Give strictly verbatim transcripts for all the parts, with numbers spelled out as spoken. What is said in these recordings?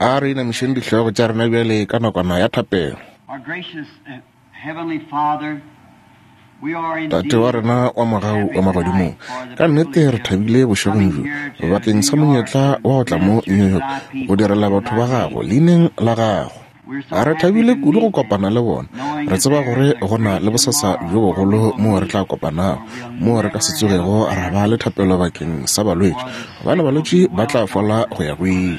A re inamišeng dihlogo tša rena bjale ka nakwana ya thapelo. Tate wa rena wa mogau wa magodimong, ka nnete re thabile bošegong bjo bakeng sa monyetla wa go tla mo New York go direla batho ba gago leineng la gago. Re thabile kudu go kopana le bona. Re tseba gore go na le bosasa bjo bogolo moo re tla kopanago, moo re ka se tsogego ra ba le thapelo bakeng sa balwetši, gobane balwetši ba tla fola go ya go ile.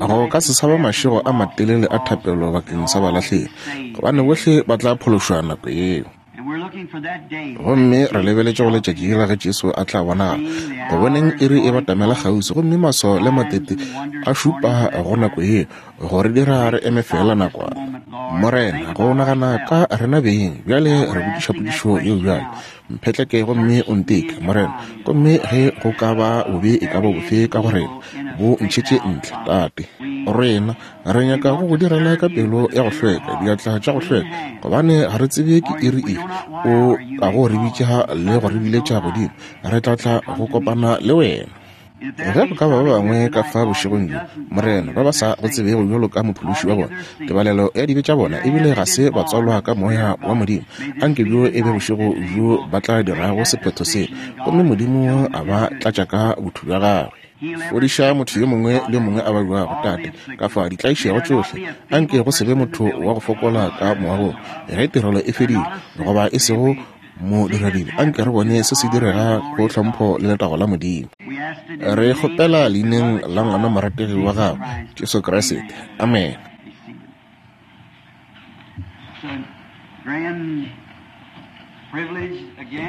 Go ka se sa ba mašego a matelele a thapelo bakeng sa balahlegi, gobane bohle ba tla phološwa nako yeo. Gomme re lebeletše go letšatši la ge Jesu a tla bonagala, go boneng iri e batamela kgauswi, gomme maswao le matete a šupa go nako yeo, go re dira re eme fela nakwana. Morena, go nagana ka rena beng bjale, re botšiša potšišo yeo bjale. Mphetleke gomme o nteke, Morena, gomme ge go ka ba bobe e ka ba bofe ka go rena, bo ntšhetše ntle, Tate. Rena re nyaka go go direla ka pelo ya go hlweka, diatla tša go hlweka, gobane ga re tsebe ke iri efe o ka go re bitša le go re biletša godimo. Re tla tla go kopana le wena. Ge go ka ba ba bangwe ka fa bošegong bjo, Morena, ba ba sa go tsebego bjalo ka mophološi wa bona, tebalelo ya dibe tša bona ebile ga se ba tswalwa ka moya wa Modimo, anke bjo e be bošego bjo ba tla dirago sephetho se, gomme Modimo a ba tlatša ka botho bja gagwe. Fodiša motho yo mongwe le yo mongwe a babjago, Tate, ka fa ditlaišego tšohle. Anke go se be motho wa go fokola ka moagong ge tirelo e fedile, goba e sego modiradibe. Anke re bone se se direga go hlompho le letago la Modimo. Re kgopela leineng la ngwana morategi wa gago, Jesu Kriste. Amen.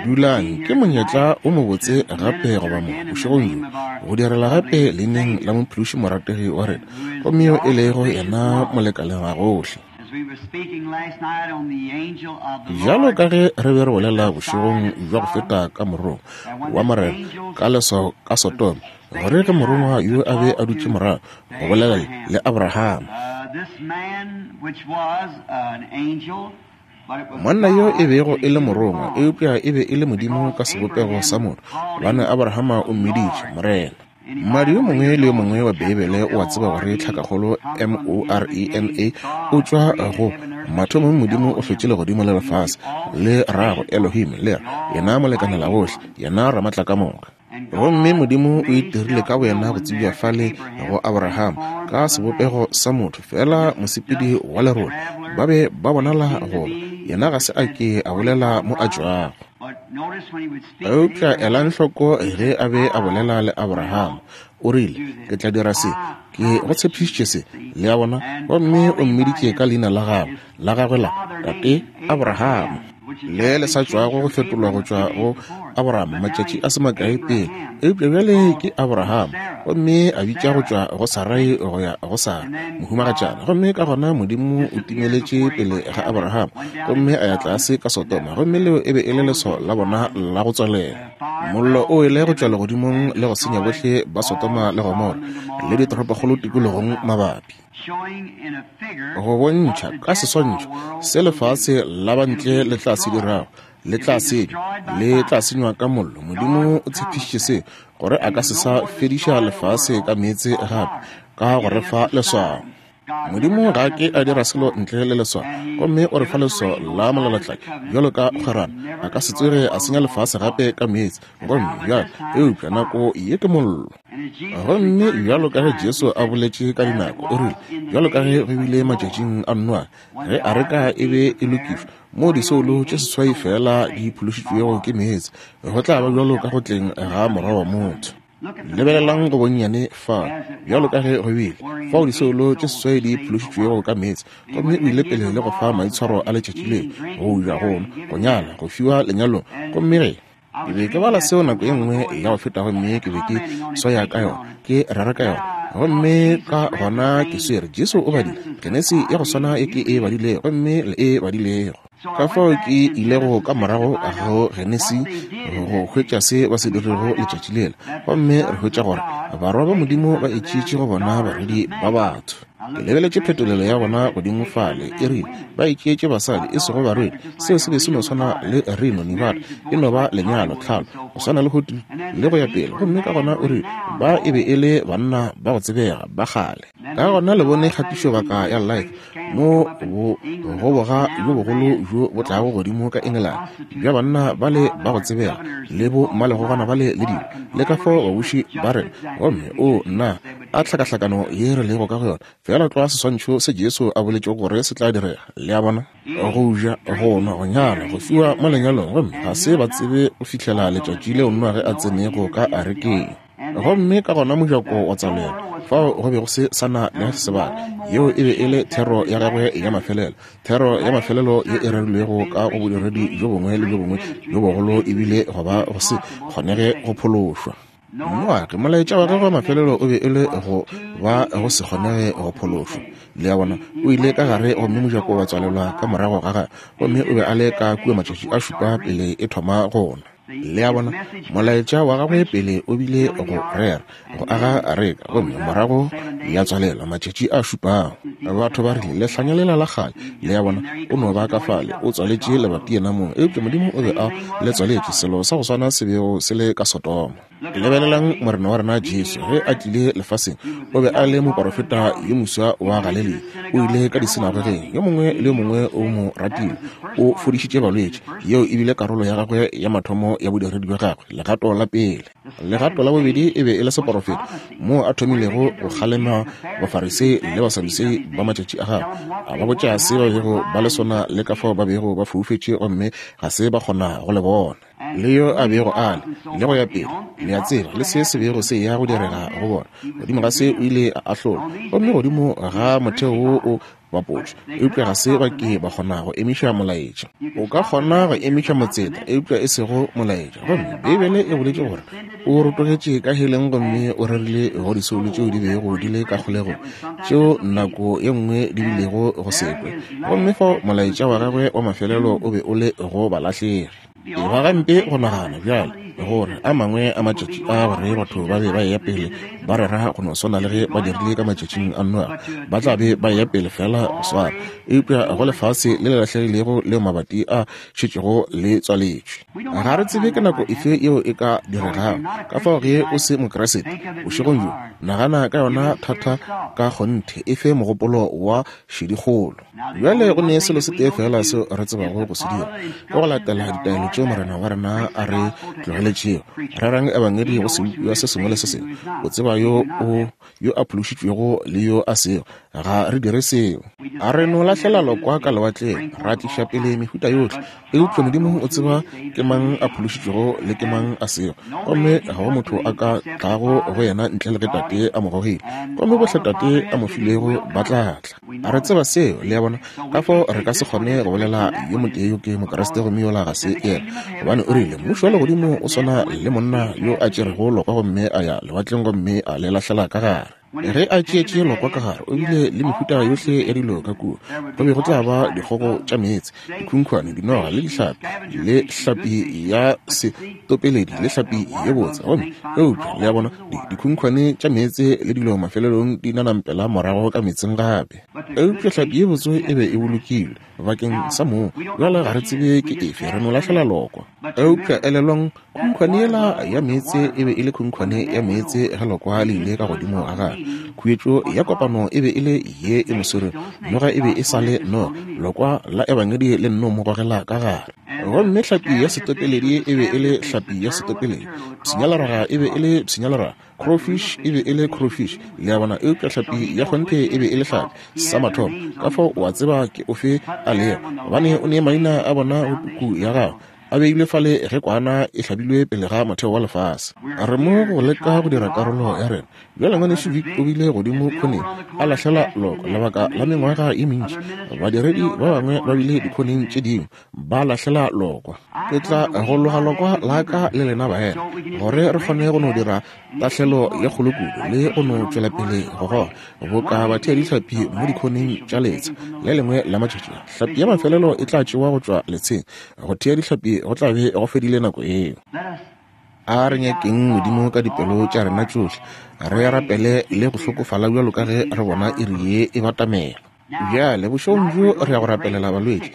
Dulang, ke monyetla o mobotse gape goba mo bošegong bjo go direla gape leineng la mophološi morategi wa rena, gomme yo e lego yena molekaleng wa gohle. Bjalo ka ge re be re bolela bošegong bja go feta ka morongwa wa Morena ka leswao ka Sodoma, gore ge morongwa yo a be a dutše morago go bolela le Abraham, monna yo e bego e le morongwa, eupša e be e le Modimo ka sebopego sa motho, gobane Abrahama o mmiditše Morena. Mmadi yo mongwe le yo mongwe wa Beibele o a tseba gore tlhakakgolo M O R E N A o tšwa go mathomong Modimo o hlotše legodimo le lefase, le rago Elohim, le re yena molekanela gohle, yena ramatlakamoka. Gomme Modimo o itirile ka boyena go tsebja fale go Abraham ka sebopego sa motho, fela mosepedi wa lerole. Ba be ba bonala goba yena ga se a ke a bolela mo a tšwago. Eupša elang hloko ge a be a bolela le Abraham, o rile, ke tla dira se, ke go tshepišitše se, le a bona, gomme o mmiditše ka leina la gagwe, la gagwe la Tate Abraham, le le sa tšwago go fetolwa go tšwa go Abraham matšatši a se makae pele, eupša bjale ke Abraham, gomme a bitša go tšwa go Sarai go ya go Sara mohumagatšana. Gomme ka gona Modimo o timeletše pele ga Abraham, gomme a ya tlase ka Sodoma, gomme leo e be e le leswao la bona la go tswalela. Mollo o ile go tšwa legodimong le go senya bohle ba Sodoma le Gomora le ditoropokgolo tikologong mabapi, go bontšha ka seswantšho se lefase la bantle le tla se dirago, le tla senywa, le tla senywa ka mollo. Modimo o tshepišitše se, gore a ka se sa fediša lefase ka meetse gape, ka go re fa leswao. Modimo ga ke a dira selo ntle le leswao, gomme o re fa leswao la molalatladi bjalo ka kgwerano. A ka se tsoge a senya lefase gape ka meetse, gomme bjale eupša nako ye ke mollo. Gomme bjalo ka ge Jesu a boletše ka dinako, o rile, bjalo ka ge go bile matšatšing a Noa, ge areka e be e lokišwa, moo disoulo tše seswai fela di phološitšwego ke meetse, go tla ba bjalo ka go tleng ga Morwa wa motho. Lebelelang go bonnyane fa, bjalo ka ge go bile fao disoulo tše seswai di phološitšwego ka meetse, gomme o ile pele le go fa maitshwaro a letšatši leo, go ja, go nwa, go nyala, go fiwa lenyalong. Gomme ge ke be ke bala seo nako e nngwe ya go feta, gomme ke be ke swaya ka yona, ke rera ka yona, gomme ka gona ke swere Jesu o badile Genesi ya go swana e ke e badilego, gomme le e badilego. Ka fao ke ilego ka morago go Genesi go hwetša se ba se dirilego letšatši lela, gomme re hwetša gore barwa ba Modimo ba itšeetše go bona barwedi ba batho. Ke lebeletše phetolelo ya bona godimo fale, e rile ba itšeetše basadi e sego barwedi. Seo se be se no swana le Reno, Nevada, e no ba lenyalo, tlhalo, go swana le Hotel le go ya pele. Gomme ka gona o rile ba e be e le banna ba go tsebega ba kgale. Ka gona le bone kgatišobaka ya Life mo bo goboga bjo bogolo bjo bo tlago godimo ka England bja banna ba le ba go tsebega le bo mmalegogwana ba le le dilo le ka fao babuši ba rena. Gomme o nna a tlhakahlakano ye re lego ka go yona, fela tlwa seswantšho se Jesu a boletšego gore se tla direga. Le a bona, go ja, go nwa, go nyala, go fiwa mo lenyalong, gomme ga se ba tsebe go fihlela letšatši leo Noage a tsenego ka arekeng. Gomme ka gona mojako wa tswalelwa, fao go be go se sa na le sebaka. Yeo e be e le thero ya gagwe ya mafelelo, thero ya mafelelo ye e rerilwego ka go bodiredi bjo bongwe le bjo bongwe bjo bogolo, ebile go ba go se kgonege go phološwa. Noage, molaetša wa gagwe wa mafelelo o be e le go ba go se kgonege go phološwa. Le a bona, o ile ka gare gomme mojako wa tswalelwa ka morago ga gagwe, gomme o be a le ka kua matšatši a šupa pele e thoma go na. Le a bona, molaetša wa gagwe pele o bile go rera, go aga areka, gomme morago ya tswalelwa matšatši a šupago. Batho ba rile lehlanya lela la kgale. Le a bona, o no ba ka fale, o tswaletše lebati yena mong, eupša Modimo o be a le tswaletše, selo sa go swana se bego se le ka Sodoma. Lebelelang Morena wa rena Jesu ge a tlile lefaseng, o be a le moporofeta yo moswa wa Galilea. O ile ka disinagogeng, yo mongwe le yo mongwe o mo ratile, o fodišitše balwetši. Yeo e bile karolo ya gagwe ya mathomo ya bodiredi bja gagwe, legato la pele. Legato la bobedi e be e le seporofeta, moo a thomilego go kgalema Bafarisei le Basadusei ba matšatši a gagwe, a ba botša se ba bego ba le sona le ka fao ba bego ba foufetše gomme ga se ba kgona go le bona, le yo a bego a le, le go ya pele. Le a tseba le se se bego se ya go direga go bona. Godimo ga se o ile a ahlolwa, gomme godimo ga motheo wo o bapotšwe, eupša ga se ba ke ba kgona go emiša molaetša. O ka kgona go emiša motseta, eupša e sego molaetša. Gomme Beibele e boletše gore o rotogetše ka heleng gomme o rerile go disoulo tšeo di bego di le ka kgolegong, tšeo nako ye nngwe di bilego go sekwe. Gomme fao molaetša wa gagwe wa mafelelo o be o le go balahlegi. E ba gampe go nagana bjale gore a mangwe a matšatši a gore batho ba be ba eya pele ba rera go no swana le ge ba dirile ka matšatšing a Noage, ba tla be ba eya pele fela go swana, eupša go lefase le le lahlegilego leo mabati a šetšego le tswaletšwe. Ga re tsebe ke nako efe yeo e ka diregago. Ka fao ge o se Mokriste bošegong bjo, nagana ka yona thata ka kgonthe, e fe mogopolo wa šedikgolo. Bjale go ne selo se tee fela seo re tsebago go se dira, ke go latela ditaelo tšeo Morena wa rena a re tlogeletšego. Rerang ebangedi go sebopiwa se sengwe le se sengwe, o tseba yo o yo a phološitšwego le yo a sego. Ga re dire seo. A re no lahlela lokwa ka lewatleng, ra tliša pele mehuta yohle, eupša Modimo o tseba ke mang a phološitšwego le ke mang a sego, gomme ga go motho a ka tlago go yena ntle le ge Tate a mo gogile, gomme bohle Tate a mo filego ba tla tla. A re tseba seo, le a bona. Ka fao re ka se kgone go bolela yo motee yo ke Mokriste gomme yola ga se yena, gobane o rile mmušo wa legodimo o swana le monna yo a tšerego lokwa gomme a ya lewatleng gomme a le lahlela ka gare. Ge a tšeetše lokwa ka gare, o bile le mehuta yohle ya dilo ka kua. Go be go tla ba dikgogo tša meetse, dikhunkhwane, dinoga le dihlapi, le hlapi ya setopeledi le hlapi ye botse. Gomme eupša le a bona, dikhunkhwane tša meetse le dilo mafelelong di nanampela morago ka meetseng gape. Eupša hlapi ye botse e be e bolokilwe bakeng sa moo. Bjale ga re tsebe ke efe, re no lahlela lokwa. Eupša elelwang, khunkhwane yela ya meetse e be e le khunkhwane ya meetse ge lokwa le ile ka godimo ga gagwe. Khuetšo ya kopano e be e le ye e mo swerego, noga e be e sa le noga, lokwa la ebangedi le nno mo gogela ka gare. Gomme hlapi ya setopeledi e be e le hlapi ya setopeledi, pshinyaleraga e be e le pshinyaleraga, crowfish e be e le crowfish. Le a bona, eupša hlapi ya kgonthe e be e le hlapi sa mathomo. Ka fao o a tseba ke ofe a lego, gobane o ne maina a bona go puku ya gago a beilwe fale ge kwana e hlabilwe pele ga motheo wa lefase. Re mo go leka go dira karolo ya rena. Bjale ngwanešu Vic o bile godimo khoneng a lahlela loko lebaka la mengwaga ye mentši. Badiredi ba bangwe ba bile dikhoneng tše dingwe ba lahlela lokwa. Ke tla go loga lokwa la ka le lena baena, gore re kgone go no dira tahlelo ye kgolo kudu le go no tšwela pele go goga boka bathea dihlapi mo dikhoneng tša letsha. Le lengwe la matšatši hlapi ya mafelelo e tla tšewa go tšwa letsheng. Go thea dihlapi go tla be go fedile nako eo. A re nyakeng Modimo ka dipelo tša rena tšohle, re rapele le go hlokofala bjalo ka ge re bona iri ye e batamela. Bjale bošegong bjo re ya go rapelela balwetši.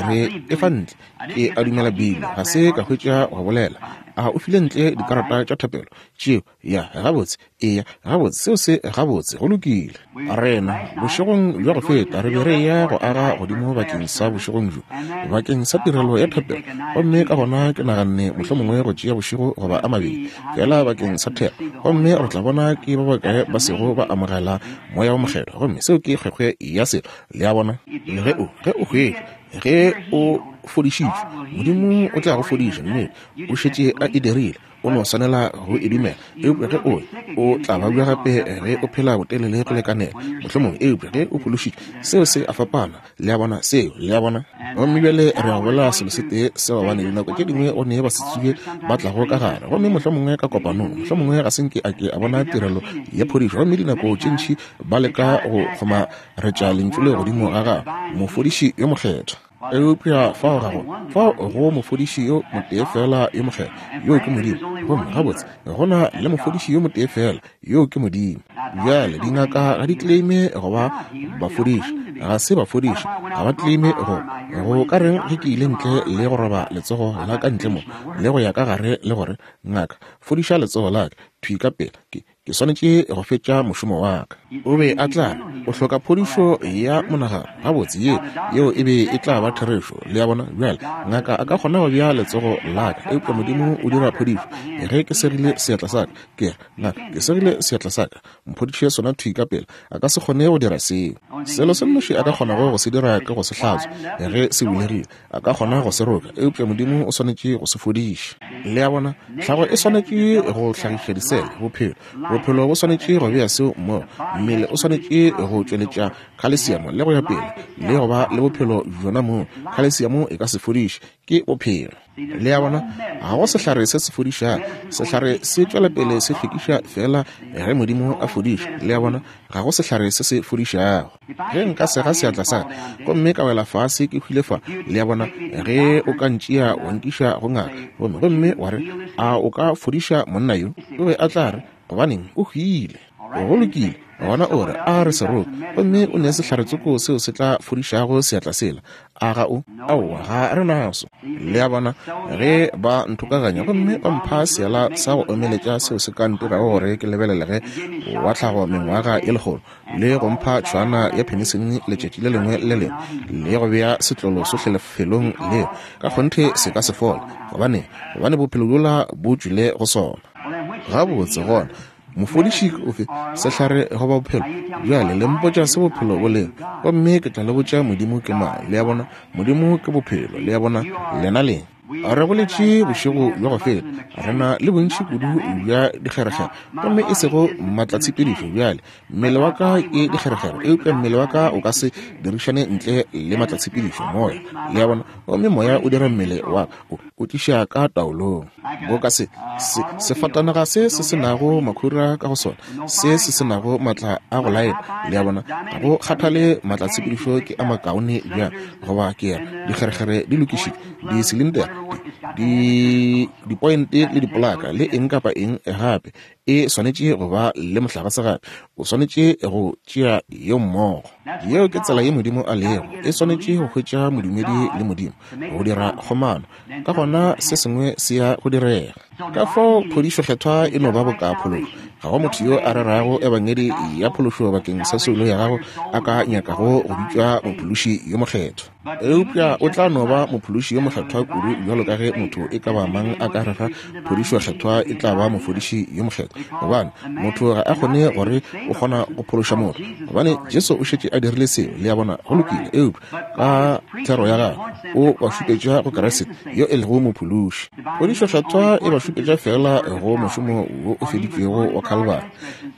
Re efa ntle, ke a dumela bile ga se ka hwetša go bolela. A o file ntle dikarata tša thapelo tšeo? Ya, gabotse, eya, gabotse, seo se gabotse, go lokile. Rena bošegong bja go feta re be re ya go aga godimo bakeng sa bošegong bjo, bakeng sa tirelo ya thapelo, gomme ka gona ke naganne mohlomongwe go tšea bošego goba a mabedi fela bakeng sa thero, gomme re tla bona ke ba bakae ba sego ba amogela Moya wo Mokgethwa. Gomme seo ke kgwekgwe ya selo, le a bona. Ge o ge o hwetša, ge o fodišitšwe, Modimo o tla go fodiša, mme o šetše a e dirile, o no swanela go e dumela. Eupša ge o o tla babja gape ge o phela botelele go lekanela, mohlomongwe, eupša ge o phološitšwe, seo se a fapana, le a bona, seo, le a bona. Gomme bjale re a bolela selo se tee se, gobane dinako tše dingwe go ne basetsebje ba tlago ka gare, gomme mohlomongwe ka kopanong, mohlomongwe ga se nke a ke a bona tirelo ya phodišo, gomme dinako tše ntši ba leka go kgomaretša lentšu le godimo ga gagwe, mofodiši yo mokgethwa. Eupša fao ga go, fao go mofodiši yo motee fela yo mokgethwa, yoo ke Modimo. Gomme gabotse go na le mofodiši yo motee fela, yoo ke Modimo. Bjale dingaka ga di claime go ba bafodiši, ga se bafodiši, ga ba claime go. Go ka reng ge ke ile ntle le go roba letsogo la ka ntle mo, le go ya ka gare le gore, ngaka, fodiša letsogo la ka, thwi ka pela, ke ke swanetše go fetša mošomo wa ka. O be a tla re, o hloka phodišo ya monagano. Gabotse, ye yeo e be e tla ba therešo, le a bona. Bjale ngaka a ka kgona go bea letsogo la ka, eupša Modimo o dira phodišo. Ge ke segile seatla sa ka, ke re, ngaka, ke segile seatla sa ka, mphodiše sona thwi ka pela. A ka se kgone go dira seo. Selo se nnoši a ka kgonago go se dira ke go se hlatswa ge se bulegile. A ka kgona go se roka, eupša Modimo o swanetše go se fodiša. Le a bona, tlhago e swanetše go hlagiša disele, bophelo. Bophelo bo swanetše go bea seo mmogo, mmele o swanetše go tšweletša khalesiamo le go ya pele, le go ba le bophelo bjona moo. Khalesiamo e ka se fodiše, ke bophelo. Le a bona, ga go sehlare se se fodišago, sehlare se tšwela pele se hlwekiša fela ge Modimo a fodiša. Le a bona, ga go sehlare se se fodišago. Ge nka sega seatla sa ka gomme ka wela fase ke hwile fa, le a bona, ge o ka ntšea wa nkiša go ngaka, gomme gomme wa re, a o ka fodiša monna yo? O be a tla re, gobaneng, o hwile. Go lokile, gona o re, a re seroka, gomme o ne sehlare-tsoko seo se tla fodišago seatla sela. A ga o? Aowa, ga re naso. Le a bona, ge ba nthokaganya gomme ba mpha seala sa go omeletša seo se ka ntirago gore ke lebelelege wa tlhago mengwaga e lekgolo, le go mpha tšhwana ya penicillin letšatši le lengwe le lengwe, le go bea setlolo sohle lefelong leo, ka kgonthe se ka se fole. Gobane, gobane bophelo bjola bo tšwile go sona. Gabotse gona, mofodiši ke ofe, sehlare goba bophelo? Bjale le mpotša se bophelo bo lego, gomme ke tla le botša Modimo ke mang. Le a bona, Modimo ke bophelo. Le a bona, lena leng. Re boletše bošego bja go feta, re na le bontši kudu bja dikgerekgere, gomme e sego maatlatshepedišo. Bjale mmele wa ka ke dikgerekgere, eupša mmele wa ka o ka se dirišane ntle le maatlatshepedišo, moya. Le a bona, gomme moya o dira mmele wa ka, o, o tliša ka taolong. Boka se, se, sefatanaga se se se nago makhura ka go sona, se se se nago maatla a go laela. Le a bona, ga go kgathale maatlatshepedišo ke a makaone bjang, goba ke re dikgerekgere di lokišitšwe, di-cylinder, di dipointe le dipolaka le eng kapa eng gape, e swanetše go ba le mohlagase gape. O swanetše go tšea yeo mmogo. Yeo ke tsela ye Modimo a lego. E swanetše go hwetša modumedi le Modimo go dira kgomano, ka gona se sengwe se ya go direga. Ka fao phodišo kgethwa e no ba boka phološo. Ga go motho yo a rerago ebangedi ya phološo bakeng sa soulo ya gago a ka nyakago go bitšwa mophološi yo mokgethwa. Eupša o tla no ba mophološi yo mokgethwa kudu bjalo ka ge motho e ka ba mang a ka rera phodišo kgethwa e tla ba mofodiši yo mokgethwa. Gobane motho ga a kgone gore o kgona go phološa motho, gobane Jesu o šetše a dirile seo. Le a bona, go lokile. Eupša ka thero ya gagwe o ba šupetša go Kriste yo e lego mophološi. Phodišo kgethwa e ba šupetša fela go mošomo wo o feditšwego wa Calvary,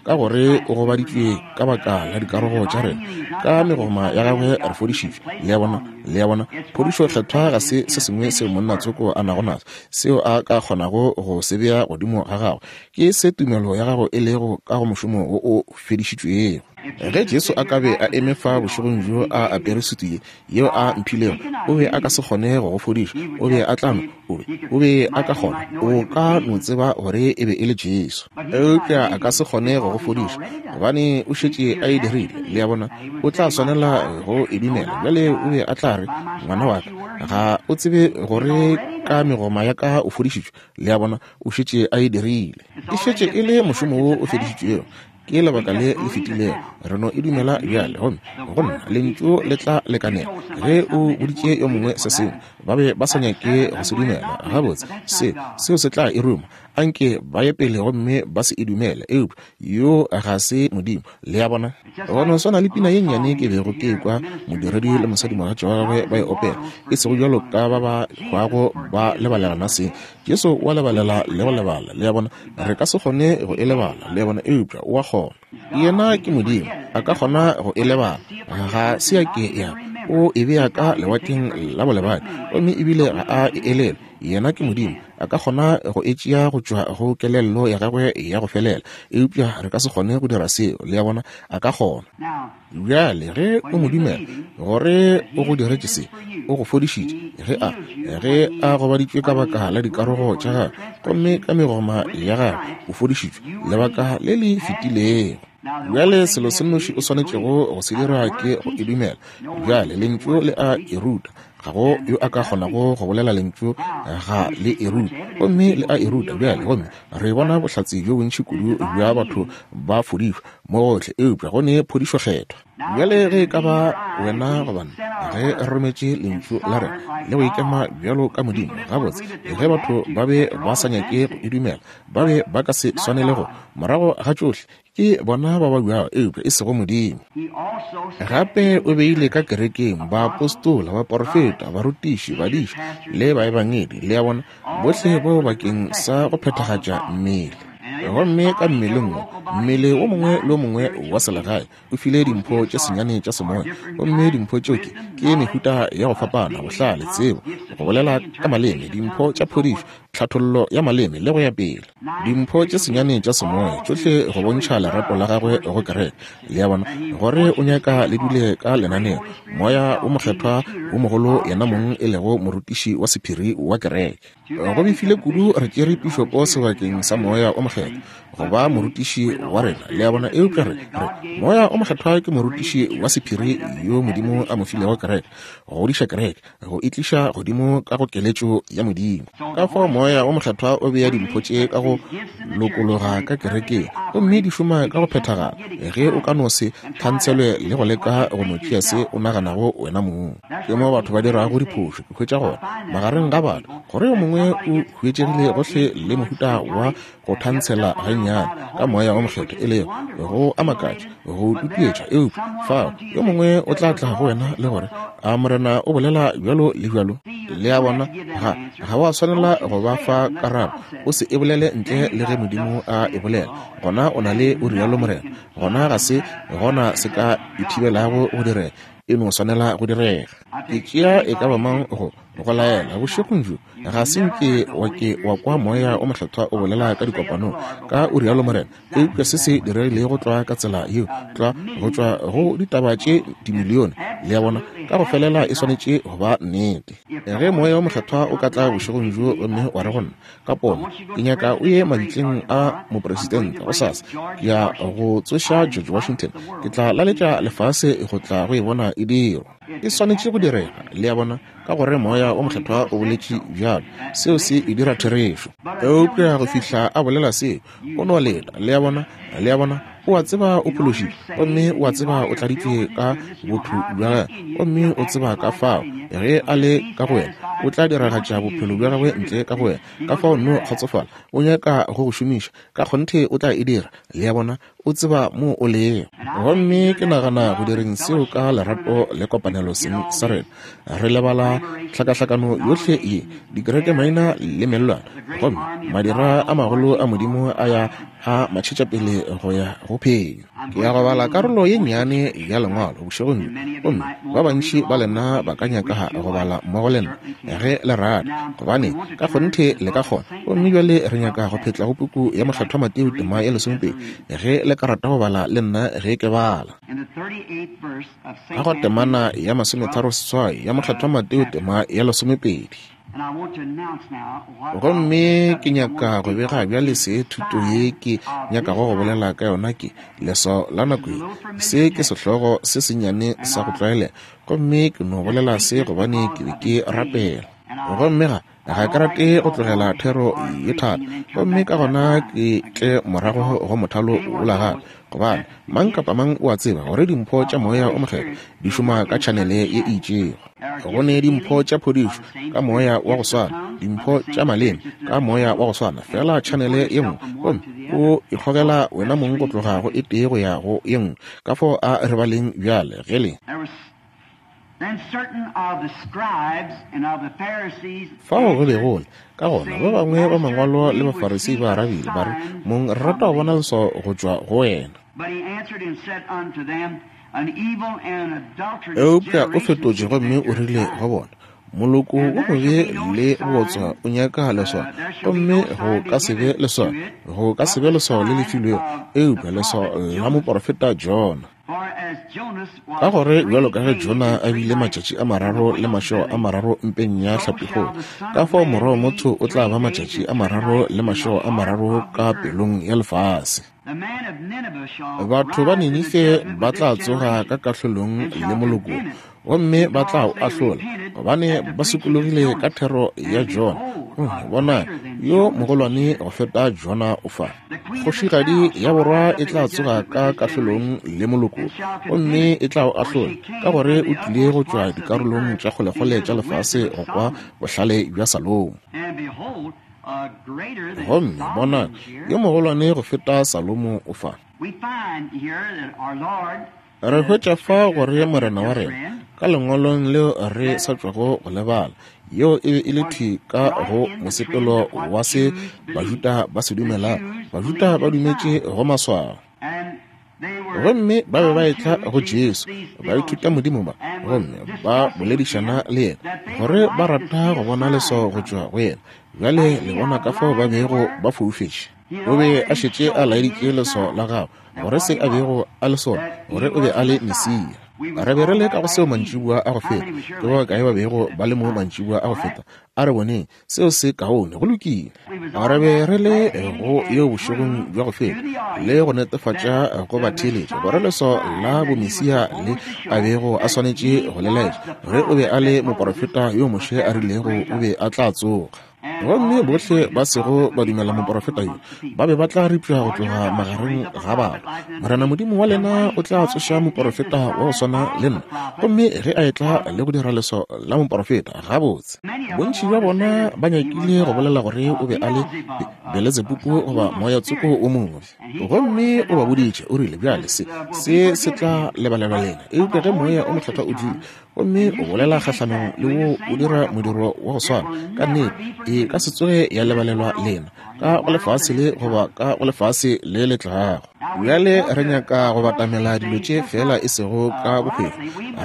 ka gore o gobaditšwe ka baka la dikarogo tša rena, ka megoma ya gagwe re fodišitšwe. Le a bona, le a bona, phodišo kgethwa ga se se sengwe seo monna tsoko a nago naso, seo a ka kgonago go se bea godimo ga gagwe. Ke se tumelo ya gago e lego ka go mošomo wo o fedišitšwego. Ge Jesu a ka be a eme fa bošegong bjo a apere sutu ye yeo a mphilego, o be a ka se kgone go go fodiša. O be a tla no, o be, o be a ka kgona, o ka no tseba gore e be e le Jesu. Eupša a ka se kgone go go fodiša, gobane o šetše a e dirile. Le a bona, o tla swanela go e dumela. Bjale o be a tla re, ngwana wa ka, ga o tsebe gore ka megoma ya ka o fodišitšwe. Le a bona, o šetše a e dirile. E šetše e le mošomo wo o fedišitšwego. Ke lebaka le le fetilego. Re no e dumela bjale, gomme go nna lentšu le tla lekanela. Ge o boditše yo mongwe se sengwe, ba be ba sa nyake go se dumela. Gabotse, se seo se tla e ruma. Anke ba ye pele gomme ba se e dumele. Eupša yo ga se Modimo. Le a bona? Go no swana le pina ye nnyane ke bego ke kwa modiredi le mosadimogatša wa gagwe ba e opela, e sego bjalo ka ba ba hwago ba lebalelana seng. Jesu o a lebalela le go lebala. Le a bona? Re ka se kgone go e lebala. Le a bona? Eupša o a kgona. Yena ke Modimo, a ka kgona go e lebala. Ga se ya ke ya o e bea ka lewatleng la bolebadi, gomme ebile ga a e elelwe. Yena ke Modimo, a ka kgona go e tšea go tšwa go kelello ya gagwe ya go felela. Eupša re ka se kgone go dira seo. Le a bona? A ka kgona. Bjale ge o mo dumela gore o go diretše se, o go fodišitše, ge a ge a gobaditšwe ka baka la dikarogo tša gagwe, gomme ka megoma ya gagwe o fodišitšwe lebaka le le fetilego. Bjale selo se nnoši o swanetšego go se dira ke go e dumela. Bjale lentšu le a e ruta. Ga go yo a ka kgonago go bolela lentšu ga le e ruta, gomme le a e ruta. Bjale gomme re bona bohlatse bjo bontši kudu bja batho ba fodišwa mo gohle, eupša go ne phodišo kgethwa. Bjale ge e ka ba wena goba nna, ge re rometše lentšu la rena le go ikema bjalo ka Modimo, gabotse, ge batho ba be ba sa nyake go e dumela, ba be ba ka se swanele go. Morago ga tšohle, ke bona ba ba buago, eupša e sego Modimo. Gape o beile ka kerekeng baapostola, baporofeta, barutiši, badiši le baebangedi. Le a bona, bohle bao bakeng sa go phethagatša mmele. Gomme ka mmeleng wo, mmele wo mongwe le wo mongwe wa selegae o file dimpho tše senyane tša semoya, gomme dimpho tšeo ke ke mehuta ya go fapana, bohlale, tsebo, go bolela ka maleme, dimpho tša phodišo, tlhathollo ya maleme le go ya pele. Dimpho tše senyane tša semoya tšohle go bontšha lerato la gagwe go kereke. Le a bona, gore o nyaka le dule ka lenaneo. Moya o mokgethwa wo mogolo, yena mong e lego morutiši wa sephiri wa kereke. Go befile kudu re tšere pišopo sebakeng sa Moya o Mokgethwa go ba morutiši wa rena. Le a bona? Eupša re re Moya o Mokgethwa ke morutiši wa sephiri yo Modimo a mo filego kereke, go godiša kereke, go e tliša godimo ka go keletšo ya Modimo. Ka fao Moya o Mokgethwa o bea dimpho tše ka go lokologa ka kerekeng, gomme di šoma ka go phethagala ge o ka no se thantshelwe le go leka go no tšea se o naganago wena mong. Ke mo batho ba dirago diphošo. Ke hwetša gore magareng ga batho gore yo mongwe o huetšegile gohle le mohuta wa go thantshela gannyane ka Moya o Mokgethwa, e lego go a makatša, go tutuetša. Eupša fao yo mongwe o tla tla go wena le gore, a Morena o bolela bjalo le bjalo. Le a bona, ga ga wa swanela go ba fa karabo. O se e bolele ntle le ge Modimo a e bolela. Gona o na le o rialo Morena. Gona ga se gona se ka e thibelago go direga, e no swanela go direga. Ke tšea e ka ba mang go go laela bošegong bjo, ga se nke wa ke wa kwa Moya o Mokgethwa o bolela ka dikopanong ka o rialo Morena. Eupša se se diregilego tlwa ka tsela yeo, tlwa go tšwa go ditaba tše dimilione. Le a bona, ka go felela e swanetše go ba nnete. Ge Moya o Mokgethwa o ka tla bošegong bjo gomme wa re go nna ka pono, ke nyaka o ye mabitleng a mopresidente gosasa, ke ya go tsoša George Washington, ke tla laletša lefase go tla go e bona e dirwa. E swanetše go direga. Le a bona, ka gore Moya o Mokgethwa o boletše bjalo, seo se e dira therešo. Eupša go fihla a bolela seo, o no leta. Le a bona? Le a bona, o a tseba o phološitšwe, gomme o a tseba o tladitšwe ka botho bja gagwe, gomme o tseba ka fao ge a le ka go wena o tla diragatša bophelo bja gagwe ntle ka go wena. Ka fao no kgotsofala, o nyaka go go šomiša ka kgonthe, o tla e dira. Le a bona, o tseba mo o lego. Gomme ke nagana go direng seo ka lerato le kopanelo seng sa rena, re lebala tlhakahlakano yohle ye, dikereke maina le mellwane, gomme madira a magolo a Modimo a ya a matšhetša pele go ya go phenyo. Ke ya go bala karolo ye nnyane ya Lengwalo bošegong bjo, gomme ba bantši ba lena ba ka nyaka go bala mmogo le nna ge le rata, gobane ka kgonthe le ka kgona. Gomme bjale re nyaka go phetla go puku ya Mokgethwa Mateo tema ya lesomepedi, ge le ka rata go bala le nna ge ke bala. Ka go temana ya masometharo seswai ya Mokgethwa Mateo tema ya lesomepedi. Gomme ke nyaka go bega bjale se thuto ye ke nyakago go bolela ka yona ke leswao la nako ye. Se ke sehlogo se sennyane sa go tlwaelega, gomme ke no bolela se gobane ke be ke rapela. Gomme ga ga ke rate go tlogela thero ye thata, gomme ka gona ke tle morago go mothalo wola gape, gobane mang kapa mang o a tseba gore dimpho tša Moya o Mokgethwa di šoma ka tšhanele ye e itšego. Go ne dimpho tša phodišo ka moya wa go swana, dimpho tša maleme ka moya wa go swana, fela tšhanele ye nngwe, gomme o ikgogela wena mong go tloga go e tee go ya go ye nngwe. Ka fao a re baleng bjale ge le fao go be go le ka gona ba bangwe ba mangwalo le bafarisi ba arabile ba re, Mong, re rata go bona leswao go tšwa go wena. Eupša o fetotše gomme o rile go bona, moloko wo mobe le bootswa o nyaka leswao, gomme go ka se be leswao, go ka se be leswao le le filwego, eupša leswao la moporofeta Jona. Ka gore bjalo ka ge Jona a bile matšatši a mararo le mašego a mararo mpeng ya hlapikgolo, ka fao Morwa wa motho o tla ba matšatši a mararo le mašego a mararo ka pelong ya lefase. Batho ba Ninife ba tla tsoga ka kahlolong le moloko, gomme ba tla o ahlola, gobane ba sokologile ka thero ya Jona. Bona, yo mogolwane go feta Jona o fa. Kgošigadi ya borwa e tla tsoga ka kahlolong le moloko, gomme e tla o ahlola, ka gore o tlile go tšwa dikarolong tša kgolekgole tša lefase go kwa bohlale bja Salomo. Gomme bona, yo mogolwane go feta Salomo o fa. Re hwetša fa gore Morena wa rena ka lengwalong leo re sa tšwago go lebala, yeo e be e le thwi ka go mosepelo wa se Bajuda ba se dumelang. Bajuda ba dumetše go maswao, gomme ba be ba etla go Jesu, ba ithuta Modimo ba, gomme ba boledišana le yena gore ba rata go bona leswao go tšwa go yena. Bjale le bona ka fao ba bego ba foufetše. O be a šetše a laeditše leswao la gagwe, gore se a bego a le sona, gore o be a le Mesia. Re be re le ka go seo mantšiboa a go feta. Ke ba kae ba bego ba le mo mantšiboa a go feta? A re boneng seo se kaone, go lokile. Re be re le go yeo bošegong bja go feta, le go netefatša go batheeletša gore leswao la bomesia le a bego a swanetše go le laetša, ge o be a le moporofeta yo Moshe a rilego o be a tla tsoga. Gomme bohle ba sego ba dumela moporofeta yo ba be ba tla ripša go tloga magareng ga batho. Morena Modimo wa lena o tla tsoša moporofeta wa go swana le nna, gomme ge a etla le go dira leswao la moporofeta, gabotse. Bontši bja bona ba nyakile go bolela gore o be a le Beletsebubu goba moya tsoko o mobe. Gomme o ba boditše, o rile, bjale se se se tla lebalelwa lena, eupša ge moya o mokgethwa o tlile gomme o bolela kgahlanong le wo o dira modiro wa go swana, ka nnete e ka se tsoge ya lebalelwa lena ka go lefase le goba ka go lefase le le tlago. Bjale re nyaka go batamela dilo tše fela e sego ka bohwefo.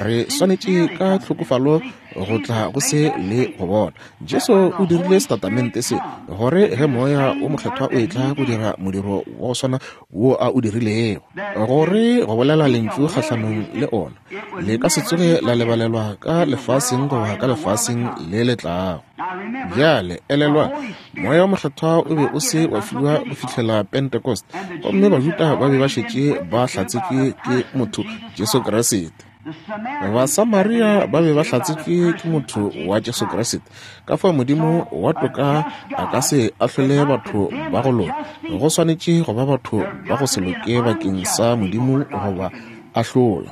Re swanetše ka tlhokofalo go tla go se le go bona. Jesu o dirile setatamente se gore ge moya o mokgethwa o etla go dira modiro wa go swana wo a o dirilego, gore go bolela lentšu kgahlanong le ona le ka se tsoge la lebalelwa ka lefaseng goba ka lefaseng le le tlago. Bjale elelwa, moya o mokgethwa o be o se wa fiwa go fihlela Pentecost, gomme Bajuda ba be ba šetše ba hlatsetšwe ke motho Jesu Kriste. Basamaria ba be ba hlatsetšwe ke motho wa Jesu Kriste. Ka fao Modimo wa toka a ka se ahlole batho ba go loka. Go swanetše go ba batho ba go se loke bakeng sa Modimo go ba ahlola.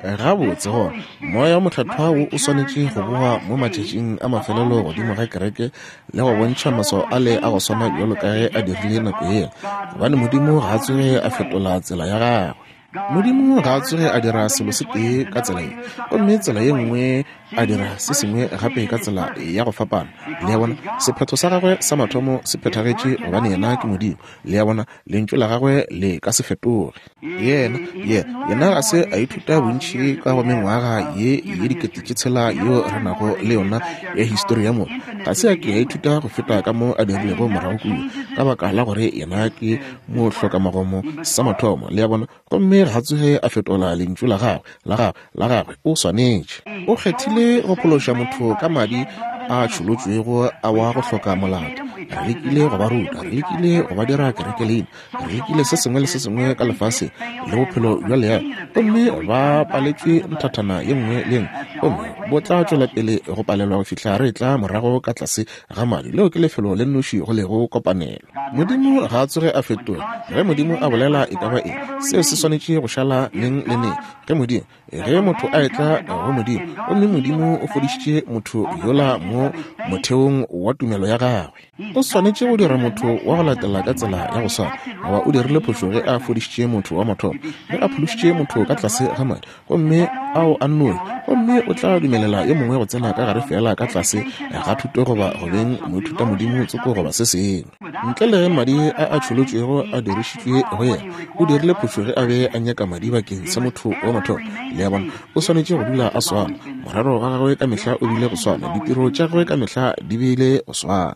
Gabotse gona, moya o mokgethwa wo o swanetše go boa mo matšatšing a mafelelo godimo ga kereke le go bontšha maswao ale a go swana bjalo ka ge a dirile nako yela, gobane Modimo ga a tsoge a fetola tsela ya gagwe. Modimo ga a tsoge a dira selo se tee ka tsela ye, gomme tsela ye nngwe a dira se sengwe gape ka tsela ya go fapana. Le a bona, sephetho sa gagwe sa mathomo se phethagetše, gobane yena ke Modimo. Le a bona, lentšu la gagwe le ka se fetoge. Yena, yena, yena ga se a ithuta bontši ka go mengwaga ye ye dikete tše tshela yeo re nago le yona ya histori ya motho. Ga se a ke a ithuta go feta ka mo a dirilego morago kua, ka baka la gore yena ke mohlokamagomo sa mathomo. Le a bona, gomme ga tsoge a fetola lentšu la gagwe, la gagwe, la gagwe. O swanetše. O kgethile go phološa motho ka madi a tšholotšwego a wa go hloka molato. Re lekile go ba ruta, re lekile go ba dira kerekeleina, re lekile se sengwe le se sengwe ka lefase le bophelo bja leago, gomme ba paletšwe nthathana ye nngwe le nngwe, gomme bo tla tšwela pele go palelwa go fihla re tla morago ka tlase ga madi. Leo ke lefelo le nnoši go lego kopanelo. Modimo ga a tsoge a fetoga. Ge Modimo a bolela e ka ba eng, seo se swanetše go šala neng le neng. Ge Modimo, ge motho a etla go Modimo, gomme Modimo o fodišitše motho yola mo motheong wa tumelo ya gagwe, o swanetše go dira motho wa go latela ka tsela ya go swana. Goba o dirile phošo ge a fodišitše motho wa mathomo, ge a phološitše motho ka tlase ga madi, gomme ao a nnoe, gomme o tla dumelela yo mongwe go tsena ka gare fela ka tlase ga thuto goba go beng moithutamodimo tsoko goba se sengwe, ntle le ge madi a a tšholotšwego a dirišitšwe go yena. O dirile phošo ge a be a nyaka madi bakeng sa motho wa mathomo. Le a bona, o swanetše go dula a swana. Morero wa gagwe ka mehla o bile go swana, ditiro tša gagwe ka mehla di bile go swana.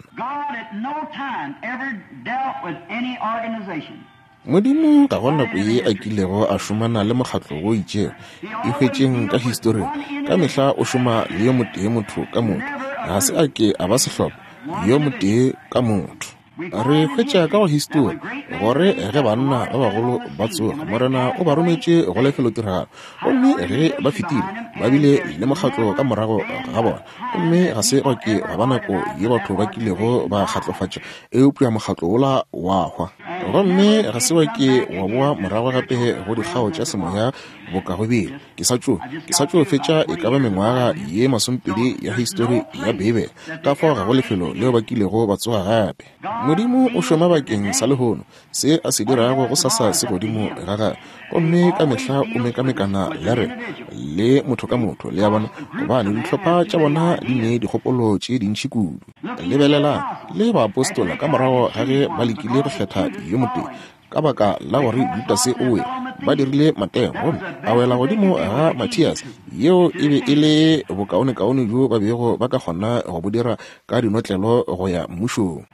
Modimo ga go nako ye a kilego a šomana le mokgatlo wo itšego. E hwetšeng ka historing, ka mehla o šoma le yo motee motho ka motho. Ga se a ke a ba sehlopha, yo motee ka motho. Re hwetša ka go histori gore ge banna ba bagolo ba tsoga, Morena o ba rometše go lefelotiragalo, gomme ge ba fetile ba bile le mokgatlo ka morago ga bona, gomme ga se gwa ke gwa ba nako ye batho ba kilego ba kgatlofatša, eupša mokgatlo wola wa hwa, gomme ga se wa ke wa boa morago gape go dikgao tša semoya boka go bile. Ke sa tšo ke sa tšo fetša e ka ba mengwaga ye masomepedi ya histori ya Beibele, ka fao ga go lefelo leo ba kilego ba tsoga gape. Modimo o šoma bakeng sa lehono, se a se dirago go sasa se godimo ga gagwe, gomme ka mehla o mekamekana le rena le motho ka motho. Le a bona, gobane dihlopha tša bona di ne dikgopolo tše dintši kudu. Lebelelang le baapostola ka morago ga ge ba lekile go kgetha yo motee, ka baka la gore Judase o wele, ba dirile mateo, gomme a wela godimo ga Mathias. Yeo e be e le bokaonekaone bjo ba bego ba ka kgona go bo dira ka dinotlelo go ya mmušong.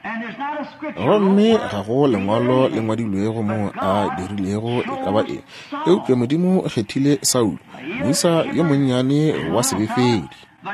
Gomme ga go lengwalo le ngwadilwego mo a dirilego e ka ba eng, eupša Modimo o kgethile Saulo, moisa yo monnyane wa sebefedi.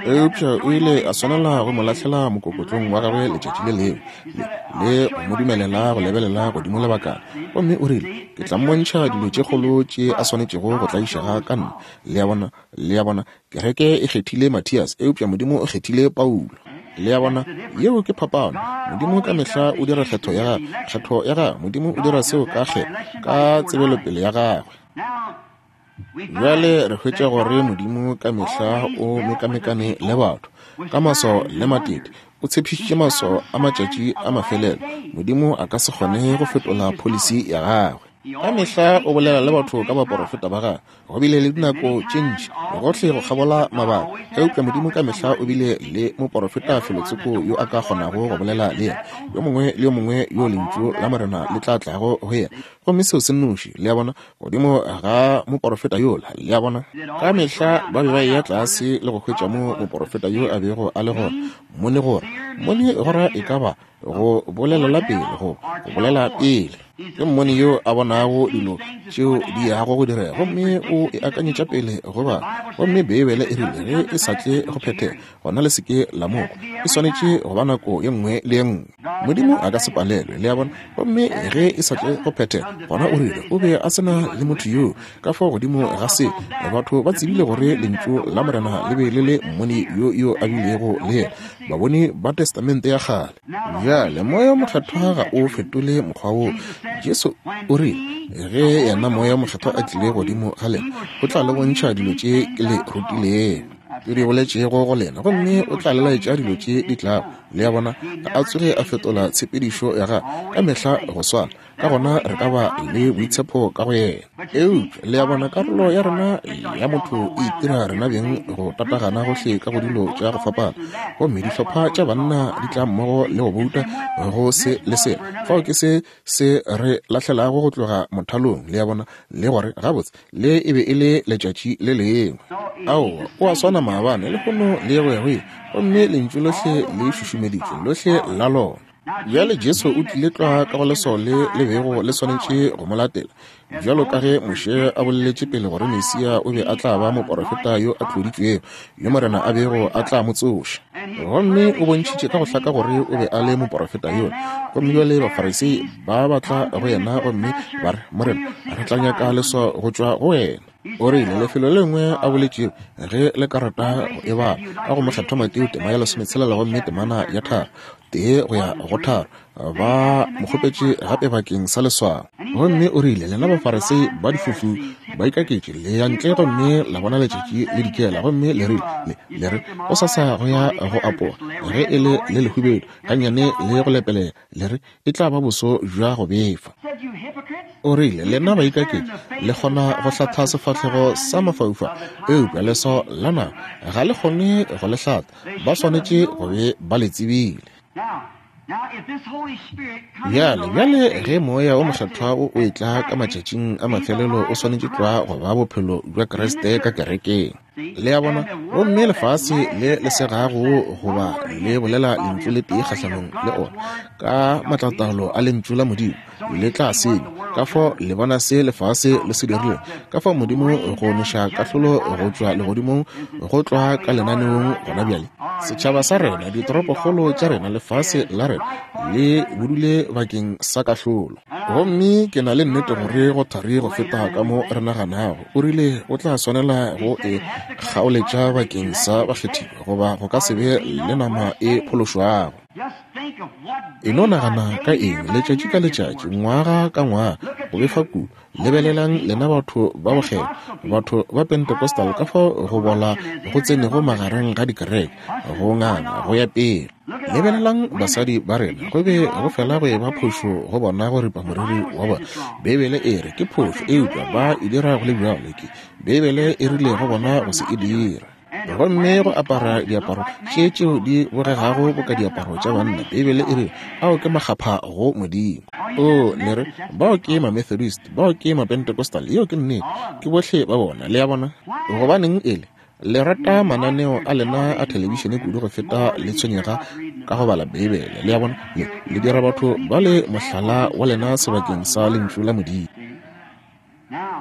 Eupša o ile a swanela go mo lahlela mokokotlong wa gagwe letšatši le lengwe le, le go mo dumelela go lebelela godimo lebakana, gomme o rile, ke tla mmontšha dilo tše kgolo tše a swanetšego go tlaišega ka nna. Le a bona, le a bona, kereke e kgethile Mathias, eupša Modimo o kgethile Paulo. Le a bona, yeo ke phapano. Modimo ka mehla o dira kgetho ya gagwe, kgetho ya gagwe. Modimo o dira seo ka kgetho, ka tsebelopele ya gagwe. Bjale re hwetša gore Modimo ka mehla o mekamekane le batho ka maswao le matete. O tshepišitše maswao a matšatši a mafelelo. Modimo a ka se kgone go fetola policy ya gagwe. Ka mehla o bolela le batho ka baporofeta ba gagwe. Go bile le dinako tše ntši gohle go kgabola mabaka, eupša Modimo ka mehla o bile le moporofeta felotsoko yo a ka kgonago go bolela le yena, yo mongwe le yo mongwe yo lentšu la Morena le tla tlago go yena, gomme seo se nnoši. Le a bona, godimo ga moporofeta yola. Le a bona, ka mehla ba be ba eya tlase le go hwetša mo moporofeta yo a bego a le gona. Mone gora, mone gora e ka ba go bolelela pele, go go bolela pele. Ke mmone yo a bonago dilo tšeo di yago go direga, gomme o e akanyetša pele go ba. Gomme Beibele e rile ge e sa tle go phethega, gona le seke la mokwa. E swanetše go ba nako ye nngwe le ye nngwe. Modimo a ka se palelwe, le a bona. Gomme ge e sa tle go phethega, gona o rile o be a sena le motho yoo. Ka fao godimo ga se, batho ba tsebile gore lentšu la Morena le be le le mmone yo yo a bilego le yena, baboni ba Testamente ya kgale. Bjale Moya Mokgethwa ga o fetole mokgwa wo. Jesu o rile ge yena Moya Mokgethwa a tlile godimo ga lena, o tla le bontšha dilo tše ke le rutilego, ke di boletšego go lena, gomme o tla le laetša dilo tše di tlago. Le a bona, ga a tsoge a fetola tshepedišo ya gagwe, ka mehla go swana. Ka gona re ka ba le boitshepo ka go yena. Eupša le a bona, karolo ya rena ya motho e itira rena beng go tatagana gohle ka go dilo tša go fapana, gomme dihlopha tša banna di tla mmogo le go bouta go se le sela. Fao ke se se re lahlelago go tloga mothalong, le a bona, le gore gabotse le e be e le letšatši le lengwe. Aowa, o a swana maabane, lehono le go ya go ile, gomme lentšu lohle le šušumeditšwe, lohle la lona. Bjale Jesu o tlile tlwa ka go leswao le le bego le swanetše go mo latela, bjalo ka ge Moshe a boleletše pele gore Mesia o be a tla ba moporofeta yo a tloditšwego, yo Morena a bego a tla mo tsoša. Gomme o bontšhitše ka go hlaka gore o be a le moporofeta yola. Gomme bjale Bafarisei ba batla go yena gomme ba re, Morena, re tla nyaka leswao go tšwa go wena. O rile lefelo le lengwe a boletšego ge le ka rata go e bala ka go Mokgethwa Mateo tema ya lesometshelela gomme temana ya tharo tee go ya go tharo, ba mo kgopetše gape bakeng sa leswao. Gomme o rile, lena Bafarisei ba difofu ba ikaketše, le ya ntle gomme la bona letšatši le dikela, gomme le rile, le, le re go sasa go ya go apoga, ge e le le lehubedu gannyane le go lepelela, le re e tla ba boso bja go befa. O rile, lena baikaketši le kgona go hlatha sefahlego sa mafaufau, eupša leswao la naga ga le kgone go le hlatha. Ba swanetše go be ba le tsebile. Bjale, bjale ge moya o mokgethwa o o etla ka matšatšing a mafelelo, o swanetše tlwa go ba bophelo bja Kriste ka kerekeng. Le a bona? Gomme lefase le le segago goba le bolela lentšu le tee kgahlanong le ona ka matlataolo a lentšu la Modimo, le tla senywa. Ka fao le bona se lefase le se dirilego, ka fao Modimo go neša kahlolo go tšwa legodimong go tlwa ka lenaneong gona bjale. Setšhaba sa rena, ditoropokgolo tša rena, lefase la rena le budule bakeng sa kahlolo. Gomme ke na le nnete gore go thari go feta ka mo re naganago. O rile o tla swanela go e kgaoletša bakeng sa bakgethiwa, goba go ka se be le nama e phološwago. E no nagana ka eng, letšatši ka letšatši, ngwaga ka ngwaga, go befa kudu. Lebelelang lena batho ba bokgethwa, batho ba Pentecostal, ka fao go bola go tsenego magareng ga dikereke, go nganga go ya pele. Lebelelang basadi ba rena, go be go fela go eba phošo go bona go ripa moriri wa bona. Beibele e re ke phošo, eupša ba e dira go le bjalo. Ke Beibele e rile go bona go se e dira. Gomme go apara diaparo tše tšeo di bogegago boka diaparo tša banna, Beibele e re ao ke makgapha go Modimo. O le re bao ke ma-Methodist, bao ke ma-Pentecostal, yeo ke nnete, ke bohle ba bona. Le a bona? Gobaneng ele le rata mananeo a lena a thelebišene kudu go feta le tshwenyega ka go bala Beibele? Le a bona? Le, le dira batho ba le mohlala wa lena sebakeng sa lentšu la Modimo.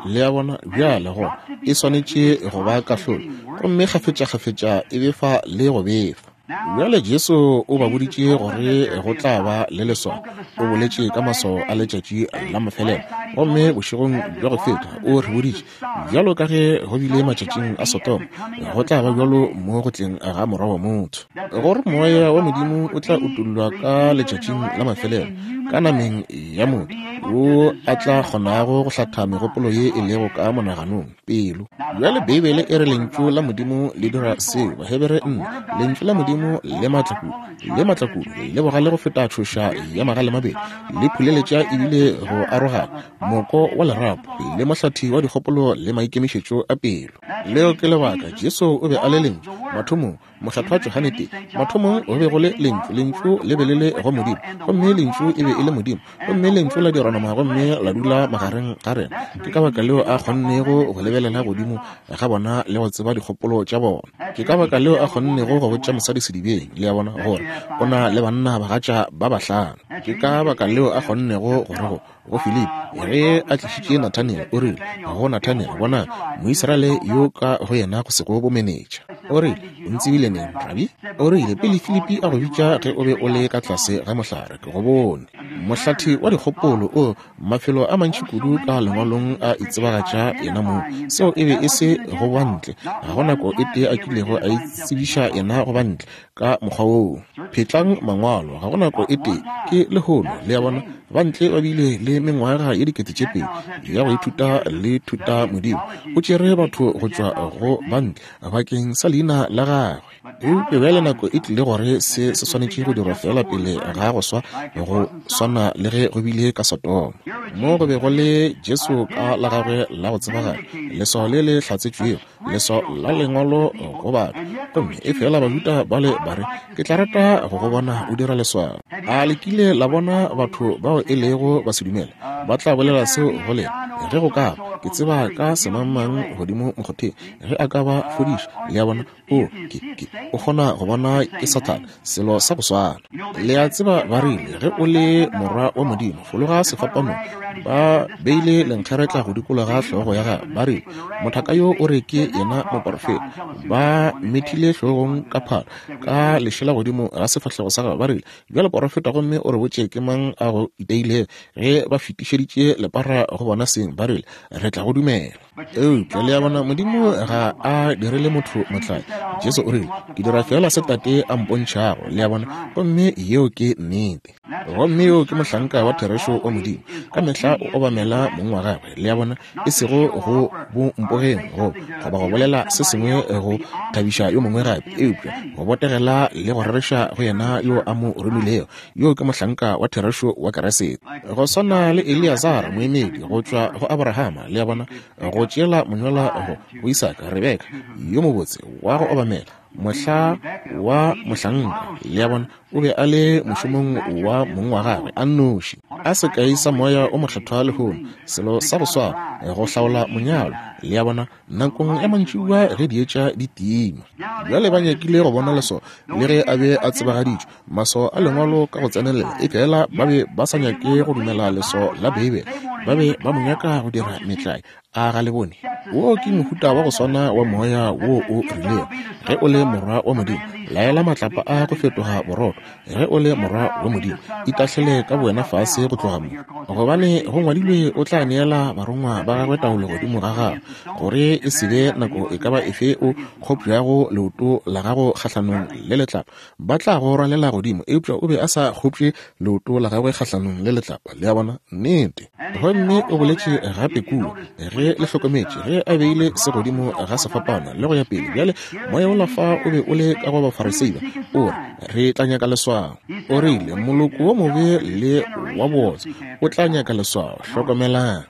Le a bona? Bjale go e swanetše go ba kahlolo, gomme kgafetša-kgafetša e befa le go befa. Bjale Jesu o ba boditše gore go tla ba le leswao. O boletše ka maswao a letšatši la mafelelo, gomme bošegong bja go feta o re boditše, bjalo ka ge go bile matšatšing a Sodoma, go tla ba bjalo mo go tleng ga Morwa wa motho, gore moya wa Modimo o tla utollwa ka letšatšing la mafelelo ka nameng ya motho, wo a tla kgonago go hlatha megopolo ye e lego ka monaganong pelo. Bjale Beibele e re lentšu la Modimo le dira seo. Bahebere nne, lentšu la Modimo le matla kudu, le matla kudu, le bogale go feta tšhoša ya magale mabedi, le phuleletša ebile go arogana moko wa lerapo, le mohlathi wa dikgopolo le maikemišetšo a pelo. Leo ke lebaka Jesu o be a le lentšu mathomong. Mokgethwa Johane tee, mathomong go be go le lentšu, lentšu le be le le go Modimo, gomme lentšu e be e le Modimo, gomme lentšu la dirwa nama gomme la dula magareng ga rena. Ke ka baka leo a kgonnego go lebelela godimo ga bona le go tseba dikgopolo tša bona. Ke ka baka leo a kgonnego go botša mosadi sedibeng, le a bona, gore o na le banna bagatša ba bahlano. Ke ka baka leo a kgonnego gore go go Filipi ge a tlišitše Nathaniel, o rile go Nathaniel, bona Moisraele yo ka go yena go sego bomenetša. O rile, o ntsebile neng, Rabi? O rile, pele Filipi a go bitša ge o be o le ka tlase ga mohlare, ke go bone. Mohlathi wa dikgopolo o mafelo a mantši kudu ka lengwalong a itsebagatša yena mong. Seo e be e se go ba ntle, ga go nako e tee a kilego a itsebiša yena go ba ntle ka mokgwa woo. Phetlang mangwalo, ga go nako e tee, ke lehono. Le a bona? Ba ntle ba bile le mengwaga ye dikete tše pedi ya go ithuta le thuta Modimo. O tšere batho go tšwa go ba ntle bakeng sa leina la gagwe. Eupša bjale nako e tlile gore se se swanetše go dirwa feela pele ga go swa, go swana le ge go bile ka Sodoma. Mo go be go le Jesu ka la gagwe la go tsebagala, leswao le le hlatsetšwego, leswao la lengwalo go batho. Gomme efela Bajuda bale ba re, ke tla rata go go bona o dira leswao. A le kile la bona batho bao e lego basedumele ba tla bolela seo go lena? Ge go ka ba, ke tseba ka semangmang godimo mokgotheng, ge a ka ba fodiša, le a bona, o, ke, ke, o kgona go bona ke Sathane, selo sa go swana. Le a tseba ba rile, ge o le morwa wa Modimo, fologa sefapanong. Ba beile lenkgeretla go dikologa hlogo ya gagwe, ba rile, mothaka yo o re ke yena moporofeta. Ba methile hlogong ka phalo, ka lešela godimo ga sefahlego sa gagwe, ba rile, bjale porofeta gomme o re botše ke mang a go iteilego. Ge ba fetišeditše lepara go bona seng, ba rile, re tla go dumela. Eupša le a bona, Modimo ga a direle motho motlwae. Jesu o rile, ke dira feela se Tate a mpontšhago, le a bona, gomme yeo ke nnete. Gomme yo ke mohlanka wa therešo wa Modimo, ka mehla o obamela mong wa gagwe, le a bona, e sego go bo mpogeng go goba go bolela se sengwe go thabiša yo mongwe gape, eupša go botegela le go rereša go yena yo a mo romilego. Yo ke mohlanka wa therešo wa Keresete. Go swana le Eleazar moemedi go tšwa go Abrahama, le a bona, go tšeela monyola go go Isaka, Rebeka yo mobotse wa go obamela, mohla wa mohlanka, le a bona, o be a le mošomong wa mong wa gagwe a nnoši. A sekai sa moya o mokgethwa lehono, selo sa go swana, go hlaola monyalo, le a bona, nakong ya mantšiboa ge dietša di tima. Bjale ba nyakile go bona leswao, le ge a be a tsebagaditšwe, maswao a lengwalo ka go tsenelela, efela ba be ba sa nyake go dumela leswao la Beibele, ba be ba mo nyaka go dira metlae. A ga le bone? Wo ke mohuta wa go swana wa moya wo o rilego, ge o le morwa wa Modimo, laela matlapa a go fetoga borotho. Ge o le morwa wa Modimo, itahlele ka bowena fase go tloga mo, gobane go ngwadilwe, o tla neela barongwa ba gagwe taolo godimo ga gago, gore e se be nako e ka ba efe o kgopšago leoto la gago kgahlanong le letlapa, ba tla go rwalela godimo. Eupša o be a sa kgopše leoto la gagwe kgahlanong le letlapa, le a bona, nnete. Gomme o boletše gape kua, ge le hlokometše, ge a beile se godimo ga sefapano le go ya pele. Bjale moya ola fa o be o le ka go Bafarisei ba, o re, re tla nyaka leswao. O rile, moloko wo mobe le wa botse o tla nyaka leswao. Hlokomelang.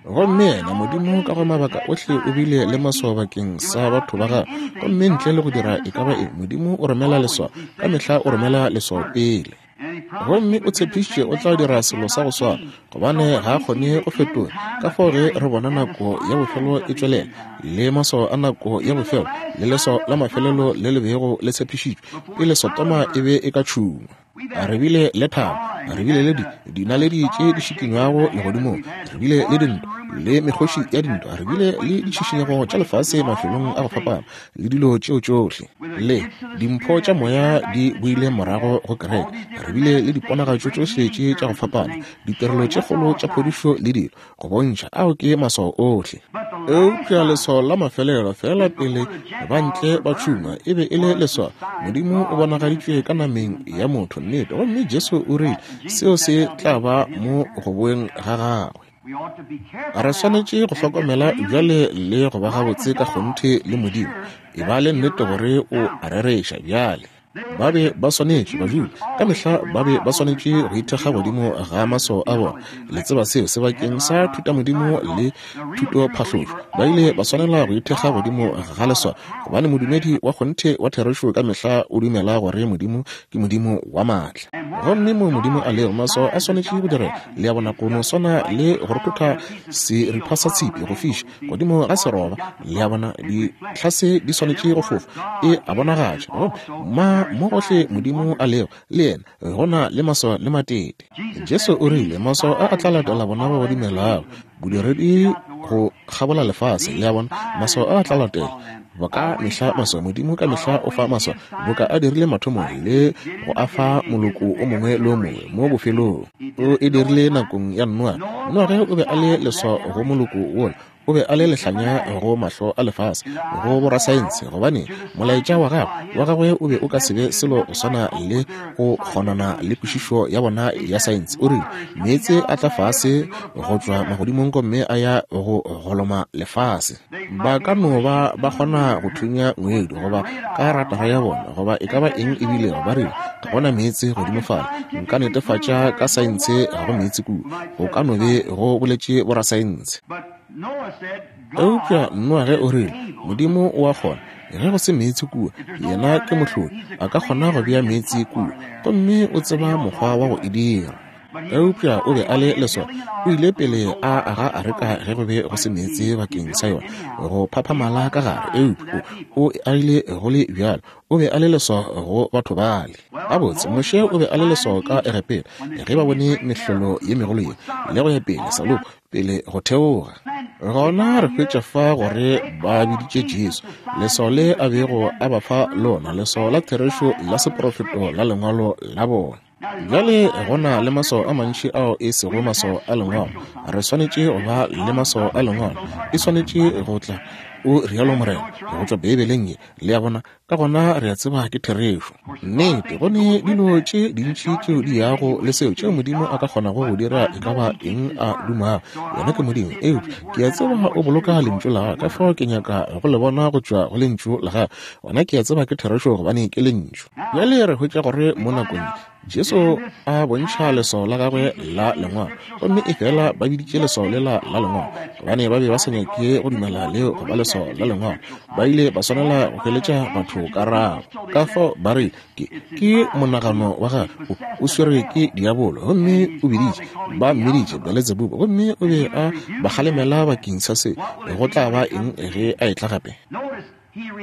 Gomme yena Modimo ka go mabaka ohle o bile le maswao bakeng sa batho ba gagwe, gomme ntle le go dira e ka ba eng, Modimo o romela leswao, ka mehla o romela leswao pele. Gomme o tshepišitše o tla dira selo sa go swana, gobane ga a kgone go fetola. Ka fao ge re bona nako ya bofelo e tšwelela, le maswao a nako ya bofelo, le leswao la mafelelo le le bego le tshepišitšwe pele Sodoma e be e ka tšhungwa. Re bile le thabo, re bile le dinaledi tše di šikinywago legodimong, re bile le dintwa le mekgoši ya dintwa, re bile le ditšhišinyego tša lefase mafelong a go fapana, le dilo tšeo tšohle, le dimpho tša moya di boile morago go kereke. Re bile le diponagatšo tšohle tše tša go fapana, ditirelo tše kgolo tša phodišo le dilo go bontšha ao ke maswao ohle. Eupša leswao la mafelelo feela pele ba ntle ba tšhungwa e be e le leswao, Modimo o bonagaditšwe ka nameng ya motho, nnete. Gomme Jesu o rile seo se tla ba mo go boeng ga gagwe. Re swanetše go hlokomela bjale le go ba gabotse ka kgonthe le Modimo, e ba le nnete gore o a rereša. Bjale ba be ba swanetše, Bajuda ka mehla ba be ba swanetše go ithekga godimo ga maswao a bona. Le tseba seo sebakeng sa thutamodimo le thutophahlošo, ba ile ba swanela go ithekga godimo ga leswao, gobane modumedi wa kgonthe wa therešo ka mehla o dumela gore Modimo ke Modimo wa maatla. Gomme mo Modimo a lego, maswao a swanetše go direga, le a bona, go no swana le go rothotha seripa sa tshipi go fiša godimo ga seroba, le a bona, ditlhase di swanetše go fofa, e a bonagatša. Ma mo gohle Modimo a lego, le yena go na le maswao le matete. Jesu o rile maswao a a tla latela bona ba ba dumelago, bodiredi go kgabola lefase, le a bona, maswao a a tla latela boka mehla maswao. Modimo ka mehla o fa maswao, boka a dirile mathomong le go a fa moloko o mongwe le o mongwe mo bofelong. O e dirile nakong ya Noa. Noage o be a le leswao go moloko wola. O be a le lehlanya go mahlo a lefase, go borasaense, gobane molaetša wa gagwe wa gagwe o be o ka se be selo go swana le go kgonana le kwešišo ya bona ya saense. O rile meetse a tla fase go tšwa magodimong gomme a ya go goloma lefase. Ba ka no ba ba kgona go thunya ngwedi goba ka ratara ya bona goba e ka ba eng e bilego. Ba rile ga gona meetse godimo fale, nka netefatša ka saense ga go meetse kua. Go ka no be go boletše borasaense. Eupša Noage o rile Modimo o a kgona, ge go se meetse kua, yena ke mohlodi, a ka kgona go bea meetse kua, gomme o tseba mokgwa wa go e dira. Eupša o be a le leswao. O ile pele a aga areka ge go be go se meetse bakeng sa yona go phaphamala ka gare, eupša o agile go le bjalo. O be a le leswao go batho bale. Gabotse, Moshe o be a le leswao ka Egepeta ge ba bone mehlolo ye megolo ye le go ya pele, saloko pele go theoga. Gona re hwetša fa gore ba biditše Jesu leswao le a bego a ba fa lona, leswao la therešo la seprofeto la lengwalo la bona. Bjale go na le maswao a mantši ao e sego maswao a lengwalo. Re swanetše go ba le maswao a lengwalo. E swanetše go tla, o rialo Morena, go tšwa Beibeleng ye. Le a bona? Ka gona re a tseba ke therešo. Nnete, go ne dilo tše dintši tšeo di yago le seo tšeo Modimo a ka kgonago go dira e ka ba eng a dumago. Yena ke Modimo, eupša ke a tseba o boloka lentšu la gagwe, ka fao ke nyaka go le bona go tšwa go lentšu la gagwe. Gona ke a tseba ke therešo gobane ke lentšu. Bjale re hwetša gore mo nakong Jesu a bontšha leswao la gagwe la lengwalo, gomme efela ba biditše leswao lela la lengwalo gobane ba be ba sa nyake go dumela leo go ba leswao la lengwalo. Ba ile ba swanela go hweletša batho karabo. Ka fao ba re ke ke monagano wa gagwe o swerwe ke diabolo, gomme o biditše, ba mmiditše Beletsebubu, gomme o be a ba kgalemela bakeng sa se. Go tla ba eng ge a etla gape?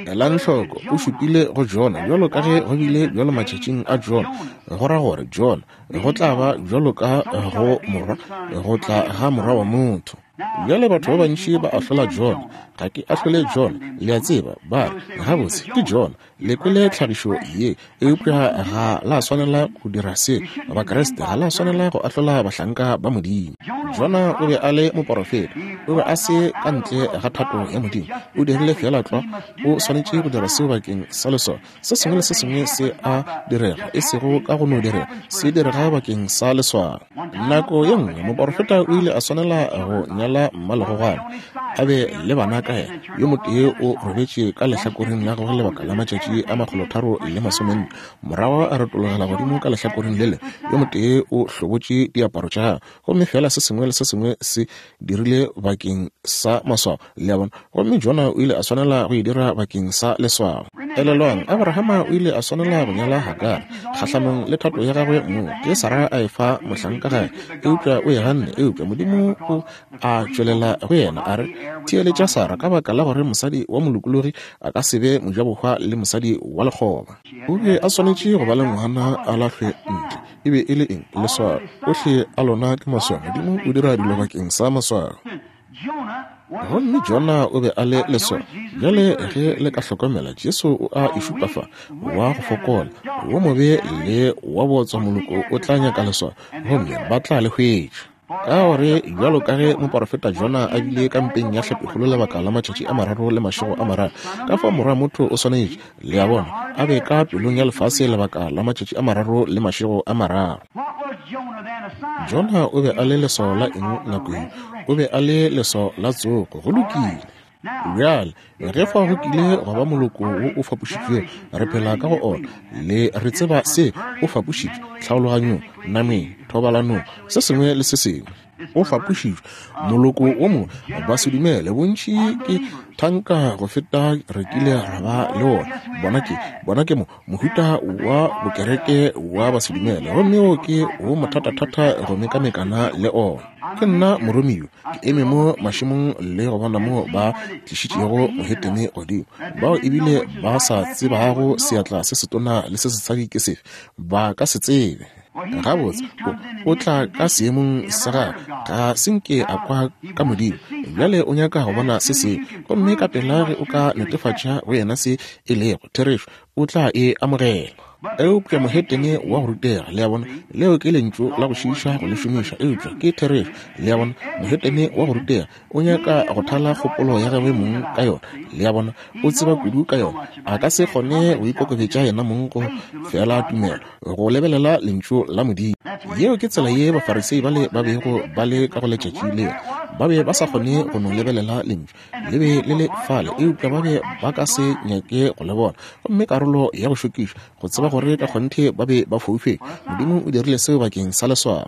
Elang hloko, o šupile go Jona bjalo ka ge go bile bjalo matšatšing a Jona. Go ra gore Jona go tla ba bjalo ka go morwa, go tla ga morwa wa motho. Bjale batho ba bantši ba ahlola Jona. Ga ke ahlole Jona, le a tseba, ba re gabotse ke Jona. Le kwele tlhagišo ye, eupša ga la swanela go dira se. Bakreste ga la swanela go ahlola bahlanka ba Modimo. Jona o be a le moporofeta, o be a se ka ntle ga thato ya Modimo. O dirile fela tlwa, o swanetše go dira seo bakeng sa leswao. Se sengwe le se sengwe se a direga, e sego ka go no direga, se direga bakeng sa leswao. Nako ye nngwe moporofeta o ile a swanela go nyala mmalegogwana, a be le bana ka yena. Yo motee o robetše ka lehlakoreng la gagwe lebaka la matšatši a makgolotharo le masomenne, morago a retologela godimo ka lehlakoreng lele. Yo motee o hlobotše diaparo tša gagwe, gomme fela se sengwe le se sengwe se dirile bakeng sa maswao. Le a bona? Gomme Jona o ile a swanela go e dira bakeng sa leswao. Elelwang, Abrahama o ile a swanela go nyala Hagara kgahlanong le thato ya gagwe mong. Ke Sara a e fa mohlanka gae, eupša o e ganne. Eupša Modimo o a tšwelela go yena a re, theeletša Sara, ka baka la gore mosadi wa molokologi a ka se be mojabohwa le mosadi wa lekgoba. O be a swanetše go ba le ngwana a lahlwe ntle. E be e le eng? Leswao. Ohle a lona ke maswao. Modimo o dira dilo bakeng sa maswao. Gomme Jona o be a le leswao. Bjale ge le ka hlokomela, Jesu o a e šupa fa, wa go fokola, wo mobe le wa botswa moloko o tla nyaka leswao, gomme ba tla le hwetša. Ka gore bjalo ka ge moporofeta Jona a bile ka mpeng ya hlapikgolo lebaka la matšatši a mararo le mašego a mararo, ka fao morwa motho o swanetše, le a bona, a be ka pelong ya lefase lebaka la matšatši a mararo le mašego a mararo. Jona o be a le leswao la eng nako ye? O be a le leswao la tsogo. Go lokile. Bjale ge fa go kile gwa ba moloko wo o fapošitšwego, re phela ka go ona, le re tseba se o fapošitšwe tlhaologanyong, nameng, thobalanong, se sengwe le se sengwe. O fapošitšwe moloko wo mongwe, ba se dumele. Bontši ke thanka go feta re kile ra ba le ona. Bona ke bona ke mo mohuta wa bokereke wa ba se dumele, gomme o ke wo mothatathata go mekamekana le ona. Ke nna moromiwa, ke eme mo mašemong le go bona mo ba tlišitšego mohetene godimo, bao ebile ba sa tsebago seatla se setona le se setshadi ke sefe, ba ka se tsebe. Gabotse o tla ka seemong sa gagwe, ga se nke a kwa ka Modimo. Bjale o nyaka go bona se sengwe, gomme ka pela ge o ka netefatša go yena se e lego therešo, o tla e amogela. Eupša mohetene wa go rutega, le a bona, leo ke lentšu la go šiiša go le šomiša, eupša ke therešo, le a bona, mohetene wa go rutega o nyaka go thala kgopolo ya gagwe mong ka yona, le a bona, o tseba kudu ka yona, a ka se kgone go ikokobetša yena mong go fela tumelo, go lebelela lentšu la Modimo. Yeo ke tsela ye Bafarisei bale ba bego ba le ka go letšatši leo. Ba be ba sa kgone go no lebelela lentšu, le be le le fale, eupša ba be ba ka se nyake go le bona. Gomme karolo ya go šokiša, go tseba gore ka kgonthe ba be ba foufetše. Modimo o dirile seo bakeng sa leswao.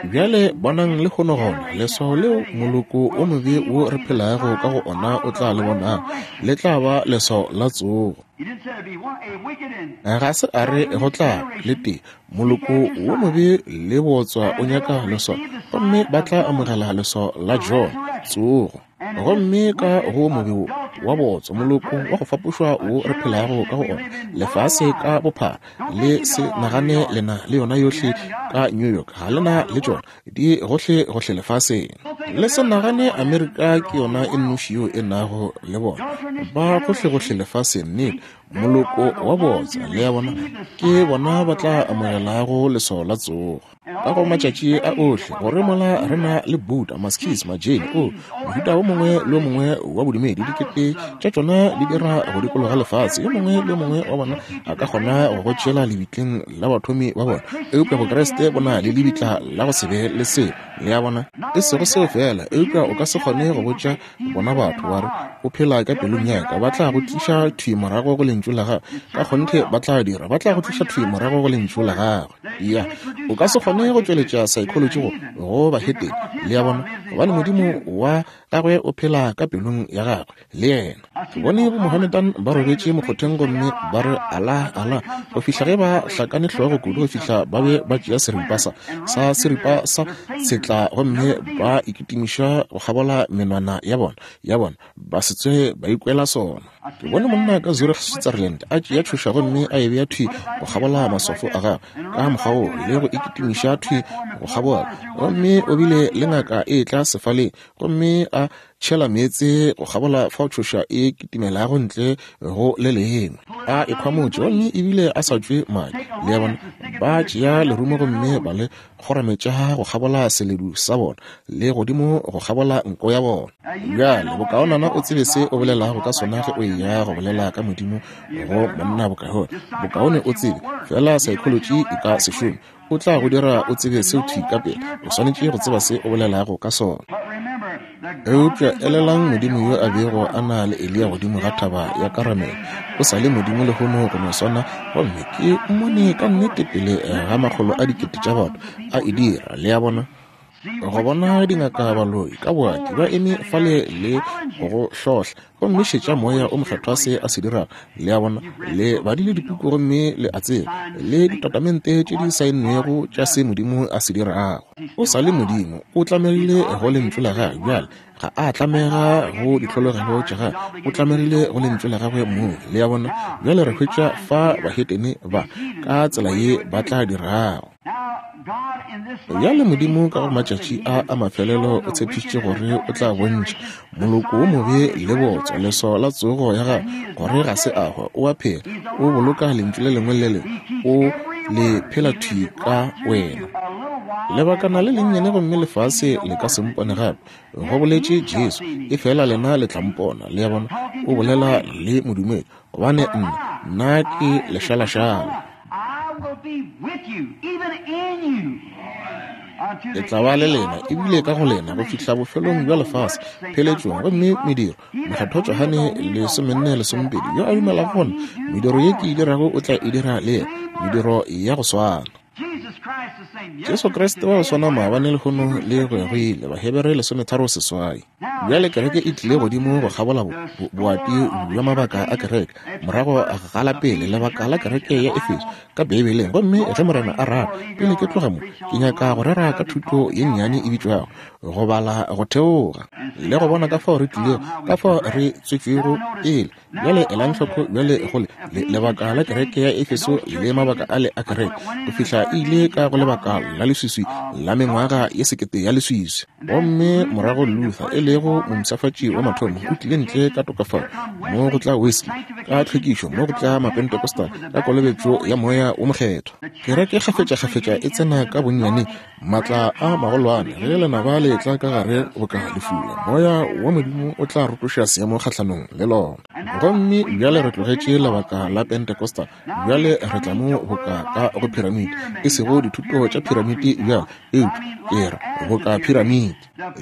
Bjale bonang le kgono gona, leswao leo moloko o mobe wo re phelago ka go ona o tla le bonang, le tla ba leswao la tsogo. Ga se a re go tla le tee, moloko wo mobe le botswa o nyaka leswao, gomme ba tla amogela leswao la Jona, tsogo. Gomme ka go mobe wo wa botswa, moloko wa go fapošwa wo re phelago ka go ona, lefase ka bophara, le se nagane lena le yona yohle ka New York, ga lena le tšona, di gohle gohle lefaseng. Le se nagane Amerika ke yona e nnoši yeo e nago le bona, ba gohle gohle lefaseng, nnete, moloko wa botswa, le a bona, ke bona ba tla amogelago leswao la tsogo. Ka go matšatši a ohle, gore mola re na le Buddha, Maskis, Majain, o mohuta o mongwe le o mongwe wa bodumedi, dikete tša tšona di dira go dikologa lefase, yo mongwe le yo mongwe wa bona a ka kgona go go tšeela lebitleng la bathomi ba bona, eupša Bokreste bo na le lebitla la go se be le selo, le a bona. E sego seo fela, eupša o ka se kgone go botša bona batho wa re o phela ka pelong ya ka, ba tla go tliša thwi morago go lentšu la gagwe, ka kgonthe ba tla dira, ba tla go tliša thwi morago go lentšu la gagwe. Ya, o ka se kgone go tšweletša psychology go go bahetene, le a bona, gobane Modimo wa gagwe o phela ka pelong ya gagwe le yena. Ke bone bo Mohammedan ba robetše mokgotheng gomme ba re Allah, Allah, go fihla ge ba hlakane hlogo kudu go fihla ba be ba tšea seripa sa sa seripa sa setla gomme ba ikitimiša go kgabola menwana ya bona ya bona, ba se tsoge ba ikwela sona. Ke bone monna ka Zurich, Switzerland, a tšea tšhoša gomme a e bea thwi go kgabola maswafo a gagwe ka mokgwa wo, le go ikitimiša thwi go kgabola, gomme o bile le ngaka e tla sefaleng gomme a tšhela meetse go kgabola fao tšhoša e kitimelago ntle go le lengwe, a e khwamotše gomme ebile a sa tšwe madi, le a bona, ba tšea lerumo gomme ba le kgorametša go kgabola seledu sa bona le godimo go kgabola nko ya bona. Bjale bokaonana o tsebe se o bolelago ka sona ge o eya go bolela ka Modimo go monna bokaone, bokaone o tsebe fela psychology e ka se šome, o tla go dira o tsebe seo thwi ka pele, o swanetše go tseba se o bolelago ka sona. Eupša elelang Modimo yo a bego a na le Eliya godimo ga thaba ya Karamele, o sa le Modimo lehono go no swana, gomme ke mmone ka nnete pele ga makgolo a dikete tša batho a e dira, le a bona. Go bona dingaka baloi ka boati ba eme fale le go hlohla, gomme šetša moya o mokgethwa se a se dirago, le a bona, le badile dipuku gomme le a tseba, le ditatamente tše di saennwego tša se Modimo a se dirago. O sa le Modimo, o tlamegile go lentšu la gagwe, bjale ga a tlamega go ditlhologelo tša gagwe, o tlamegile go lentšu la gagwe mong, le a bona. Bjale re hwetša fa bahetene ba ka tsela ye ba tla dirago. Bjale Modimo ka go matšatši a a mafelelo o tshepišitše gore o tla bontšha moloko wo mobe le botswa leswao la tsogo ya gagwe, gore ga se a hwa, o a phela, o boloka lentšu le lengwe le lengwe, o le phela thwi ka wena. Lebakana le lennyane gomme lefase le ka se mpone gape, go boletše Jesu, efela lena le tla mpona, le a bona, o bolela le modumedi, gobane nna, nna ke lešalašala. Le tla ba le lena ebile ka go lena go fihla bofelong bja lefase, pheletšong. Gomme mediro, mokgethwa Johane lesomenne lesomepedi, yo a dumelago gona mediro ye ke e dirago o tla e dira le yena, mediro ya go swana. Jesu Kriste wa go swana maabane lehono le go ya go ile, Bahebere lesometharo seswai. Bjale kereke e tlile godimo go kgabola boati bja mabaka a kereke, morago ga la pele lebaka la kereke ya Efeso ka Beibeleng. Gomme ge Morena a rata, pele ke tloga mo, ke nyaka go rera ka thuto ye nnyane e bitšwago go bala go theoga, le go bona ka fao re tlilego, ka fao re tswetšwego pele. Bjale elang hloko bjale go le lebaka la kereke ya Efeso le mabaka ale a kereke, go fihla e ile ka go lebaka la leswiswi la mengwaga ye sekete ya leswiswi. Gomme morago Luther, e lego go mompshafatši wa mathomo, o tlile ntle ka tokafalo, mo go tla Wesley ka tlhwekišo, mo go tla Mapentecostal ka kolobetšo ya Moya wo Mokgethwa. Kereke kgafetšakgafetša e tsena ka bonnyane maatla a magolwane ge lenaba le tla ka gare boka lefula, Moya wa Modimo o tla rotoša seemo kgahlanong le lona. Gomme bjale re tlogetše lebaka la Pentecostal, bjale re tla mo boka ka go piramidi, e sego dithuto tša piramidi bjale, eupša ke re boka piramidi.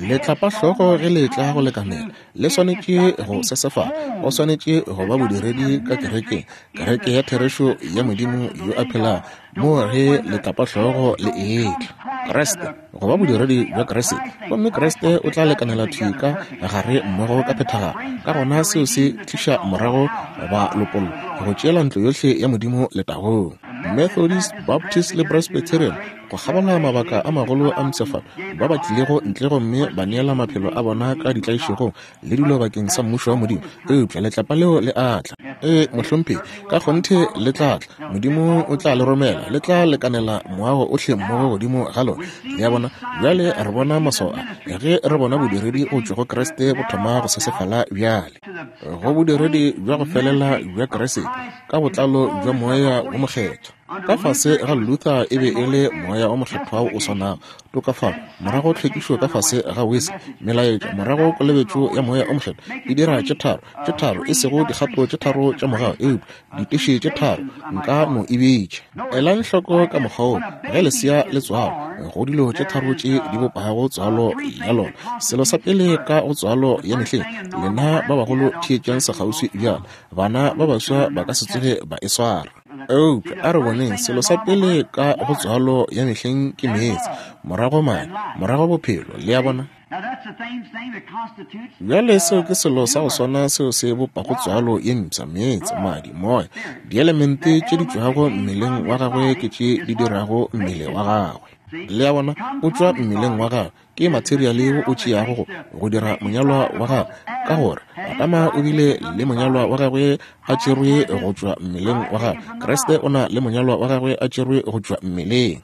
Letlapahlogo ge le tla go lekanela, le swanetše go sesefala, go swanetše go ba bodiredi ka kerekeng, kereke ya therešo ya Modimo yo a phelago, mo ge letlapahlogo le etla. Kriste, go ba bodiredi bja Kriste, gomme Kriste o tla lekanela thwi ka gare mmogo ka phethagalo. Ka gona seo se tliša morago ba lopollo, go tšeela ntlo yohle ya Modimo letagong. Methodist, Baptist le Presbyterian, go kgabola mabaka a magolo a mpshafalo, ba ba tlilego ntle gomme ba neela maphelo a bona ka ditlaišegong le dilo bakeng sa mmušo wa Modimo, eupša letlapa leo le a tla. Ee, mohlomphegi, ka kgonthe le tla tla. Modimo o tla le romela, le tla lekanela moago ohle mmogo godimo ga lona. Le a bona? Bjale re bona maswao a, ge re bona bodiredi go tšwa go Kriste bo thoma go sesefala bjale, go bodiredi bja go felela bja Kriste ka botlalo bja Moya wo Mokgethwa. Ka fase ga Luther e be e le Moya o Mokgethwa o swanago, tokafalo, morago tlhwekišo ka fase ga Wesley, melaetša, morago kolobetšo ya Moya o Mokgethwa. E dira tše tharo, tše tharo, e sego dikgato tše tharo tša mogau, eupša diteše tše tharo, nka no e bitša. Elang hloko ka mokgwa wo, ge lesea le tswalwa, go dilo tše tharo tše di bopago tswalo ya lona. Selo sa pele ka go tswalo ya mehleng, lena ba bagolo theetšang sekgauswi bjalo, bana ba baswa ba ka se tsoge ba e swara. Eupša a re boneng, selo sa pele ka go tswalo ya mehleng ke meetse, morago madi, morago bophelo. Le a bona? Bjale seo ke selo sa go swana seo se bopago tswalo ye mpsha, meetse, madi, moya. Dielemente tše di tšwago mmeleng wa gagwe ke tše di dirago mmele wa gagwe. Le a bona? O tšwa mmeleng wa gagwe, ke materiale wo o tšeago go go dira monyalwa wa gagwe, ka gore Adama o bile le monyalwa wa gagwe a tšerwe go tšwa mmeleng wa gagwe. Kriste o na le monyalwa wa gagwe a tšerwe go tšwa mmeleng.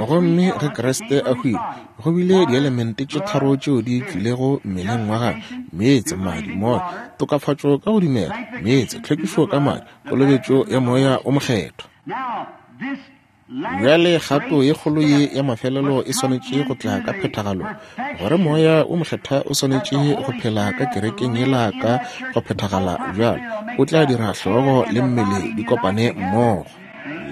Gomme ge Kriste a hwile, go bile dielemente tše tharo tšeo di tšwilego mmeleng wa gagwe: meetse, madi, moya. Tokafatšo ka go dumela, meetse, tlhwekišo ka madi, kolobetšo ya Moya o Mokgethwa. Bjale kgato ye kgolo ye ya mafelelo e swanetše go tla ka phethagalong, gore Moya o Mokgethwa o swanetše go phela ka kerekeng yela ka go phethagala bjalo, o tla dira hlogo le mmele di kopane mmogo.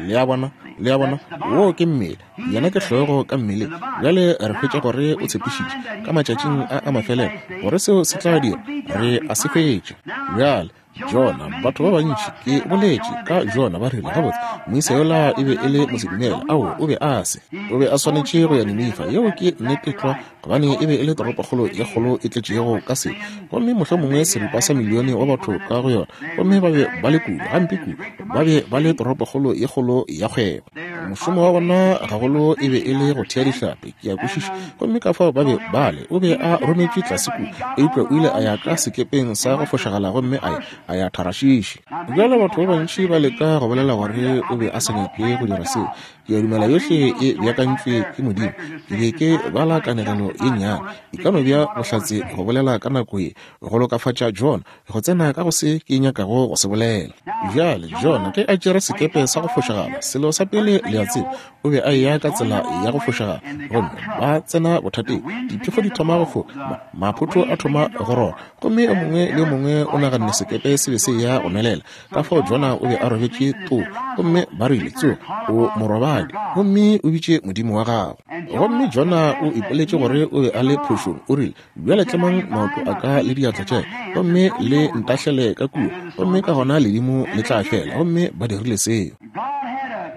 Le a bona? Le a bona? Woo ke mmele, yena ke hlogo ka mmeleng. Bjale re hwetša gore o tshepišitše ka matšatšing a a mafelelo gore seo se tla dira, re a se hwetša. Bjale Jona, batho ba bantši ke boletše ka Jona, ba rile, gabotse, moisa yola e be e le mosedumele. Ao, o be a se. O be a swanetše go ya Ninifa. Yeo ke nnete tlwa, gobane e be e le toropokgolo ye kgolo e tletšego ka sebe, gomme mohlomongwe seripa sa milione wa batho ka go yona, gomme ba be ba le kudu, gampe kudu, ba be ba le toropokgolo ye kgolo ya kgwebo. Mošomo wa bona gagolo e be e le go thea dihlapi, ke a kwešiša, gomme ka fao ba be ba le. O be a rometšwe tlase kua, eupša o ile a ya ka sekepeng sa go fošagala gomme a ya a ya Tarashishi. Bjale batho ba bantši ba leka go bolela gore o be a sa nyake go dira seo. Ke a dumela yohle e beakantšwe ke Modimo. Ke be ke bala kanegelo ye nnyane, e ka no bja bohlatse go bolela ka nako ye, go lokafatša Jona go tsena ka go se ke nyakago go se bolela. Bjale Jona ge a tšere sekepe sa go fošagala, selo sa pele le a tseba, o be a eya ka tsela ya go fošagala, gomme ba tsena bothateng. Diphefo di thoma go foka, maphotho a thoma go rora, gomme yo mongwe le yo mongwe o naganne sekepe se be se ya go nwelela. Ka fao Jona o be a robetše too, gomme ba rile, tsoga, o morobadi, gomme o bitše Modimo wa gago. Gomme Jona o ipoletše gore o be a le phošong. O rile, bjale tlemang maoto a ka le diatla tša ka, gomme le ntahlele ka kua, gomme ka gona ledimo le tla fela. Gomme ba dirile seo.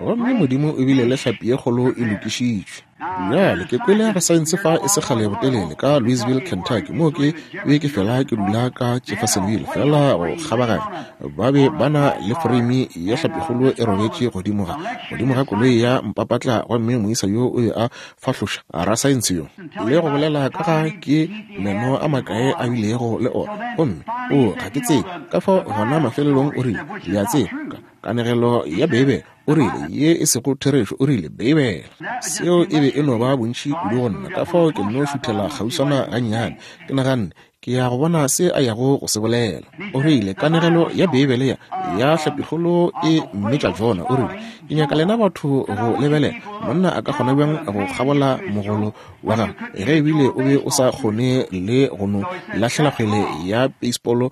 Gomme Modimo o bile le hlapi ye kgolo e lokišitšwe. Bjale ke kwele ga saense fa e se kgale botelele ka Louisville, Kentucky, moo ke be ke fela ke dula ka Jeffersonville, fela go kgabaganya. Ba be ba na le foreimi ya hlapikgolo e robetše godimo ga godimo ga koloi ya mpapatla, gomme moisa yo o be a fahloša rasaense yo le go bolela ka ga ke meno a makae a bilego le ona, gomme o ga ke tsebe. Ka fao gona mafelelong o rile, le a tseba, kanegelo ya Beibele, o rile, ye e sego therešo, o rile, Beibele. Seo e be e no ba bontši kudu go nna, ka fao ke nno šuthela kgauswana gannyane. Ke naganne ke ya go bona se a yago go se bolela. O rile kanegelo ya Beibele ya ya hlapikgolo e mmetša Jona. O rile ke nyaka lena batho go lebelela monna a ka kgona bjang go kgabola mogolo wa gagwe ge ebile o be o sa kgone le go no lahlela kgwele ya baseball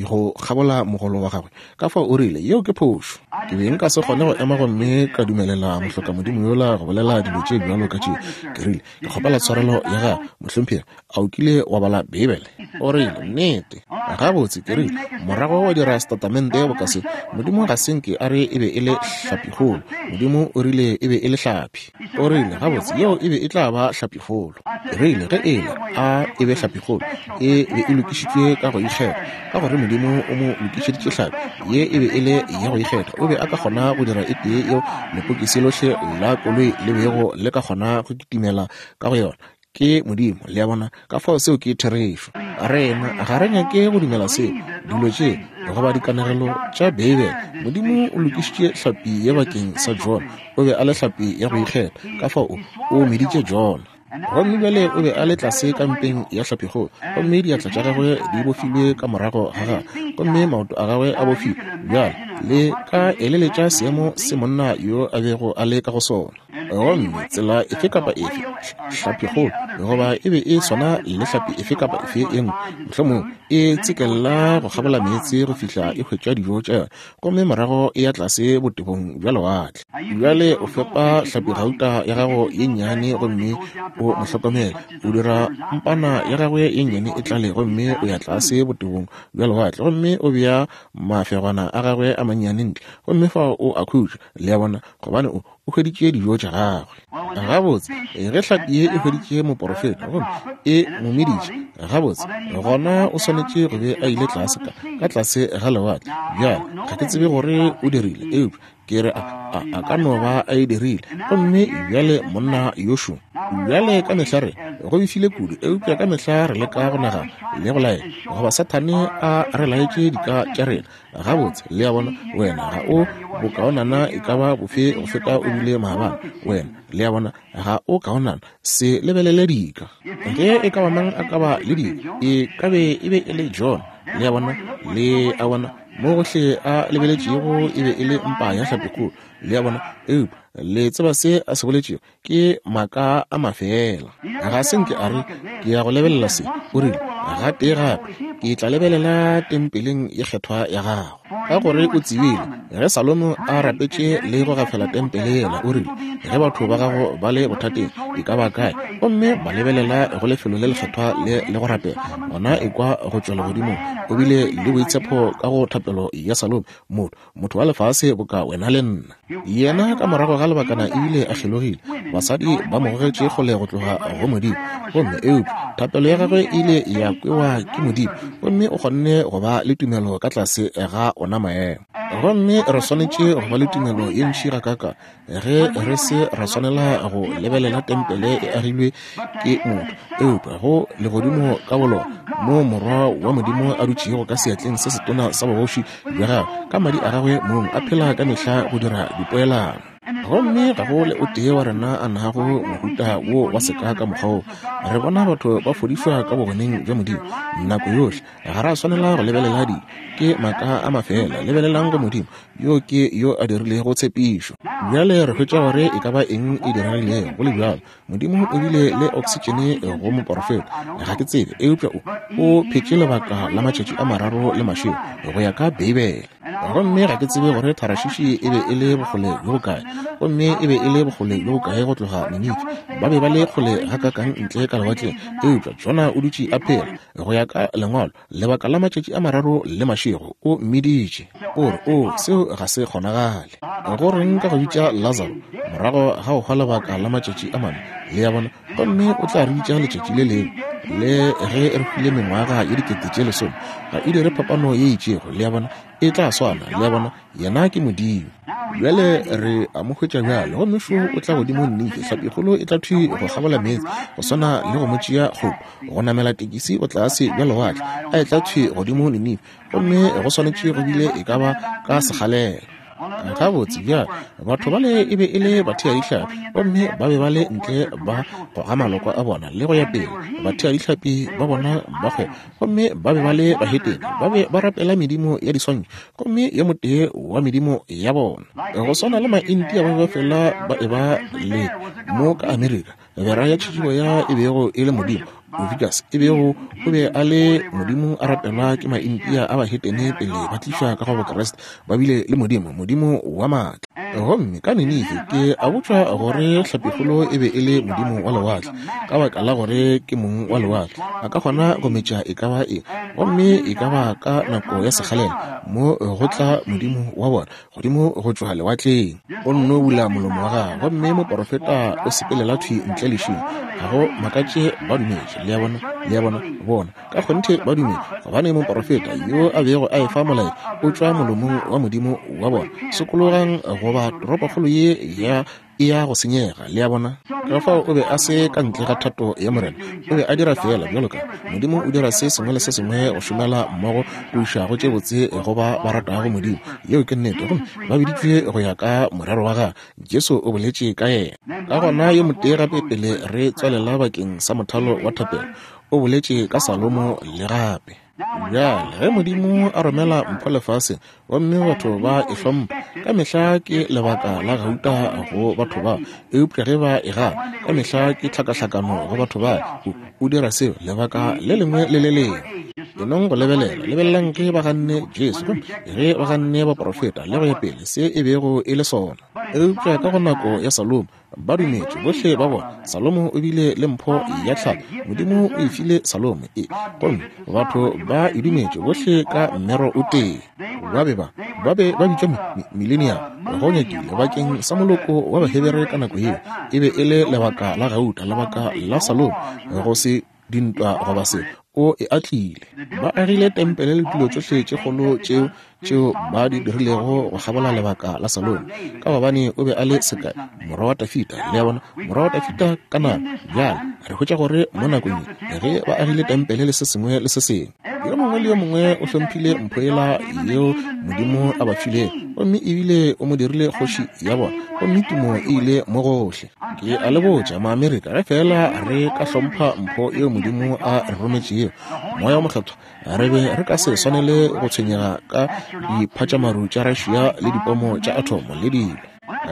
go kgabola mogolo wa gagwe. Ka fao o rile yeo ke phošo. Ke be nka se kgone go ema gomme ka dumelela mohlokamodimo yola go bolela dilo tše bjalo ka tšeo. Ke rile ke kgopela tshwarelo ya gago mohlomphegi, a o kile wa bala Beibele? O rile nnete. Gabotse, ke rile morago wa dira setatamente boka se, Modimo ga se nke a re e be e le hlapikgolo, Modimo o rile e be e le hlapi. O rile gabotse yeo e be e tla ba hlapikgolo. Ke rile ge ele a e be hlapikgolo e be e lokišitšwe ka go ikgetha, ka gore Modimo o mo lokišeditše hlapi ye e be e le ya go ikgetha. O be a ka kgona go dira e tee yeo lepokisi lohle la koloi le bego le ka kgona go kitimela ka go yona. Ke Modimo, le a bona. Ka fao seo ke therešo. Rena ga re nyake go dumela seo, dilo tše goba dikanegelo tša Beibele. Modimo o lokišitše hlapi ye bakeng sa Jona. O be a le hlapi ya go ikgetha, ka fao o meditše Jona. Gomme bjale o be a le tlase ka mpeng ya hlapikgolo, gomme diatla tša gagwe di bofilwe ka morago ga gagwe, gomme maoto a gagwe a bofilwe. Bjale le ka eleletša seemo se monna yo a bego a le ka go sona. Gomme tsela efe kapa efe hlapikgolo goba e be e swana le hlapi efe kapa efe e nngwe, mohlomong e tsekella go kgabola meetse go fihla e hwetša dijo tša yona, gomme morago e ya tlase botebong bja lewatle. Bjale o fepa hlapigauta ya gago ye nnyane gomme o mo hlokomele, o dira mpana ya gagwe ye nnyane e tlale, gomme o ya tlase botebong bja lewatle gomme o bea mafegwana a gagwe a mannyane ntle, gomme fao o a khutša, le a bona, gobane o o hweditše dijo tša gagwe. Gabotse ge hlapi ye e hweditše moporofeta gomme e mo meditše, gabotse gona o swanetše go be a ile tlase ka ka tlase ga lewatle. Bjale ga ke tsebe gore o dirile, eupša ke re a, a, a ka no ba a e dirile. Gomme bjale monna yošo, bjale ka mehla re go befile kudu, eupša ka mehla re leka go nagana le go laela goba Sathane a re laetše dika tša rena. Gabotse, le a bona, wena ga o bokaonana e ka ba bofe go feta o bile maabane. Wena, le a bona, ga o kaonana, se lebelele dika. Ge e ka ba mang a ka ba le dika, e ka be e be e le Jona. Le a bona, le a bona, mo gohle a lebeletšego e be e le mpa ya hlapikgolo. Le a bona, eupša le tseba se a se boletšego ke maaka a mafela. Ga se nke a re ke ya go lebelela se. O rile gatee gape ke tla lebelela tempeleng ye kgethwa ya gago, ka gore o tsebile ge Salomo a rapetše le go gafela tempele yela. O rile ge batho ba gago ba le bothateng e ka ba kae, gomme ba lebelela go lefelo le lekgethwa le le go rapela, gona e kwa go tšwa legodimong. O bile le boitshepo ka go thapelo ya Salomo, motho motho wa lefase boka wena le nna. Yena ka morago ga lebakana ebile a kgelogile, basadi ba mo gogetše kgole go tloga go Modimo, gomme eupša thapelo ya gagwe e ile ya kwewa ke Modimo, gomme o kgonne go ba le tumelo ka tlase ga ona maemo. Gomme re swanetše go ba le tumelo ye ntši gakaka ge re se ra swanela go lebelela tempele e agilwe ke motho, eupša go legodimo ka bolona mo Morwa wa Modimo a dutšego ka seatleng se setona sa bogoši bja gagwe, ka madi a gagwe mong a phela ka mehla go dira dipoelano. Gomme ga go le o tee wa rena a nago mohuta wo wa seka ka mokgwa wo. Re bona batho ba fodišwa ka bogoneng bja Modimo nako yohle. Ga ra swanela go lebelela dilo, ke maaka a mafela. Lebelelang go Modimo, yo ke yo a dirilego tshepišo. Bjale re hwetša gore e ka ba eng e diregilego. Go le bjalo, Modimo o bile le oksitšene go moporofeta. Ga ke tsebe, eupša o o phetše lebaka la matšatši a mararo le mašego go ya ka Beibele. Gomme ga ke tsebe gore Tharashishi e be e le bokgole bjo bokae, gomme e be e le bokgole bjo bokae go tloga Ninife. Ba be ba le kgole gakakang ntle ka lewatleng, eupša Jona o dutše a phela go ya ka lengwalo lebaka la matšatši a mararo le mašego. O mmiditše, o re o seo ga se kgonagale. Go reng ka go bitša Lazaro morago ga go hwa lebaka la matšatši a mane? Le a bona, gomme o tla re bitša letšatši le lengwe, le ge re hwile mengwaga ye dikete tše lesome, ga e dire phapano ye itšego. Le a bona, e tla swana. Le a bona, yena ke Modimo. Bjale re a mo hwetša bjale, gomme šo o tla godimo Ninife. Hlapikgolo e tla thwi go kgabola meetse, go swana le go mo tšea kgopo go namela tekisi go tlase bja lewatle, a e tla thwi godimo Ninife, gomme go swanetše go bile e ka ba ka sekgalela. Gabotse bjale, batho bale e be e le batheadihlapi, gomme ba be ba le ntle ba goga malokwa a bona le go ya pele, batheadihlapi ba bona ba kgwebo, gomme ba be ba le bahetene, ba be ba rapela medimo ya diswantšho, gomme yo motee wa medimo ya bona go swana le Maindia ba be fela ba eba le mo ka Amerika, bera ya tšhitšibo ya e bego e le modimo Ovikas e bego o be a le modimo a rapelwa ke Maindia a bahetene pele ba tlišwa ka go Bokreste, ba bile le modimo, modimo wa maatla. Gomme ka Ninife ke a botšwa gore hlapikgolo e be e le modimo wa lewatle, ka baka la gore ke mong wa lewatle, a ka kgona go metša e ka ba eng, gomme e ka ba ka nako ya sekgalela mo go tla modimo wa bona godimo go tšwa lewatleng. O nno bula molomo wa gagwe, gomme moporofeta o sepelela thwi ntle lešing. Ga go makatše ba dumetše. Le a bona, le a bona, bona ka kgonthe ba dumetše, gobane moporofeta yo a bego a efa molaetša o tšwa molomong wa modimo wa bona. Sokologang goba toropokgolo ye ya e ya go senyega. Le a bona, ka fao o be a se ka ntle ga thato ya Morena, o be a dira feela bjalo ka Modimo o dira se sengwe le se sengwe go šomela mmogo go iša go tše botse go ba ba ratago Modimo. Yeo ke nnete, gomme ba biditšwe go ya ka morero wa gagwe. Jesu o boletše ka yena. Ka gona yo motee gape pele re tswalela bakeng sa mothalo wa thapelo, o boletše ka Salomo le gape. Bjale ge Modimo a romela mpho lefaseng gomme batho ba e hlompha, ka mehla ke lebaka la gauta go batho ba, eupša ge ba e gana, ka mehla ke tlhakahlakano go batho ba. O dira seo lebaka le lengwe le le lengwe. Enong go lebelela, lebelelang ge ba ganne Jesu, gomme ge ba ganne baprofeta le go ya pele, se e bego e le sona. Eupša ka go nako ya Salomo ba dumetše bohle ba bona. Salomo o bile le mpho ya tlhalo, Modimo o e file Salomo e, gomme batho ba e dumetše bohle ka mmero o tee. Ba be ba ba be ba bitšwa millennium go nyakile bakeng sa moloko wa Bahebere ka nako yeo. E be e le lebaka la gauta, lebaka la Salomo, go se dintwa goba se, o e atlile. Ba agile tempele le dilo tšohle tše kgolo tšeo tšeo ba di dirilego go kgabola lebaka la Salomo, ka gobane o be a le sekai, morwa wa Dafida. Le a bona, morwa wa Dafida ka nako. Bjale re hwetša gore mo nakong ye ge ba agile tempele le se sengwe le se sengwe, yo mongwe le yo mongwe o hlomphile mpho yela yeo Modimo a ba filego, gomme ebile o mo dirile kgoši ya bona, gomme tumo e ile mo gohle. Ke a le botša Maamerika, ge fela re ka hlompha mpho yeo Modimo a re rometšego, Moya o Mokgethwa, re be re ka se swanele go tshwenyega ka diphatšamaru tša Russia le dipomo tša atomo le dilo.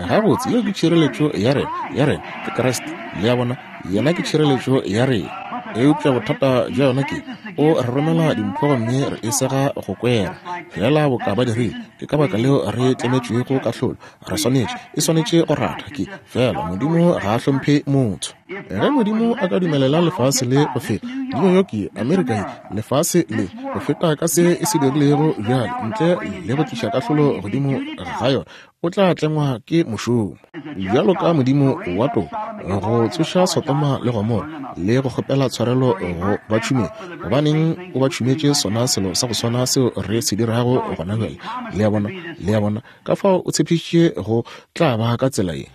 Gabotse, yeo ke tšhireletšo ya rena, ya rena ke Kriste. Le a bona, yena ke tšhireletšo ya rena. Eupša bothata bja yona ke o re romela dimpho gomme re e sega go kwera fela boka ba dirile. Ke ka baka leo re tlemetšwego kahlolo. Re swanetše, e swanetše go ratha ke fela Modimo ga a hlomphe motho. Ge Modimo a ka dumelela lefase le go feta, New York ye, Amerika ye, lefase le go feta ka se e se dirilego bjale, ntle le go tliša kahlolo godimo ga yona, o tla tlengwa ke mošomo bjalo ka Modimo wa toka go tsoša Sodoma le Gomora le go kgopela tshwarelo go ba tšhumeng. Gobaneng o ba tšhumetše sona selo sa go swana seo re se dirago gona bjale? Le a bona, le a bona, ka fao o tshepišitše go tla ba ka tsela ye.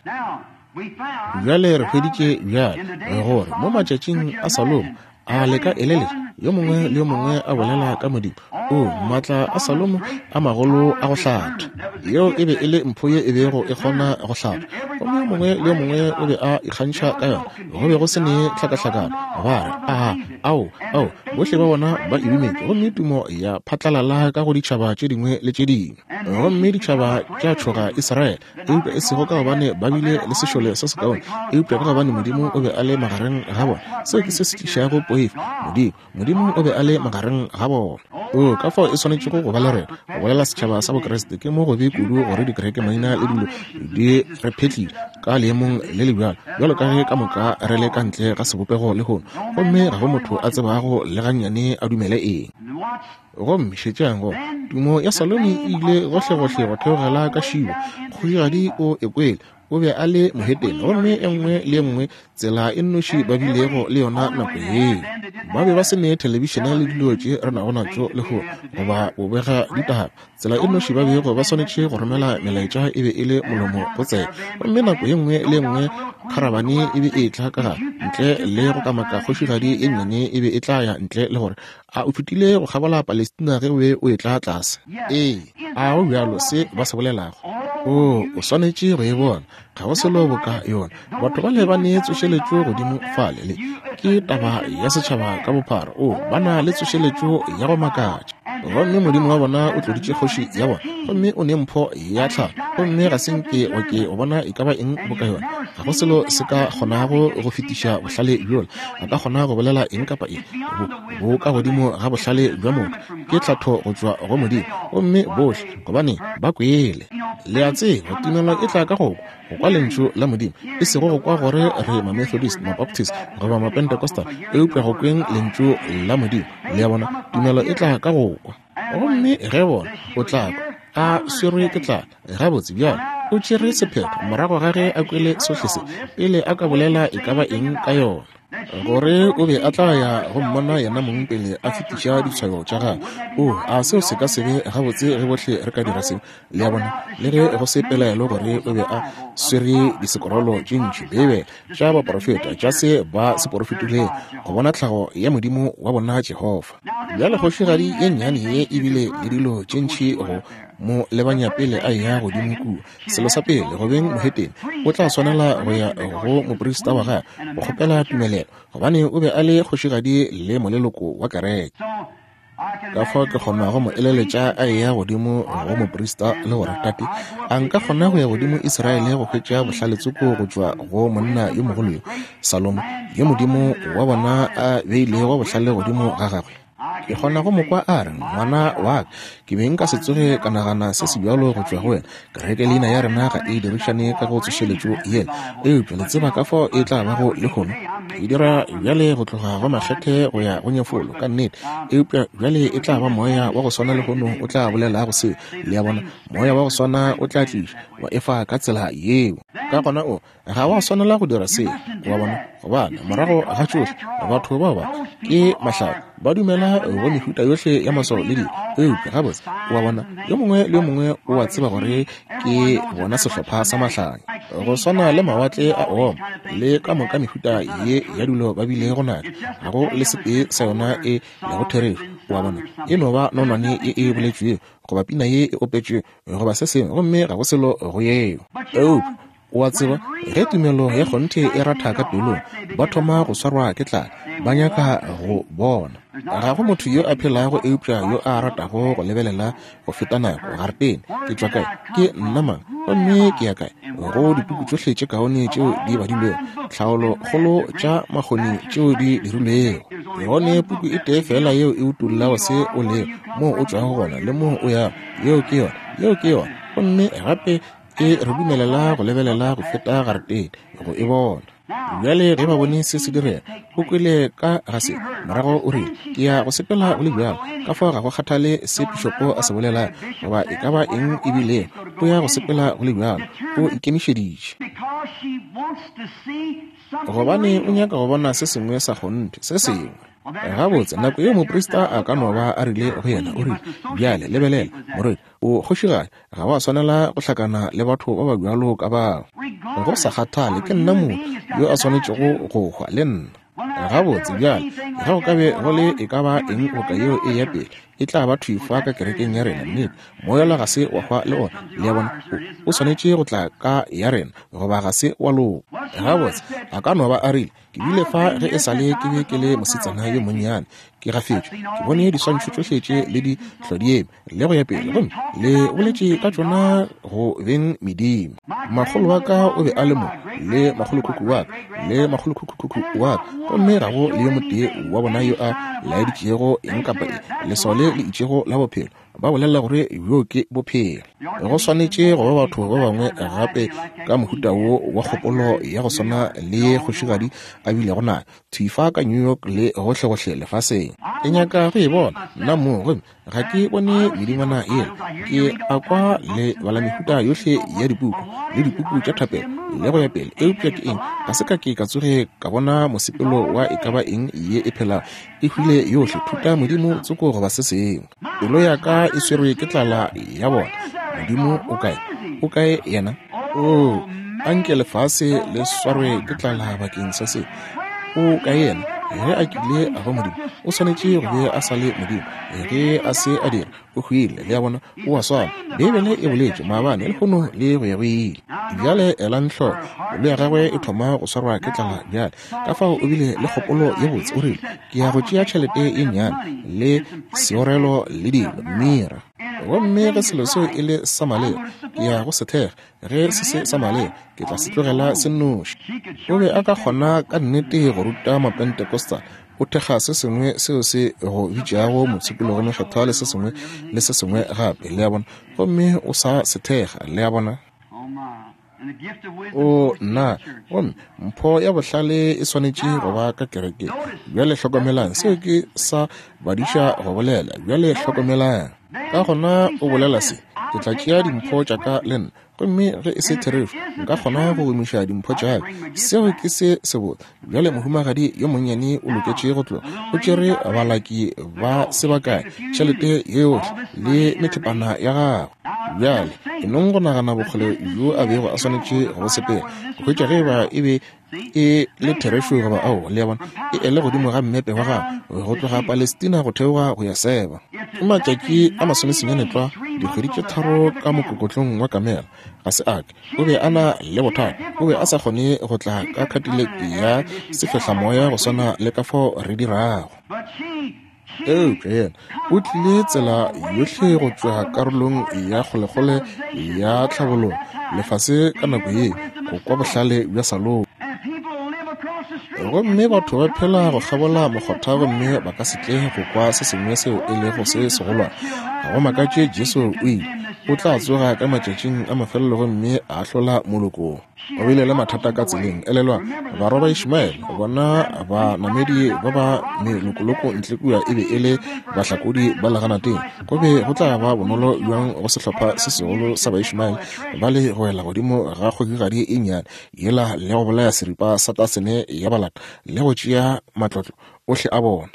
Bjale re hweditše bjale gore mo matšatšing a Salomo, a le ka eleletša yo mongwe le yo mongwe a bolela ka Modimo, o maatla a Salomo a magolo a go hlatha. Yeo e be e le mpho ye e bego e kgona go hlatha, gomme yo mongwe le yo mongwe o be a ikgantšha ka yona. Go be go se ne tlhakahlakano. Ba re, a ao ao, bohle ba bona ba e dumetše, gomme tumo ya phatlalala ka go ditšhaba tše dingwe le tše dingwe. Gomme ditšhaba tša tšhoga Israele, eupša e sego ka gobane ba bile le sešole se sekaone, eupša ka gobane Modimo o be a le magareng ga bona. Seo ke se se tlišago poifo. Modimo, Modimo o be a le magareng ga bona. O ka fao e swanetšego go ba le rena. Go bolela setšhaba sa Bokriste ke mo gobe kudu gore dikereke maina le dilo di re phetlile ka leemong le le bjalo, bjalo ka ge ka moka re le ka ntle ga sebopego lehono, gomme ga go motho a tsebago le gannyane a dumele eng. Gomme šetšang go tumo ya Salomo e ile gohlegohle go theogela ka Šiba. Kgošigadi o e kwele, o be a le mohetene, gomme e nngwe le e nngwe tsela e nnoši ba bilego le yona nako yeo. Ba be ba se ne thelebišene le dilo tše re nago natšo lehono goba go bega ditaba. Tsela e nnoši ba bego ba swanetše go romela melaetša e be e le molomo go tsebe, gomme nako ye nngwe le ye nngwe kharabane e be e tla ka gare ntle le go kamaka kgošigadi e nnyane e be e tla ya ntle le gore a o fetile go kgabola Palestina ge o be o etla tlase. Ee, a go bjalo se ba se bolelago. O, o swanetše go e bona. Ga go selo boka yona. Batho ba le ba ne tsošeletšo godimo fale, le ke taba ya setšhaba ka bophara. O, ba na le tsošeletšo ya go makatša. Gomme Modimo wa bona o tloditše kgoši ya bona, gomme o ne mpho ya tlhago, gomme ga se nke wa ke o bona e ka ba eng boka yona. Ga go selo se ka kgonago go fetiša bohlale bjola. A ka kgona go bolela eng kapa eng bo, bo ka godimo ga bohlale bja motho. Ke tlhatho go tšwa go Modimo, gomme bohle gobane ba kwele. Le a tseba, tumelo e tla ka go kwa, go kwa lentšu la Modimo, e sego go kwa gore re ma-Methodist, ma-Baptist goba ma-Pentecostal, eupša go kweng lentšu la Modimo. Le a bona, tumelo e tla ka go kwa. Gomme ge bona o tla kwa a swerwe ke tlala, gabotse bjalo o tšere sephetho morago ga ge a kwele sohle se, pele a ka bolela e ka ba eng ka yona, gore o be a tla ya go mmona yena mong pele a fetiša ditshwayo tša gagwe. O, a seo se ka se be gabotse ge bohle re ka dira seo? Le a bona, le ge go se pelaelo gore o be a swere disekorolo tše ntši Beibele tša baporofeta tša se ba se porofetilego, go bona tlhago ya Modimo wa bona Jehofa. Bjale kgošigadi ye nnyane ye e bile le dilo tše ntši go mo lebanya pele a eya godimo kua. Selo sa pele, go beng mohetene, o tla swanela go ya go moprista wa gagwe go kgopela tumelelo, gobane o be a le kgošigadi le moleloko wa kereke. Ka fao ke kgonago mo eleletša a eya godimo go moprista le gore, tate, a nka kgona go ya godimo Israele go hwetša bohlale tsoko go tšwa go monna yo mogolo yo, Salomo, yo Modimo wa bona a beilego bohlale godimo ga gagwe? Ke kgona go mo kwa a re, ngwana wa ka, ke be nka se tsoge ka nagana se se bjalo go tšwa go wena. Kereke leina ya rena ga e dirišane ka go tsošeletšo yela, eupša le tseba ka fao e tla bago lehono. E dira bjale go tloga go makgethe go ya go nyefolo, ka nnete, eupša bjale e tla ba moya wa go swana lehono o tla bolelago seo. Le a bona, moya wa go swana o tla tliša wa efa ka tsela yeo. Ka gona o ga wa swanela go dira seo, wa bona, gobane morago ga tšohle batho bao ba ke mahlale, ba dumela go mehuta yohle ya maswao le dilo. Eupša gabotse, wa bona, yo mongwe le yo mongwe o a tseba gore ke bona sehlopha sa mahlanya, go swana le mawatle a oma le ka moka mehuta ye ya dilo ba bilego nayo. Ga go le setee sa yona e lego therešo, wa bona. E no ba nonwane ye e boletšwego goba pina ye e opetšwego goba se sengwe, gomme ga go selo go yeo. Eupša o a tseba, ge tumelo ya kgonthe e ratha ka pelong, ba thoma go swarwa ke tlala, ba nyaka go bona. Ga go motho yo a phelago eupša yo a ratago go lebelela go feta nako. Garetene, ke tšwa kae? Ke nna mang? Gomme ke ya kae? Go dipuku tšohle tše kaone tšeo di badilwego, tlhaolo kgolo tša makgoni tšeo di dirilwego, gone puku e tee fela yeo e utollago se o lego, moo o tšwago gona le moo o yago. Yeo ke yona, yeo ke yona. Gomme gape e re dumelela go lebelela go feta garetene go e bona. Bjale ge ba bone se se direga, o kwele ka ga se, morago o rile, ke ya go sepela go le bjalo. Ka fao ga go kgathale se pišopo a se bolelago goba e ka ba eng e bilego, o ya go sepela go le bjalo. O ikemišeditše, gobane o nyaka go bona se sengwe sa kgonthe, se sengwe. Gabotse, nako yeo moprista a ka no ba a rile go yena, o rile, bjale lebelela, morwedi, o kgošigadi, ga wa swanela go hlakana le batho ba ba bjalo ka bao. Go sa kgathale, ke nna motho yo a swanetšego go hwa le nna. Gabotse bjale, ge go ka be go le e ka ba eng boka yeo e ya pele, e tla ba thwi fa ka kerekeng ya rena. Nnete, moyala ga se wa hwa le ona. Le a bona, o, o swanetše go tla ka ya rena, goba ga se wa loka. Gabotse, a ka no ba a rile, ke bile fa ge e sa le ke be ke le mosetsana yo monnyane, ke gafetšwe, ke bone diswantšho tšohle tše le di hlodieme le go ya pele, gomme le boletše ka tšona go beng medimo. Makgolo wa ka o be a le mo, le makgolokhukhu wa ka, le makgolokhukhukhukhu wa ka, gomme ga go le yo motee wa bona yo a laeditšego eng kapa eng, leswao le le itšego la bophelo. Ba bolela gore bjo ke bophelo. Go swanetše go ba batho ba bangwe gape ka mohuta wo wa kgopolo ya go swana le ye kgošigadi a bilego nayo, thwi fa ka New York le gohlegohle lefaseng. Ke nyaka go e bona nna mong, gomme ga ke bone medingwana yela. Ke a kwa le bala mehuta yohle ya dipuku le dipuku tša thapelo le go ya pele, eupša ke eng? Ga se ka ke ka tsoge ka bona mosepelo wa e ka ba eng ye e phelago e hwile yohle, thuta modimo tsoko goba se sengwe. Pelo ya ka e swerwe ke tlala ya bona. Modimo o kae? O kae yena? O, anke lefase le swarwe ke tlala bakeng sa se. O kae yena? Ge a kile a ba Modimo, o swanetše go be a sa le Modimo. Ge a se a dira, o hwile. Le a bona, o a swana. Beibele e boletše maabane, lehono le go ya go ile. Bjale elang hloko, pelo ya gagwe e thoma go swarwa ke tlala bjale. Ka fao o bile le kgopolo ye botse, o rile, ke ya go tšea tšhelete ye nnyane le seorelo le dilo, mira. Gomme ge selo seo e le sa maleba, ke ya go se thekga. Ge se se sa maleba, ke tla se tlogela se nnoši. O be a ka kgona ka nnete go ruta Mapentecostal, o thekga se sengwe seo se go bitšago mopshikologo mokgethwa le se sengwe le se sengwe gape, le a bona, gomme o sa se thekga, le a bona. O nna, gomme mpho ya bohlale e swanetše go ba ka kerekeng. Bjale hlokomelang, seo ke sa badiša go bolela. Bjale hlokomelang. Ka gona o bolela se, ke tla tšea dimpho tša ka le nna, gomme ge e se therešo, nka kgona go gomiša dimpho tša ka. Seo ke se sebotse. Bjale mohumagadi yo monnyane o loketše go tloga. O tšere balaki ba sebakae, tšhelete yohle le methepana ya gagwe. Bjale e nong go nagana bokgole bjo a bego a swanetše go sepela go hwetša ge ba e be e le therešo goba ao, le a bona, e ele godimo ga mmepe wa gagwe go tloga Palestina go theoga go ya Seba. Ke matšatši a masomesenyane tlwa, dikgwedi tše tharo ka mokokotlong wa kamela. Ga se a ke, o be a na le bothata, o be a sa kgone go tla ka Cadillac ya sefehlamoya go swana le ka fao re dirago. Eupša yena o tlile tsela yohle go tšwa karolong ya kgolekgole ya tlhabologo lefase ka nako ye, go kwa bohlale bja Salomo. Gomme batho ba phela go kgabola mokgotha gomme ba ka se tle go kwa se sengwe seo e lego se segolwane. Ga go makatše Jesu o ile, o tla tsoga ka matšatšing a mafelelo gomme a ahlola molokong. O bile le mathata ka tseleng. Elelwa, barwa ba Ishmaele, bona banamedi ba ba melokoloko ntle kua e be e le bahlakodi ba leganateng. Go be go tla ba bonolo bjang go sehlopha se segolo sa Baishmaele ba le go wela godimo ga kgogigadi e nnyane yela le go bolaya seripa sa tasene ya balata le go tšea matlotlo ohle a bona.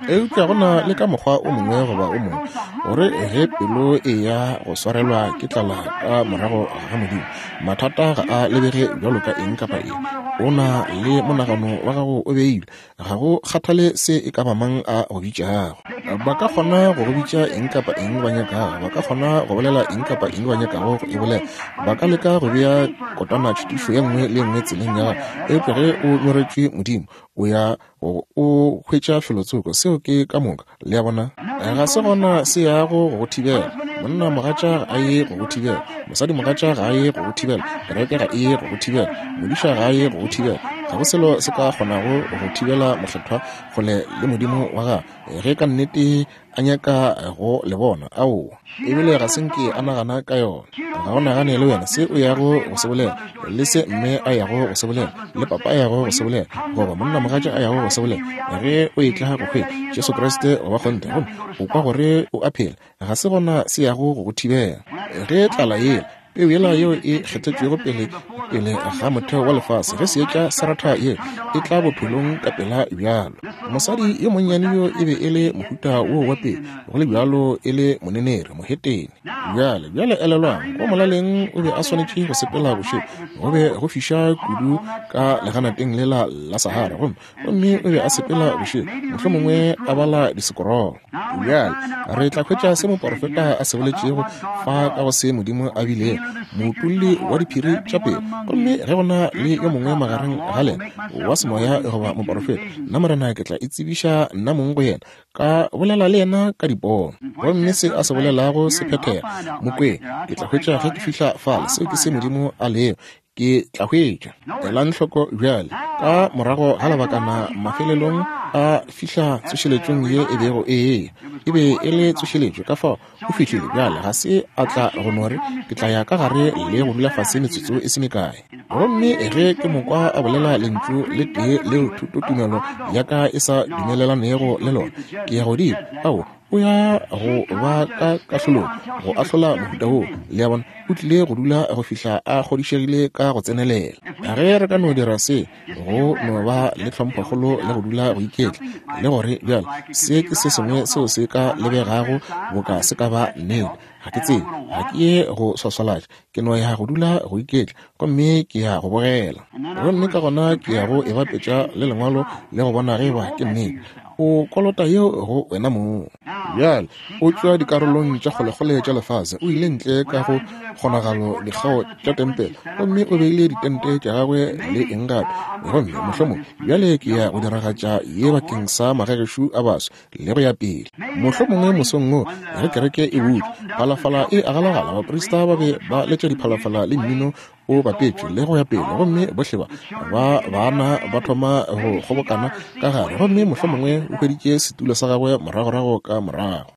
Eupša go na le ka mokgwa o mongwe goba o mongwe gore ge pelo e ya go swarelwa ke tlala ka morago ga Modimo, mathata ga a lebege bjalo ka eng kapa eng. O na le monagano wa gago o beilwe, ga go kgathale se e ka ba mang a go bitšago. Ba ka kgona go go bitša eng kapa eng ba nyakago, ba ka kgona go bolela eng kapa eng ba nyakago go e bolela, ba ka leka go bea kotana tšhitišo ye nngwe le nngwe tseleng ya gago. Eupša ge o nyoretšwe Modimo, o ya o hwetša felotsoko. Seo ke ka moka, le a bona. Ga se gona se yago go go thibela. Monna mogatša ga a ye go go thibela, mosadi mogatša ga a ye go go thibela, kereke ga e ye go go thibela, modiša ga a ye go go thibela. Ga go selo se ka kgonago go thibela mokgethwa kgole le Modimo wa gagwe ge ka nnete a nyaka go le bona. Aowa, ebile ga se nke a nagana ka yona. Ga o nagane le wena se o yago go se bolela, le se mme a yago go se bolela, le papa a yago go se bolela, goba monna mogatša a yago go se bolela. Ge o etla go hwetša Jesu Kriste goba kgonthe, gomme o kwa gore o a phela, ga se gona se yago go go thibela. Ge tlala yela, peu yela yeo e kgethetšwego pele pele ga motheo wa lefase, ge seetša sa ratha ye e tla bophelong ka pela bjalo. Mosadi yo monnyane yo e be e le mohuta wo wa pele, go le bjalo e le monenere, mohetene. Bjale, bjale elelwang, go molaleng o be a swanetše go sepela bošego, go be go fiša kudu ka leganateng lela la Sahara, gomme gomme o be a sepela bošego, mohlomongwe a bala disekorolo. Bjale re tla hwetša se moporofeta a se boletšego fa ka go se Modimo a bilego moutulli wa diphiri tša pelo. Gomme ge go na le yo mongwe magareng ga lena wa semoya goba moporofeta, nna Morena ke tla itsebiša nna mong go yena, ka bolela le yena ka dipono. Gomme se a se bolelago se phethega. Mokweng, ke tla hwetša ge ke fihla fale. Seo ke se Modimo a lego. Ke tla hwetša. Elang hloko bjale, ka morago ga lebakana mafelelong a fihla tsošeletšong ye e bego e eya. E be e le tsošeletšo, ka fao o fihlile. Bjale ga se a tla go no re, ke tla ya ka gare le go dula fase metsotso e se mekae. Gomme ge ke mo kwa a bolela lentšu le tee leo thutotumelo ya ka e sa dumelelanego le lona, ke ya godimo. Ao, o ya go ba ka kahlolong go ahlola mohuta woo. Le a bona, o tlile go dula go fihla a kgodišegile ka go tsenelela. Ge re ka no dira se, go no ba le tlhomphokgolo le go dula go iketla, le gore bjale se ke se sengwe seo se ka lebegago boka se ka ba nnete. Ga ke tsebe, ga ke ye go swaswalatša, ke no ya go dula go iketla, gomme ke ya go bogela. Gomme ka gona ke ya go e bapetša le Lengwalo le go bona ge eba ke nnete. O kolota yeo go wena mong. Bjale, o tšwa dikarolong tša kgolekgole tša lefase, o ile ntle ka go kgonagalo dikgao tša tempele, gomme o beile ditente tša gagwe le eng gape. Gomme mohlomong bjale ke ya go diragatša ye bakeng sa magagešu a baswa le go ya pele. Mohlomongwe mosong wo ge kereke e butšwe, phalafala e agalagala, baprista ba be ba letša diphalafala le mmino o bapetšwe le go ya pele, gomme bohle ba ba bana ba thoma go kgobokana ka gare, gomme mohlomongwe o hweditše setulo sa gagwe moragorago ka morago.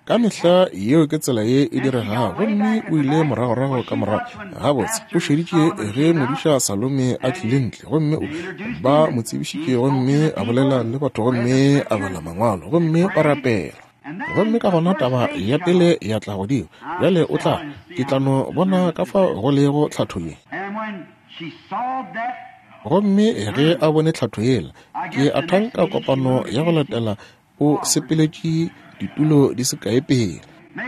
Ka mehla yeo ke tsela ye e diregago, gomme o ile moragorago ka morago. Gabotse, o šeditše ge modiša Salome a tlile ntle, gomme ba mo tsebišitše, gomme a bolela le batho, gomme a bala mangwalo, gomme ba rapela. Gomme ka gona taba ya pele ya tla godimo. Bjale o tla, ke tla no bona ka fao go lego tlhatho ye. Gomme ge a bone tlhatho yela, ke a thanka kopano ya go latela o sepeletše ditulo di se kae pele.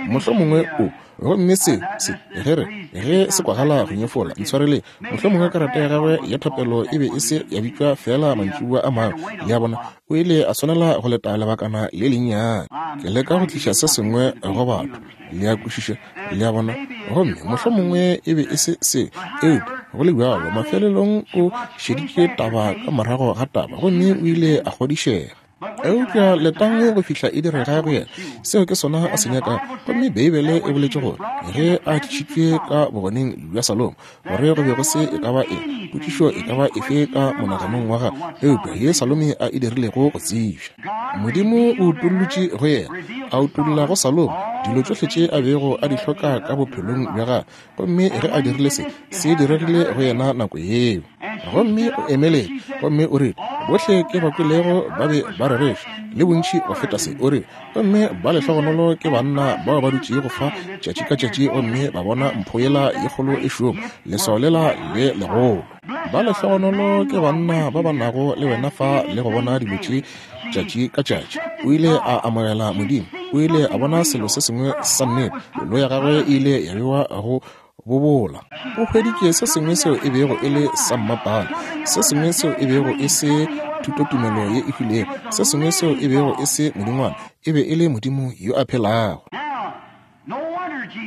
Mohlomongwe o, gomme se, se, ge re, ge se kwagala go nyefola, ntshwareleng, mohlomongwe karata ya gagwe ya thapelo e be e se ya bitšwa fela mantšiboa a mangwe. Le a bona, o ile a swanela go leta lebakana le lennyane. Ke leka go tliša se sengwe go batho, le a kwešiša, le a bona. Gomme mohlomongwe e be e se se, eupša go le bjalo mafelelong o šeditše taba ka morago ga taba, gomme o ile a kgodišega. Eupša letang go fihla e direga go yena, seo ke sona a se nyakago. Gomme Beibele e boletše gore ge a tlišitšwe ka bogoneng bja Salomo, gore go be go se e ka ba eng, potšišo e ka ba efe ka monaganong wa gagwe, eupša ye Salome a e dirilego go tsebja. Modimo o utollotše go yena, a utolla go Salomo dilo tšohle tše a bego a di hloka ka bophelong bja gagwe, gomme ge a dirile se, se diregile go yena nako yeo. Gomme o emeletše, gomme o rile, bohle ke ba kwelego ba be ba rereša, le bontši go feta se. O rile, gomme ba lehlogonolo ke banna bao ba dutšego fa tšatši ka tšatši, gomme ba bona mpho yela ye kgolo e šoma, leswao lela le legolo. Ba lehlogonolo ke banna ba ba nago le wena fa le go bona dilo tše tšatši ka tšatši. O ile a amogela Modimo, o ile a bona selo se sengwe sa nnete, pelo ya gagwe e ile ya bewa go bobola. O hweditše se sengwe seo e bego e le sa mmapale, se sengwe seo e bego e se thutotumelo ye e hwilego, se sengwe seo e bego e se modingwana, e be e le Modimo yo a phelago.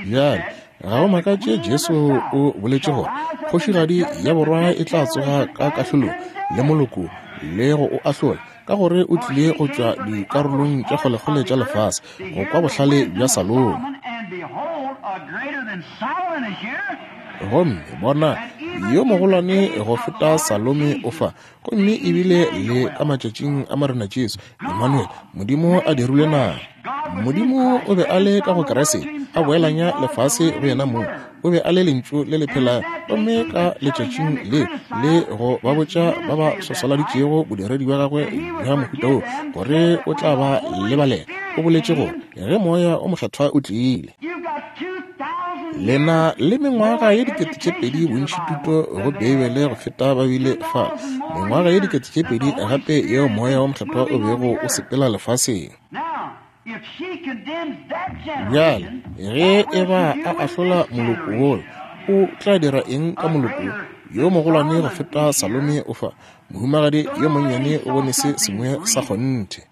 Bjale, ga go makatše Jesu o boletše gore kgošigadi ya borwa e tla tsoga ka kahlolong le moloko le go o ahlola, ka gore o tlile go tšwa dikarolong tša kgolekgole tša lefase go kwa bohlale bja Salomo. Gomme bona, yo mogolwane go feta Salome o fa, gomme ebile le ka matšatšing a Morena Jesu, Emmanuel, Modimo a dirilwe nama. Modimo o be a le ka go Kriste, a boelanya lefase go yena mong. O be a le lentšu le le phelago, gomme ka letšatšing le le go ba botša ba ba swaswaladitšego bodiredi bja gagwe bja mohuta wo, gore o tla ba lebalela. O boletše gore ge moya o mokgethwa o tlile, lena le mengwaga ye dikete tše pedi bontši thuto go Beibele go feta ba bile fa, mengwaga ye dikete tše pedi gape yeo moya wa mokgethwa o bego o sepela lefaseng. Bjale, ge e ba a ahlola moloko wola, o tla dira eng ka moloko yo mogolwane go feta Salome o fa? Mohumagadi yo monnyane o bone se sengwe sa kgonthe.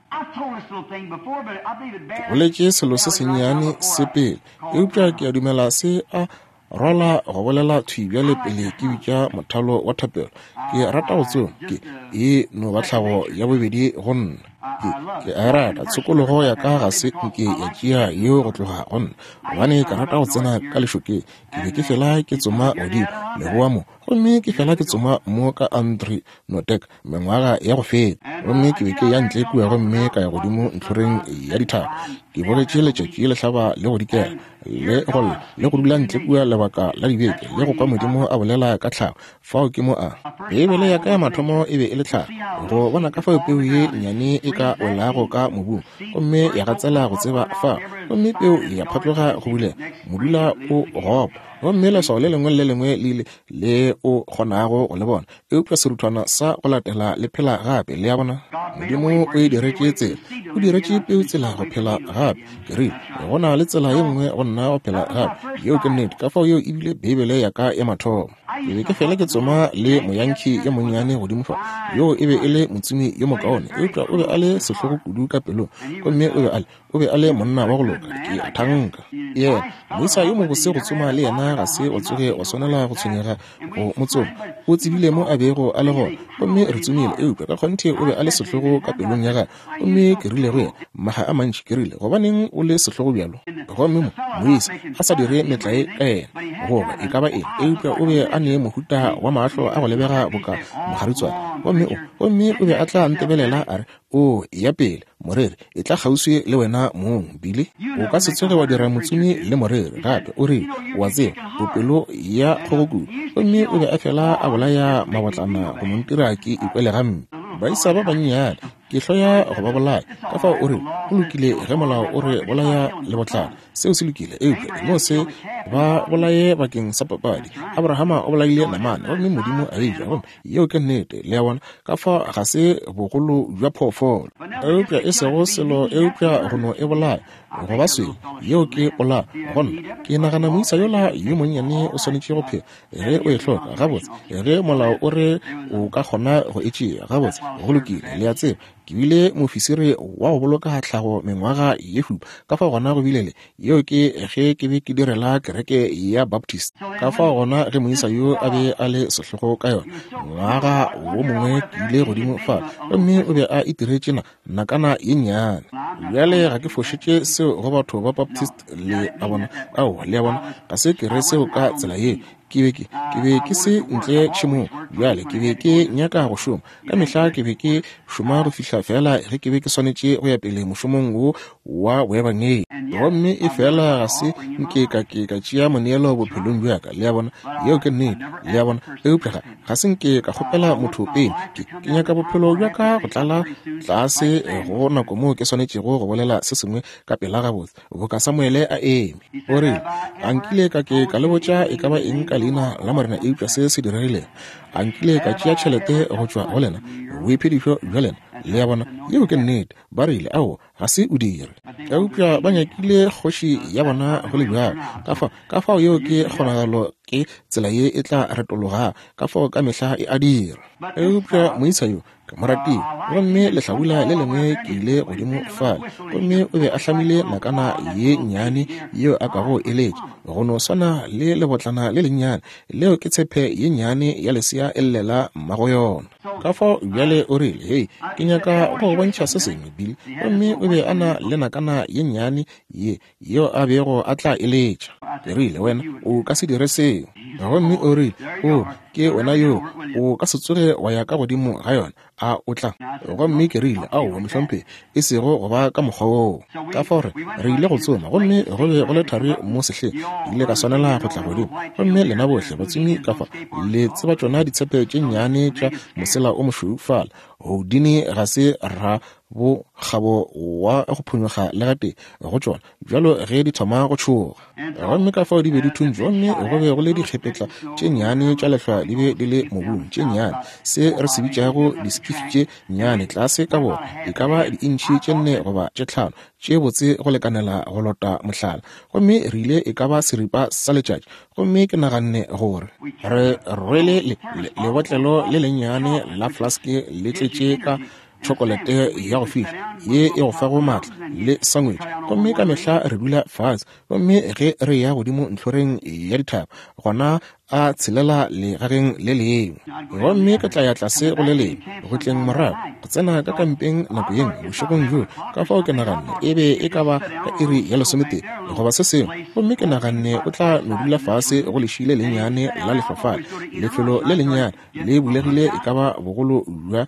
Ke boletše selo se sennyane se pele, eupša ke a dumela se a rwala go bolela thwi bjale pele ke bitša mothalo wa thapelo. Ke rata go tsoma, ke e no ba tlhago ya bobedi go nna. Ke, ke a rata tshokologo ya ka ga se nke ya tšea yeo go tloga go nna, gobane ke rata go tsena ka lešokeng. Ke be ke fela ke tsoma godimo leboa mo, gomme ke fela ke tsoma mo ka Andre Notek mengwaga ya go feta, gomme ke be ke ya ntle kua gomme ka ya godimo ntlhoreng ya dithaba. Ke bogetše letšatši le hlaba le go dikela le go lla le go dula ntle kua lebaka la dibeke le go kwa Modimo a bolela ka tlhago. Fao ke mo a Beibele ya ka ya mathomo e be e le tlhago, go bona ka fao peu ye nnyane e ka welago ka mobung gomme ya gatsela go tseba fao, Gomme peu ya phatloga go bulega, modula o gopa, gomme leswao le lengwe le le lengwe le ile le o kgonago go le bona, eupša seruthwana sa go latela le phela gape. Le a bona? Modimo o e diretše tsela, o diretše peu tsela go phela gape. Ke rile, go na le tsela ye nngwe go nna go phela gape. Yeo ke nnete. Ka fao yeo e bile Beibele ya ka ya mathomo. Ke be ke fela ke tsoma le moyankhi yo monnyane godimo fa, yoo e be e le motsomi yo mokaone, eupša o be a le sehlogo kudu ka pelong, gomme o be a le o be a le monna wa go loka, ke a thanka. Yena moisa yo mobose go tsoma le yena, ga se wa tsoge wa swanela go tshwenyega go mo tsoma. O tsebile mo a bego a le gona, gomme re tsomile, eupša ka kgonthe o be a le sehlogo ka pelong ya gagwe. Gomme ke rile go yena maga a mantši, ke rile, gobaneng o le sehlogo bjalo? Gomme mo moisa a sa dire metlae ka yena goba e ka ba eng, eupša o be a ne mohuta wa mahlo a go lebega boka mogaritswane. Gomme o gomme o be a tla ntebelela a re, o ya pele moreri, e tla kgauswi le wena mong, Billy. O ka se tsoge wa dira motsomi le moreri gape. O rile, o a tseba, o pelo ya kgogo kudu. Gomme o be a fela a bolaya mabotlana go mo ntira ke ikwele gampe. Baisa ba bannyane, ke hloya go ba bolaya. Ka fao o rile, go lokile ge molao o re bolaya lebotlana, seo se lokile, eupša no se ba bolaye bakeng sa papadi. Abrahama o bolaile namane, gomme Modimo a e ja, gomme yeo ke nnete. Le a bona? Ka fao ga se bogolo bja phoofolo, eupša e sego selo eupša go no e bolaya go ba swele, yeo ke polao. Gonna ke nagana moisa yola yo monnyane o swanetše go phela ge o e hloka. Gabotse, ge molao o re o ka kgona go e tšea, gabotse, go lokile. Le a tseba, ke bile mofisiri wa go boloka tlhago mengwaga ye šupa. Ka fao gona go bile le yeo ke ge ke be ke direla kereke ya Baptist. Ka fao gona ge moisa yo a be a le sehlogo ka yona, ngwaga wo mongwe ke ile godimo fa, gomme o be a itiretše na nakana ye nnyane. Bjale ga ke fošetše seo go batho ba Baptist, le a bona? Aowa, le a bona, ga se ke re seo ka tsela ye. Ke be ke ke be ke se ntle tšhemong. Bjale ke be ke nyaka go šoma. Ka mehla ke be ke šoma go fihla fela ge ke be ke swanetše go ya pele mošomong wo wa boebangedi. Gomme e fela ga se nke ka ke ka tšea moneelo bophelong bja ka. Le a bona? Yeo ke nnete. Le a bona? Eupša ga ga se nke ka kgopela motho pele. Ke ke nyaka bophelo bja ka go tlala tlase go nako moo ke swanetšego go bolela se sengwe ka pela gabotse, boka Samuele a eme. O rile, a nkile ka ke ka le botša e ka ba eng ka leina la Morena eupša se se diregilego? A nkile ka tšea tšhelete go tšwa go lena, boiphedišo bja lena? Le a bona? Yeo ke nnete. Ba rile, ao, ga se o dire. Eupša ba nyakile kgoši ya bona go le bjalo. Ka fao, ka fao yeo ke kgonagalo, ke tsela ye e tla retologa. Ka fao ka mehla e a dira. Eupša moisa yo ke mo ratile. Gomme lehlabula le lengwe ke ile godimo fale, gomme o be a hlamile nakana ye nnyane yeo a kago eletša, go no swana le lebotlana le lennyane leo ke tshepe ye nnyane ya lesea e llela mmago yona. Ka fao bjale o rile, hei, ke nyaka go go bontšha se sengwe, Billy. Gomme o be a na le nakana ye nnyane ye yeo a bego a tla eletša. Ke rile, wena o ka se dire seo. Gomme o rile, o ke wena yo, o ka se tsoge wa ya ka godimo ga yona, a o tla? Gomme ke rile, aowa mohlomphegi, e sego go ba ka mokgwa woo. Ka fao re re ile go tsoma, gomme go be go le thari mo sehleng. Ke ile ka swanela go tla godimo. Gomme lena bohle batsomi ka fa le tseba tšona ditshepe tše nnyane tša mosela o mošweu fala. Houdini ga se ra bo kgabo wa go phonyokga le gatee go tšona bjalo ge di thoma go tšhoga. Gomme ka fao di be di thuntšwe, gomme go be go le dikgepetla tše nnyane tša lehlwa di be di le mobung, tše nnyane, se re se bitšago diskifi tše nnyane, tlase ka borwa, e ka ba diintšhi tše nne goba tše tlhano, tše botse go lekanela go lota mohlala. Gomme re ile e ka ba seripa sa letšatši, gomme ke naganne gore re rwele lebotlelo le lennyane la flaske le tletše ka tšhokolete ya go fiša ye e go fago maatla le sangwetše. Gomme ka mehla re dula fase, gomme ge re ya godimo ntlhoreng ya dithaba, gona a tshelela legageng le lengwe. Gomme ke tla ya tlase go le lengwe, go tleng morago, go tsena ka kampeng nako ye nngwe bošegong bjo. Ka fao ke naganne e be e ka ba ka iri ya lesometee goba se sengwe, gomme ke naganne o tla no dula fase go leši le lennyane la lehlofale. Lefelo le lennyane le bulegile e ka ba bogolo bja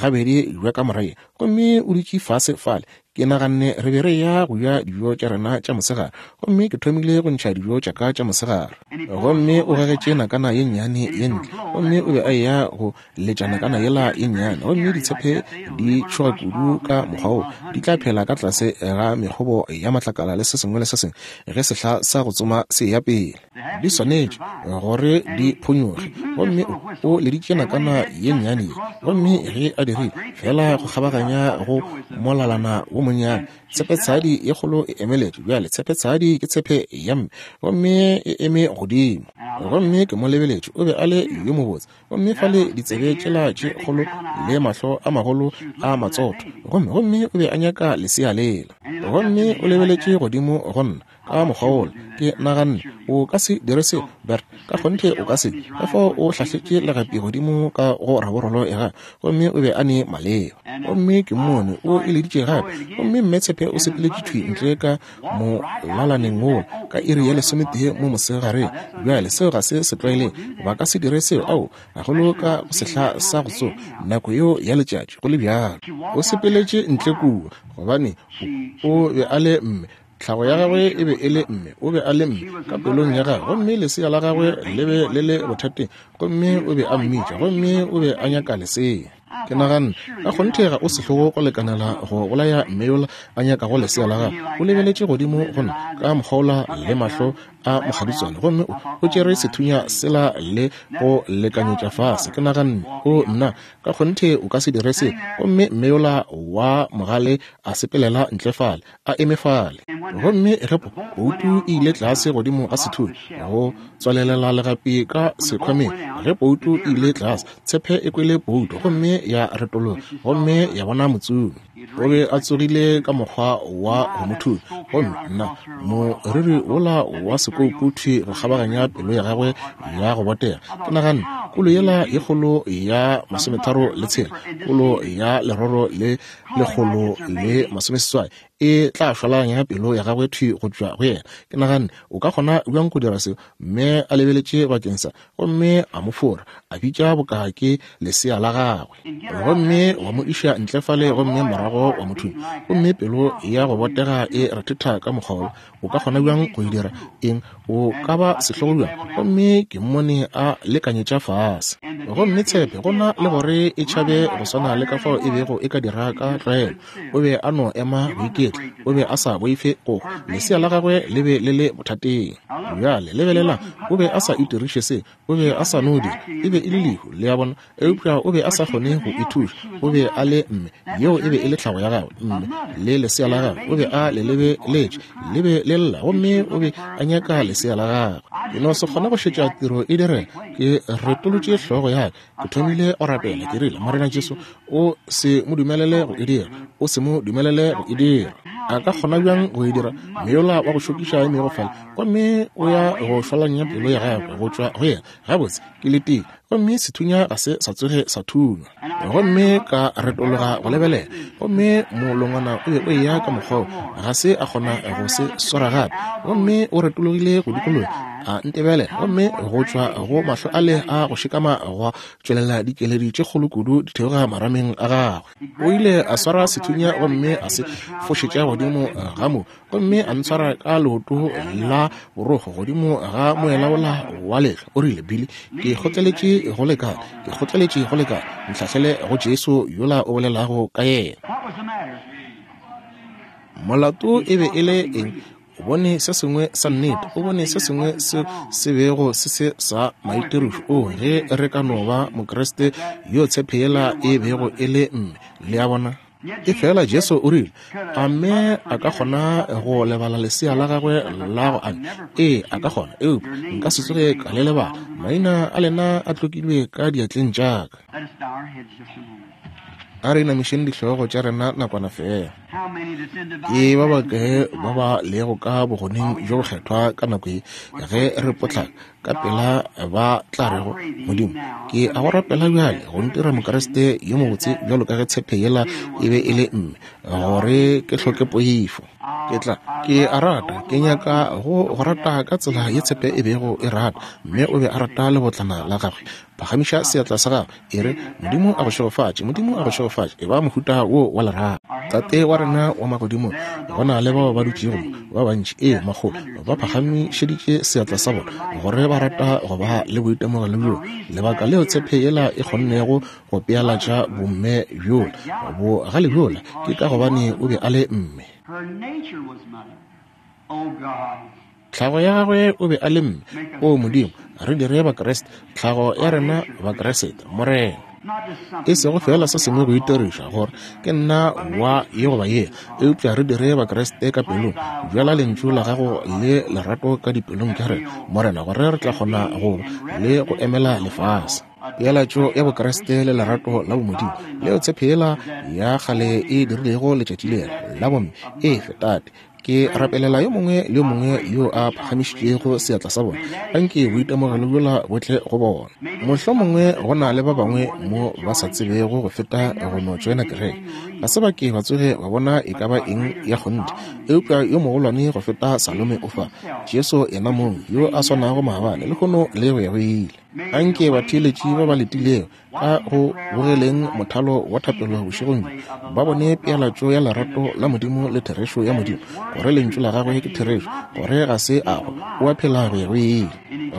gabedi bja kamora ye, gomme o dutše fase fale. Ke naganne re be re ya go ja dijo tša rena tša mosegare, gomme ke thomile go ntšha dijo tša ka tša mosegare. Gomme o gagetše nakana ye nnyane ye ntle, gomme o be a eya go letša nakana yela ye nnyane. Gomme ditshepe di tšhoga kudu ka mokgwa wo, di tla phela ka tlase ga mekgobo ya matlakala le se sengwe le se sengwe ge sehla sa go tsoma se ya pele. Di swanetše gore di phonyoge. Gomme o leditše nakana ye nnyane ye, gomme ge a dirile fela go kgabaganya go molalana wo monnyane, tshepetshadi ye kgolo e emeletše. Bjale tshepetshadi ke tshepe ya mme, gomme e eme godimo. Gomme ke mo lebeletše, o be a le yo mobotse, gomme fale ditsebe tšela tše kgolo le mahlo a magolo a matsotho, gomme gomme o be a nyaka lesea lela. Gomme o lebeletše godimo go nna ka mokgwa wola. Ke naganne, o ka se dire seo, Bert, ka kgonthe o ka se. Ka fao o hlahletše legapi godimo ka go raborolo ya gagwe, gomme o be a ne maleba. Gomme ke mmone o e leditše gape, gomme mme tshepe o sepeletše thwi ntle ka molalaneng wola ka iri ya lesometee mo mosegareng. Bjale seo ga se se tlwaelege, ba ka se dire seo, ao, gagolo ka go sehla sa go tsoga nako yeo ya letšatši. Go le bjalo, o sepeletše ntle kua, gobane o be a le mme. Tlhago ya gagwe e be e le mme, o be a le mme ka pelong ya gagwe, gomme lesea la gagwe le be le le bothateng, gomme o be a mmitša, gomme o be a nyaka lesea. Ke naganne, ka kgonthe ga o sehlogo go lekanela go bolaya mme yola a nyakago lesea la gagwe. O lebeletše godimo go nna ka mokgwa le mahlo a mokgaditswane, gomme o tšere sethunya sela le go lekanyetša fase. Ke naganne, o nna, ka kgonthe o ka se dire se. Gomme mme yola wa mogale a sepelela ntle fale, a eme fale. Gomme ge poutu e ile tlase godimo ga sethunya go tswalelela legapi ka sekhwameng, ge poutu e ile tlase, tshepe e kwele poutu gomme ya retologa, gomme ya bona motsomi. O be a tsogile ka mokgwa wa go mo thunya, gomme nna moriri wola wa sekoupu thwi go kgabaganya pelo ya gagwe ya go botega. Ke naganne, kolo yela ye kgolo ya masometharo le tshela, kolo ya leroro le lekgolo le masomeseswai e tla šwalanya pelo ya gagwe thwi go tšwa go yena. Ke naganne, o ka kgona bjang go dira seo? Mme a lebeletše bakeng sa, gomme a mo fora, a bitša boka ke lesea la gagwe, gomme wa mo iša ntle fale, gomme morago wa mo thunya. Gomme pelo ya go botega e rethetha ka mokgwa wola. O ka kgona bjang go e dira? Eng? O ka ba sehlogo bjang? Gomme ke mmone a lekanyetša fase. Gomme tshepe, go na le gore e tšhabe go swana le ka fao e bego e ka dira ka tlwaelo, o be a no ema go iketla. O be a sa boife go hwa. Lesea la gagwe le be le le bothateng. Bjale lebelelang, o be a sa itiriše se, o be a sa no dira, e be e le lehu, le a bona, eupša o be a sa kgone go ithuša. O be a le mme, yeo e be e le tlhago ya gagwe, mme le lesea la gagwe o be a le lebeletše, le be le lla, gomme o be a nyaka lesea la gagwe. Ke no se kgone go šetša tiro e direga. Ke retolotše hlogo ya ka, ke thomile go rapela. Ke rile, Morena Jesu, o se mo dumelele go e dira, o se mo dumelele go e dira. A ka kgona bjang go e dira? Mme yola wa go šokiša emego fale, gomme o ya go šwalanya pelo ya gagwe go tšwa go yena. Gabotse, ke letile, gomme sethunya ga se sa tsoge sa thunywa. Gomme ka retologa go lebelela, gomme molongwana o be o eya ka mokgwa wo, ga se a kgona go se swara gape. Gomme o retologile go dikologa, a ntebelela, gomme go tšwa go mahlo ale a go šekama gwa tšwelela dikeledi tše kgolo kudu di theoga marameng a gagwe. O ile a swara sethunya gomme a se fošetša godimo ga mo, gomme a ntshwara ka leoto la borokgo godimo ga moelaola wa lehlwa. O rile, Billy, ke kgotleletše go lekana, ke kgotleletše go lekana, ntlhahlele go Jesu yola o bolelago ka yena. Molato e be e le eng? O bone se sengwe sa nnete, o bone se sengwe se se bego se se sa maitirišo. O ge re ka no ba Mokriste yo tshepe yela e bego e le mme, le a bona. E fela Jesu o rile, a mme a ka kgona go lebala lesea la gagwe la go anya? Ee, a ka kgona, eupša nka se tsoge ka le lebala. Maina a lena a tlokilwe ka diatleng tša ka. A re inamišeng dihlogo tša rena nakwana fela. Ke ba bakae ba ba lego ka bogoneng bjo bokgethwa ka nako ye ge re potlaka ka pela ba tla rego, Modimo, ke a go rapela bjale go ntira Mokriste yo mobotse bjalo ka ge tshepe yela e be e le mme, gore ke hloke poifo. Ke tla, ke a rata, ke nyaka go go rata ka tsela ye tshepe e bego e rata, mme o be a rata lebotlana la gagwe. Phagamiša seatla sa gago, e re, Modimo a go šegofatše, Modimo a go šegofatše. E ba mohuta wo wa lerato. Tate wa rena wa magodimong, go na le bao ba dutšego ba bantši, ee, makgolo, ba phagamišeditše seatla sa bona gore ba rata go ba le boitemogelo bjo. Lebaka leo tshepe yela e kgonnego go pealatša bomme bjola, bogale bjola, ke ka gobane o be a le mme. Tlhago ya gagwe o be a le mme. O Modimo, re dire Bakriste, tlhago ya rena Bakriste, Morena. E sego fela se sengwe go itiriša gore ke nna wa ye goba ye, eupša re dire Bakriste ka pelong. Bjala lentšu la gago le lerato ka dipelong tša rena, Morena, gore re tla kgona go le go emela lefase. Pealatšo ya Bokriste le lerato la bomodimo leo tshephela ya kgale e dirilego letšatši lela la bomme. Efe, Tate, ke rapelela yo mongwe le yo mongwe yo a phagamišitšego seatla sa bona. Anke boitemogelo bjola bo tle go bona. Mohlomongwe go na le ba bangwe mo ba sa tsebego go feta go no tšoena kereke. Ga se ba ke ba tsoge ba bona e ka ba eng ya kgonthe, eupša yo mogolwane go feta Salome o fa, Jesu yena mong, yo a swanago maabane, lehono le go ya go ile. Anke batheeletši ba ba letilego ka go bogeleng mothalo wa thapelo bošegong bjo ba bone pealatšo ya lerato la Modimo le therešo ya Modimo, gore lentšu la gagwe ke therešo, gore ga se a hwa, o a phela go ya go ile.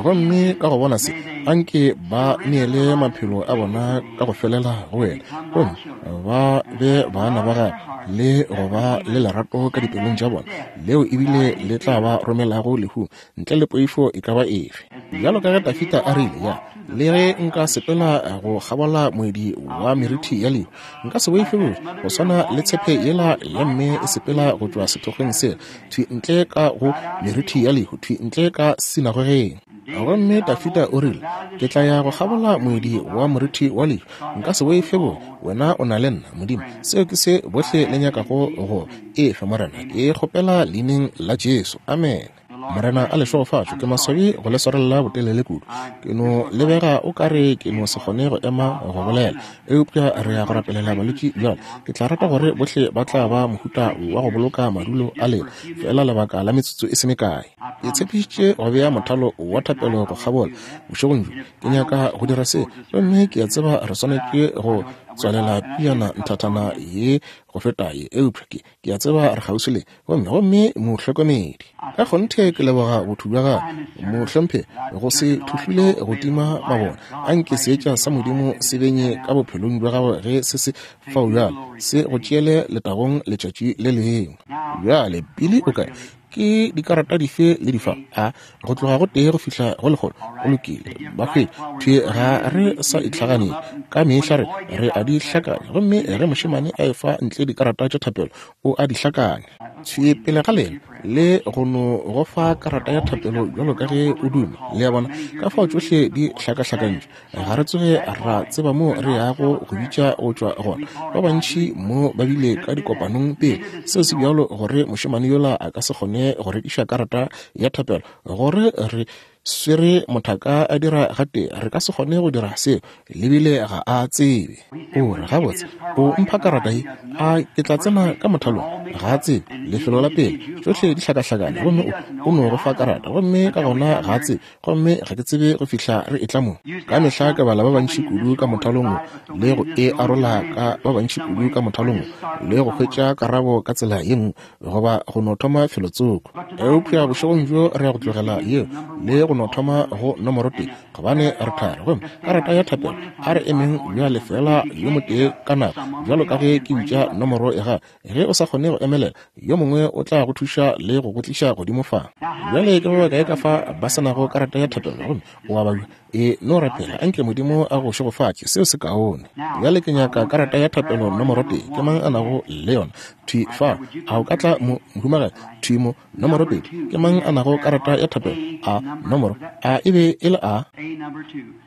Gomme ka go bona se, anke ba neele maphelo a bona ka go felela go wena, gomme ba be bana ba gagwe le go ba le lerato ka dipelong tša bona, leo ebile le tla ba romelago lehung ntle le poifo e ka ba efe. Bjalo ka ge Dafida a rile, ya, le ge nka sepela go kgabola moedi wa merithi ya lehu, nka se boife bobe, go swana le tshepe yela ya mme e sepela go tšwa sethokgweng sela, thwi ntle ka go merithi ya lehu, thwi ntle ka sinagogeng. Gomme Dafida o rile, ke tla ya go kgabola moedi wa morithi wa lehu, nka se boife bobe, wena o na le nna, Modimo. Seo ke se bohle le nyakago go efa, Morena. Ke kgopela leineng la Jesu. Amen. Morena a le šegofatše. Ke maswabi go le swarela botelele kudu. Ke no lebega o kare ke no se kgone go ema go bolela, eupša re ya go rapelela balwetši bjale. Ke tla rata gore bohle ba tla ba mohuta wa go boloka madulo a lena fela lebaka la metsotso e se mekae. Ke tshepišitše go bea mothalo wa thapelo go kgabola bošegong bjo. Ke nyaka go dira se, gomme ke a tseba re swanetše go tswalela piana nthathana ye go feta ye, eupša ke ke a tseba re kgauswi le gomme gomme mohlokomedi. Ka kgonthe ke leboga botho bja gagwe, mohlomphe, go se thuhlule go tima mabone. Anke seetša sa Modimo se benye ka bophelong bja gagwe ge se se fao bjale, se go tšeele letagong letšatši le lengwe. Bjale pele o kae? Ke dikarata dife le difa a go tloga go tee go fihla go lekgolo? Go lokile, ba hwetše thwi, ga re sa itlhaganeng ka mehla, re re a di hlakanya. Gomme ge mošemane a efa ntle dikarata tša thapelo, o a di hlakanya thwi pele ga lena le go no go fa karata ya thapelo bjalo ka ge o duma. Le a bona ka fao tšohle di hlakahlakantšwe. Ga re tsoge ra tseba mo re yago go bitša go tšwa gona. Ba bantši mo ba bile ka dikopanong pele, seo se bjalo gore mošemane yola a ka se kgone go rekiša karata ya thapelo, gore re swere mothaka a dira gate, re ka se kgone go dira seo, lebile ga a tsebe. O re, gabotse, o mpha karata ye, a ke tla tsena ka mothalong? Ga a tsebe lefelo la pele, tšohle di hlakahlakane, gomme o no go fa karata, gomme ka gona ga a tsebe, gomme ga ke tsebe go fihla re etla mo. Ka mehla ke bala ba bantši kudu ka mothalong wo, le go e arola ka ba bantši kudu ka mothalong wo, le go hwetša karabo ka tsela ye nngwe, goba go no thoma felotsoko. Eupša bošegong bjo re ya go tlogela yeo le go no thoma go nomoro tee, gobane re thari. Gomme karata ya thapelo, a re emeng bjale fela yo motee ka nako, bjalo ka ge ke bitša nomoro ya gago. Ge o sa kgone go emelela, yo mongwe o tla go thuša le go go tliša godimo fa. Bjale ke ba bakae ka fa ba se nago karata ya thapelo gomme o a babja? E no rapela, anke Modimo a go šegofatše, seo se kaone. Bjale ke nyaka karata ya thapelo nomoro tee. Ke mang a nago le yona? Thwi fa, a o ka tla mo, mohumagadi? Thwi mo, nomoro pedi. Ke mang a nago karata ya thapelo? A nomoro a e be e le a?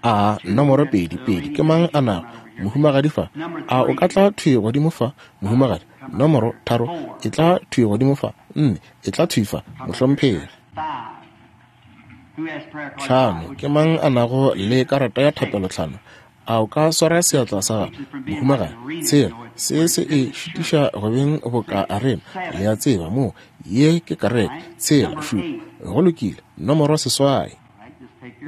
A nomoro pedi pedi. Ke mang a nago? Mohumagadi fa, a o ka tla thwi godimo fa, mohumagadi? Nomoro tharo, e tla thwi godimo fa. Nne, e tla thwi fa, mohlomphegi. Tlhano, ke mang a nago le karata ya thapelo tlhano? A o ka swara seatla sa gago, mohumagadi? Tshela, se se e šitiša go beng boka arena, le a tseba mo, ye ke kareke. Tshela, šupa, go lokile, nomoro seswai.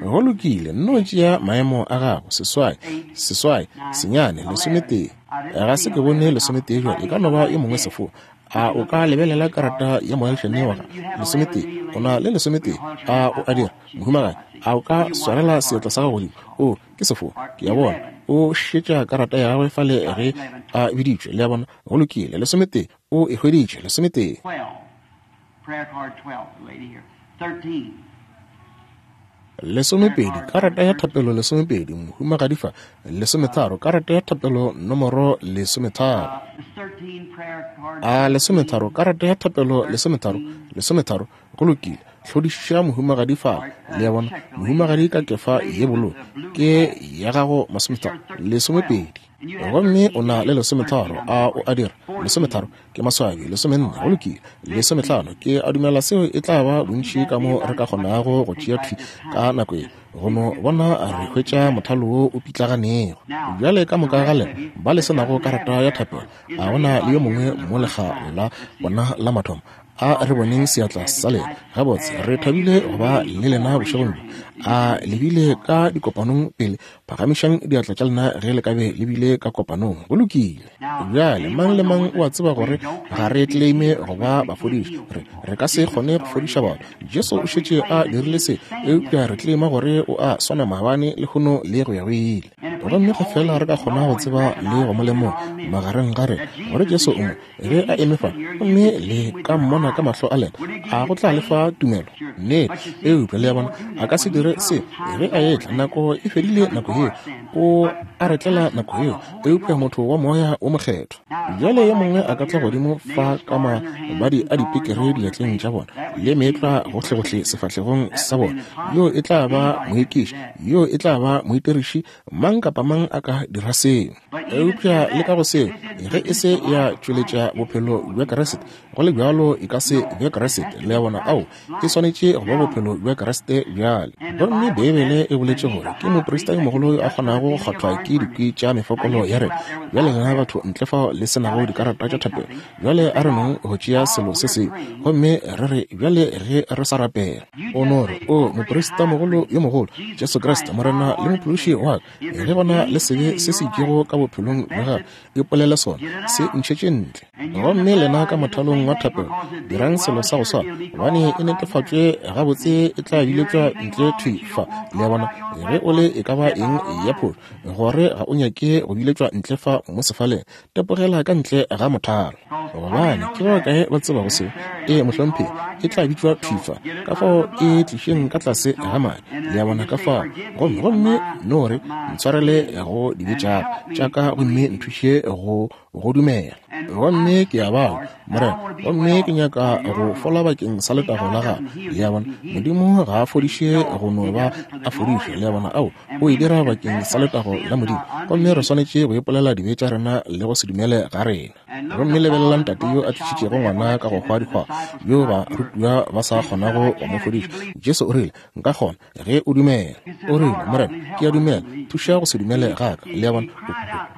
Go lokile, nno tšea maemo a gago, seswai, seswai, senyane, lesometee. Ga se ke bone lesometee bjale, e ka no ba yo mongwe sefo. A o ka lebelela karata ya moagišane wa gago? Lesometee, o na le lesometee. A o a dira, mohumagadi? A o ka swarela seatla sa gago godimo? O, ke sefo, ke a bona. O šetša karata ya gagwe fale ge a biditšwe, le a bona. Go lokile, lesometee, o e hweditše, lesometee. Lesomepedi, karata ya thapelo lesomepedi, mohumagadi fa. Lesometharo, karata ya thapelo nomoro lesometharo. A lesometharo, karata ya thapelo lesometharo, lesometharo, go lokile. Hlodišiša mohumagadi fa, le a bona. Mohumagadi ka kefa ye bolo, ke ya gago masometharo, lesomepedi. Gomme o na le lesometharo, a o a dira? Lesometharo ke maswabi, lesomenne, go lokile. Lesomehlano, ke a dumela seo e tla ba bontši ka mo re ka kgonago go tšea thwi ka nako ye. Go no bona re hwetša mothalo wo o pitlaganego. Bjale ka moka ga lena ba le se nago karata ya thapelo, a gona le yo mongwe mo lekga la bona la mathomo? A re boneng seatla sa lena. Gabotse, re thabile go ba le lena bošegong bjo. A le bile ka dikopanong pele? Phagamišang diatla tša lena ge le ka be le bile ka kopanong. Go lokile. Bjale mang le mang o a tseba gore ga re claime go ba bafodiši. Re, re ka se kgone go fodiša batho. Jesu o šetše a dirile se, eupša re claima gore o a swana maabane, lehono le go ya go ile. Gomme ge fela re ka kgona go tseba le go mo lemoga magareng ga rena gore Jesu o mo, ge a eme fa, gomme le ka mmona ka mahlo a lena, a go tla le fa tumelo? Nnete. Eupša le a bona, a ka se dire se ge a etla. Nako e fedile, nako yeo o a re tlela nako yeo, eupša motho wa moya o mokgethwa. Bjale yo mongwe a ka tla godimo fa ka mabadi a dipekere diatleng tša bona le meetlwa gohlegohle sefahlegong sa bona, yo e tla ba moekiši, yo e tla ba moitiriši, mang kapa mang a ka dira seo. Eupša le ka go seo, ge e se ya tšweletša bophelo bja Kriste, go le bjalo e ka se be Kriste. Le a bona? Ao, e swanetše go ba bophelo bja Kriste bjale. Gomme Beibele e boletše gore ke moprista yo mogolo yo a kgonago go kgwathwa ke dikwi tša mefokolo ya rena. Bjale lena batho ntle fao le se nago dikarata tša thapelo, bjale a re nong go tšea selo se sengwe gomme re re bjale ge re sa rapela. O no re, o moprista mogolo yo mogolo, Jesu Kriste, Morena le Mophološi wa ka, ge gona le sebe se se itšego ka bophelong bja gago, ipolele sona, se ntšhetše ntle. Gomme lena ka mothalong wa thapelo, dirang selo sa go swana, gobane e netefatšwe gabotse e tla biletšwa ntle thwi fa. Le a bona? Ge o le e ka ba eng ya phošo, gore ga o nyake go biletšwa ntle fa mo sefaleng, tepogela ka ntle ga mothalo. Gobane ke ba kae ba tsebago seo? Ee, mohlomphegi, e tla bitšwa thwi fa. Ka fao e tlišeng ka tlase ga madi. Le a bona? Ka fao. Gomme gomme no re, ntshwarele go dibe tša tša ka gomme nthuše go go dumela. Gomme ke a bala, Morena, gomme ke nyaka go fola bakeng sa letago la gago. Le a bona? Modimo ga a fodiše go no ba a fodiše. Le a bona? Ao, o e dira bakeng sa letago la Modimo. Gomme re swanetše go ipolela dibe tša rena le go se dumele ga rena. Gomme lebelelang tate yo a tlišitšego ngwana ka go hwa dikgwa, yo barutiwa ba sa kgonago go mo fodiša. Jesu o rile, nka kgona ge o dumela. O rile, Morena, ke a dumela, thuša go se dumele ga ka. Le a bona?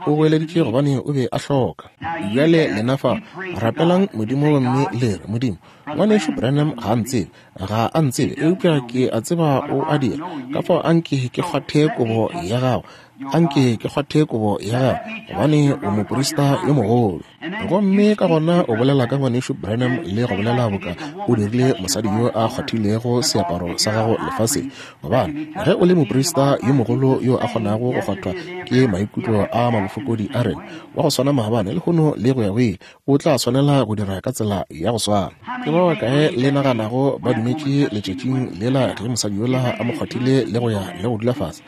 O goeleditše gobane o be a hloka. Bjale lena fa, rapelang Modimo gomme le re, Modimo, ngwanešu Branham ga a ntsebe, ga a ntsebe, eupša ke a tseba o a dira. Ka fao anke ke kgwathe kobo ya gago, anke ke kgwathe kobo ya gago, gobane o moprista yo mogolo. Gomme ka gona o bolela ka ngwanešu Branham le go bolela boka o dirile mosadi yo a kgwathilego seaparo sa gago lefaseng. Gobane ge o le moprista yo mogolo yo a kgonago go kgwathwa ke maikutlo a mabofokodi a rena, wa go swana maabane, lehono le go ya go ile, o tla swanela go dira ka tsela ya go swana. Ke ba bakae le naganago ba dumetše letšatšing lela ge mosadi yola a mo kgwathile le go ya le go dula fase?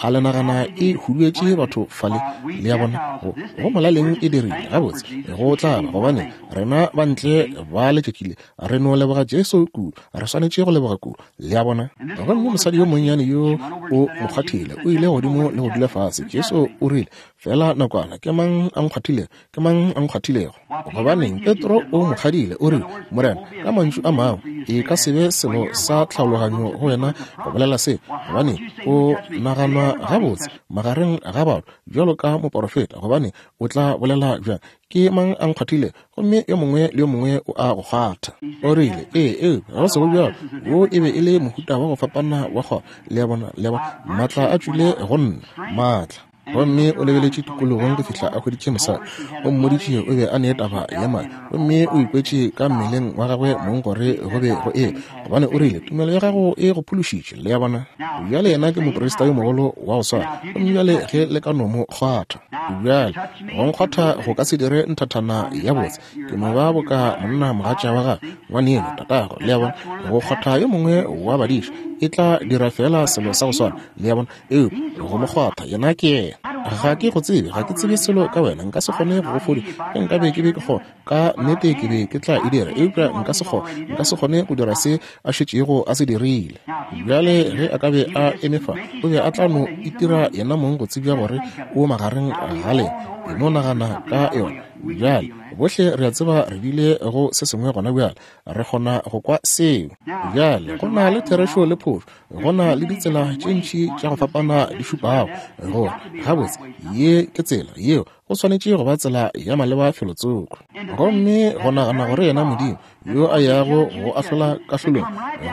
A le nagana e huduetše batho fale? Le a bona? Go, go molaleng e dirile. Gabotse, go tla ba, gobane rena ba ntle ba letšatši le, re no leboga Jesu kudu, re swanetše go leboga kudu. Le a bona? Gomme mosadi yo monnyane yo o mo kgwathile, o ile godimo le go dula fase. Jesu o rile, fela nakwana, ke mang a nkgwathilego? Ke mang a nkgwathilego? Gobaneng, Petro o mo kgadile, o rile, Morena, ka mantšu a mangwe, e ka se be selo sa tlhaologanyo go wena go bolela se, gobane o naganwa gabotse magareng ga batho bjalo ka moporofeta, gobane o tla bolela bjang, ke mang a nkgwathile, gomme yo mongwe le yo mongwe o a go kgwatha. O rile, ee, ee, ga go sego bjalo, wo e be e le mohuta wa go fapana wa kgwa. Le a bona, le a bona, maatla a tšwile go nna, maatla. Gomme o lebeletše tikologong go fihla a hweditše mosadi. O mmoditše o be a ne taba ya madi, gomme o ikwetše ka mmeleng wa gagwe mong gore go be go e, gobane o rile, tumelo ya gago e go phološitše. Le a bona, bjale yena ke moprista yo mogolo wa go swana, gomme bjale ge le ka no mo kgwatha. Bjale go nkgwatha go ka se dire nthathana ya botse, ke no ba boka monna mogatša wa gagwe, ngwaneno, tatago. Le a bona, go kgwatha yo mongwe wa badiša e tla dira fela selo sa go swana. Le a bona, eupša go mo kgwatha yena ke yena. Ga ke go tsebe, ga ke tsebe selo ka wena, nka se kgone go go fodiša. Ge nka be ke be ke kgona, ka nnete ke be ke tla e dira, eupša nka se kgone, nka se kgone go dira se a šetšego a se dirile. Bjale ge a ka be a eme fa, o be a tla no itira yena mong go tsebja gore o magareng ga lena. E no nagana ka yona. Bjale bohle re a tseba re bile go se sengwe gona bjale, re kgona go kwa seo. Bjale go na le therešo le phošo, go na le ditsela tše ntši tša go fapana di šupago gore gabotse ye ke tsela yeo, go swanetše go ba tsela ya maleba felotsoko. Gomme go nagana gore yena Modimo yo a yago go ahlola kahlolong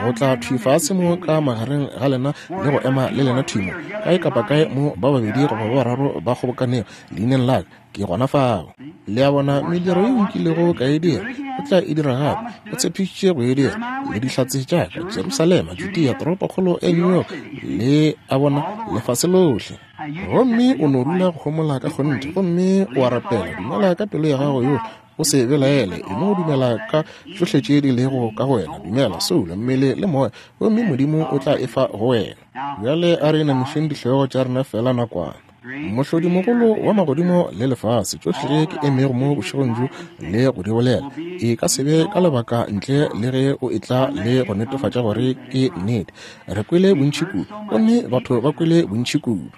go tla thwi fase mo ka magareng ga lena le go ema le lena thwi mo kae kapa kae mo ba babedi goba ba bararo ba kgobokanego leineng la ka, ke gona fao. Le a bona, mediro ye nkilego ka e dira o tla e dira gape, o tshepišitše go e dira, le dihlatse tša ka Jerusalema, Judea, toropokgolo ya New York, le a bona, lefase lohle. Gomme o no dula go homola ka kgonthe, gomme o a rapela, dumela ka pelo ya gago yohle, o se belaele, e no dumela ka tšohle tše di lego ka go wena, dumela soulo, mmele le moya, gomme Modimo o tla e fa go wena. Bjale a re inamišeng dihlogo tša rena fela nakwana. Mohlodimogolo wa magodimo le lefase, tšohle ke emego mo bošegong bjo le go di bolela, e ka se be ka lebaka ntle le ge o etla le go netefatša gore ke nnete. Re kwele bontši kudu, gomme batho ba kwele bontši kudu.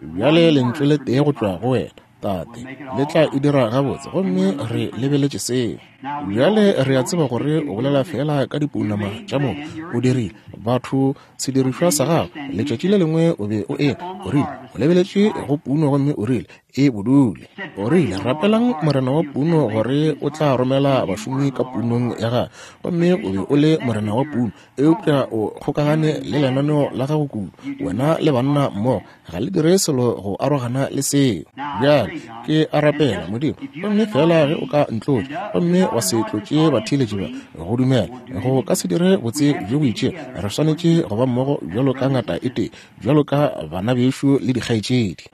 Bjale lentswe le tee go tšwa go wena, Tate, le tla e dira gabotse, gomme re lebeletše seo. Bjale re a tseba gore o bolela fela ka dipounama tša motho. O dirile batho sedirišwa sa gago. Letšatši le lengwe o be o eme, o rile o lebeletše go puno, gomme o rile e bodule. O rile rapelang morena wa puno gore o tla romela bašomi ka punong ya gagwe, gomme o be o le morena wa puno, eupša o kgokagane le lenaneo la gago kudu, wena le banna mmogo ga le dire selo go arogana le seo. Bjale ke a rapela Modimo, gomme fela ge o ka ntlotša gomme wa se tlotše batheeletši ba go dumela, go ka se dire botse bjo bo itšego. Re swanetše go ba mmogo bjalo ka ngata e tee, bjalo ka bana bešo le dikgaetšedi.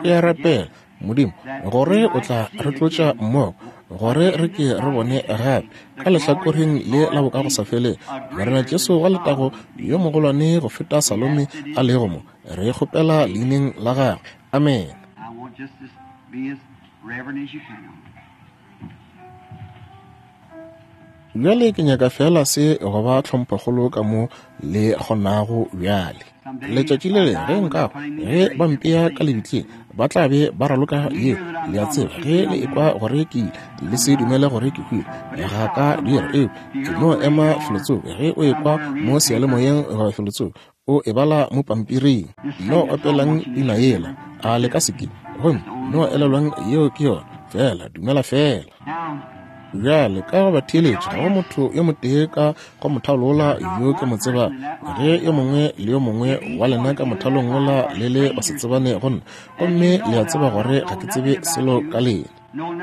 Ke a rapela Modimo gore o tla re tlotša mmogo, gore re ke re bone gape ka lehlakoreng le la bokagosafelego Morena Jesu wa letago yo mogolwane go feta Salome a lego mo. Re kgopela leineng la gagwe, amen. Bjale ke nyaka fela se go ba tlhomphokgolo ka mo le kgonago bjale. Letšatši le le ge nka ge ba mpea ka lebitleng, ba tla be ba raloka ye. Le a tseba ge le ekwa gore ke ile, le se dumele gore ke hwile, ga ka dira, eupša ke no ema felotsoko. Ge o ekwa mo seyalemoyeng goba felotsoko, o e bala mo pampiring. No opelang pina yela, a le ka se ke, gomme no elelwang yeo ke yona fela, dumela fela. Bjale ka go batheeletša, ga go motho yo motee ka go mothalo wola yo ke mo tsebang. Ge yo mongwe le yo mongwe wa lena ka mothalong wola le le ba se tsebane go nna, gomme le a tseba gore ga ke tsebe selo ka lena,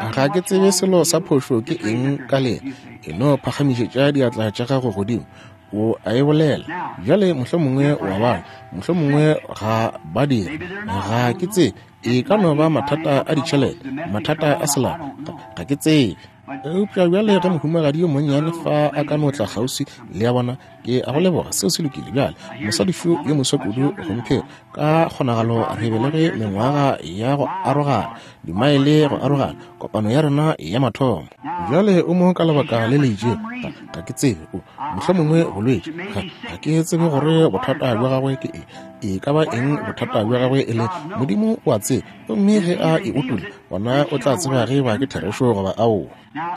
ga ke tsebe selo sa phošo ke eng ka lena, e no phagamišetša diatla tša gago godimo, o a e bolela. Bjale mohlomongwe wa bala, mohlomongwe ga ba dira, ga ke tsebe. E ka no ba mathata a ditšhelete, mathata a selapa, ga ke tsebe. Eupša bjale ge mohumagadi yo monnyane fa a ka no tla kgauswi, le a bona, ke a go leboga, seo se lokile. Bjale mosadi šo yo moswa kudu gomphelo, ka kgonagalo re belege mengwaga ya go arogana, dimaele go arogana, kopano ya rena ya mathomo. Bjale o mo ka lebaka le le itšego, ga ke tsebe, o mohlomongwe bolwetši, ga ke tsebe gore bothata bja gagwe ke eng, e ka ba eng bothata bja gagwe e le, Modimo o a tseba. Gomme ge a e utolla, Gona o tla tseba ge ba ke therešo goba aowa.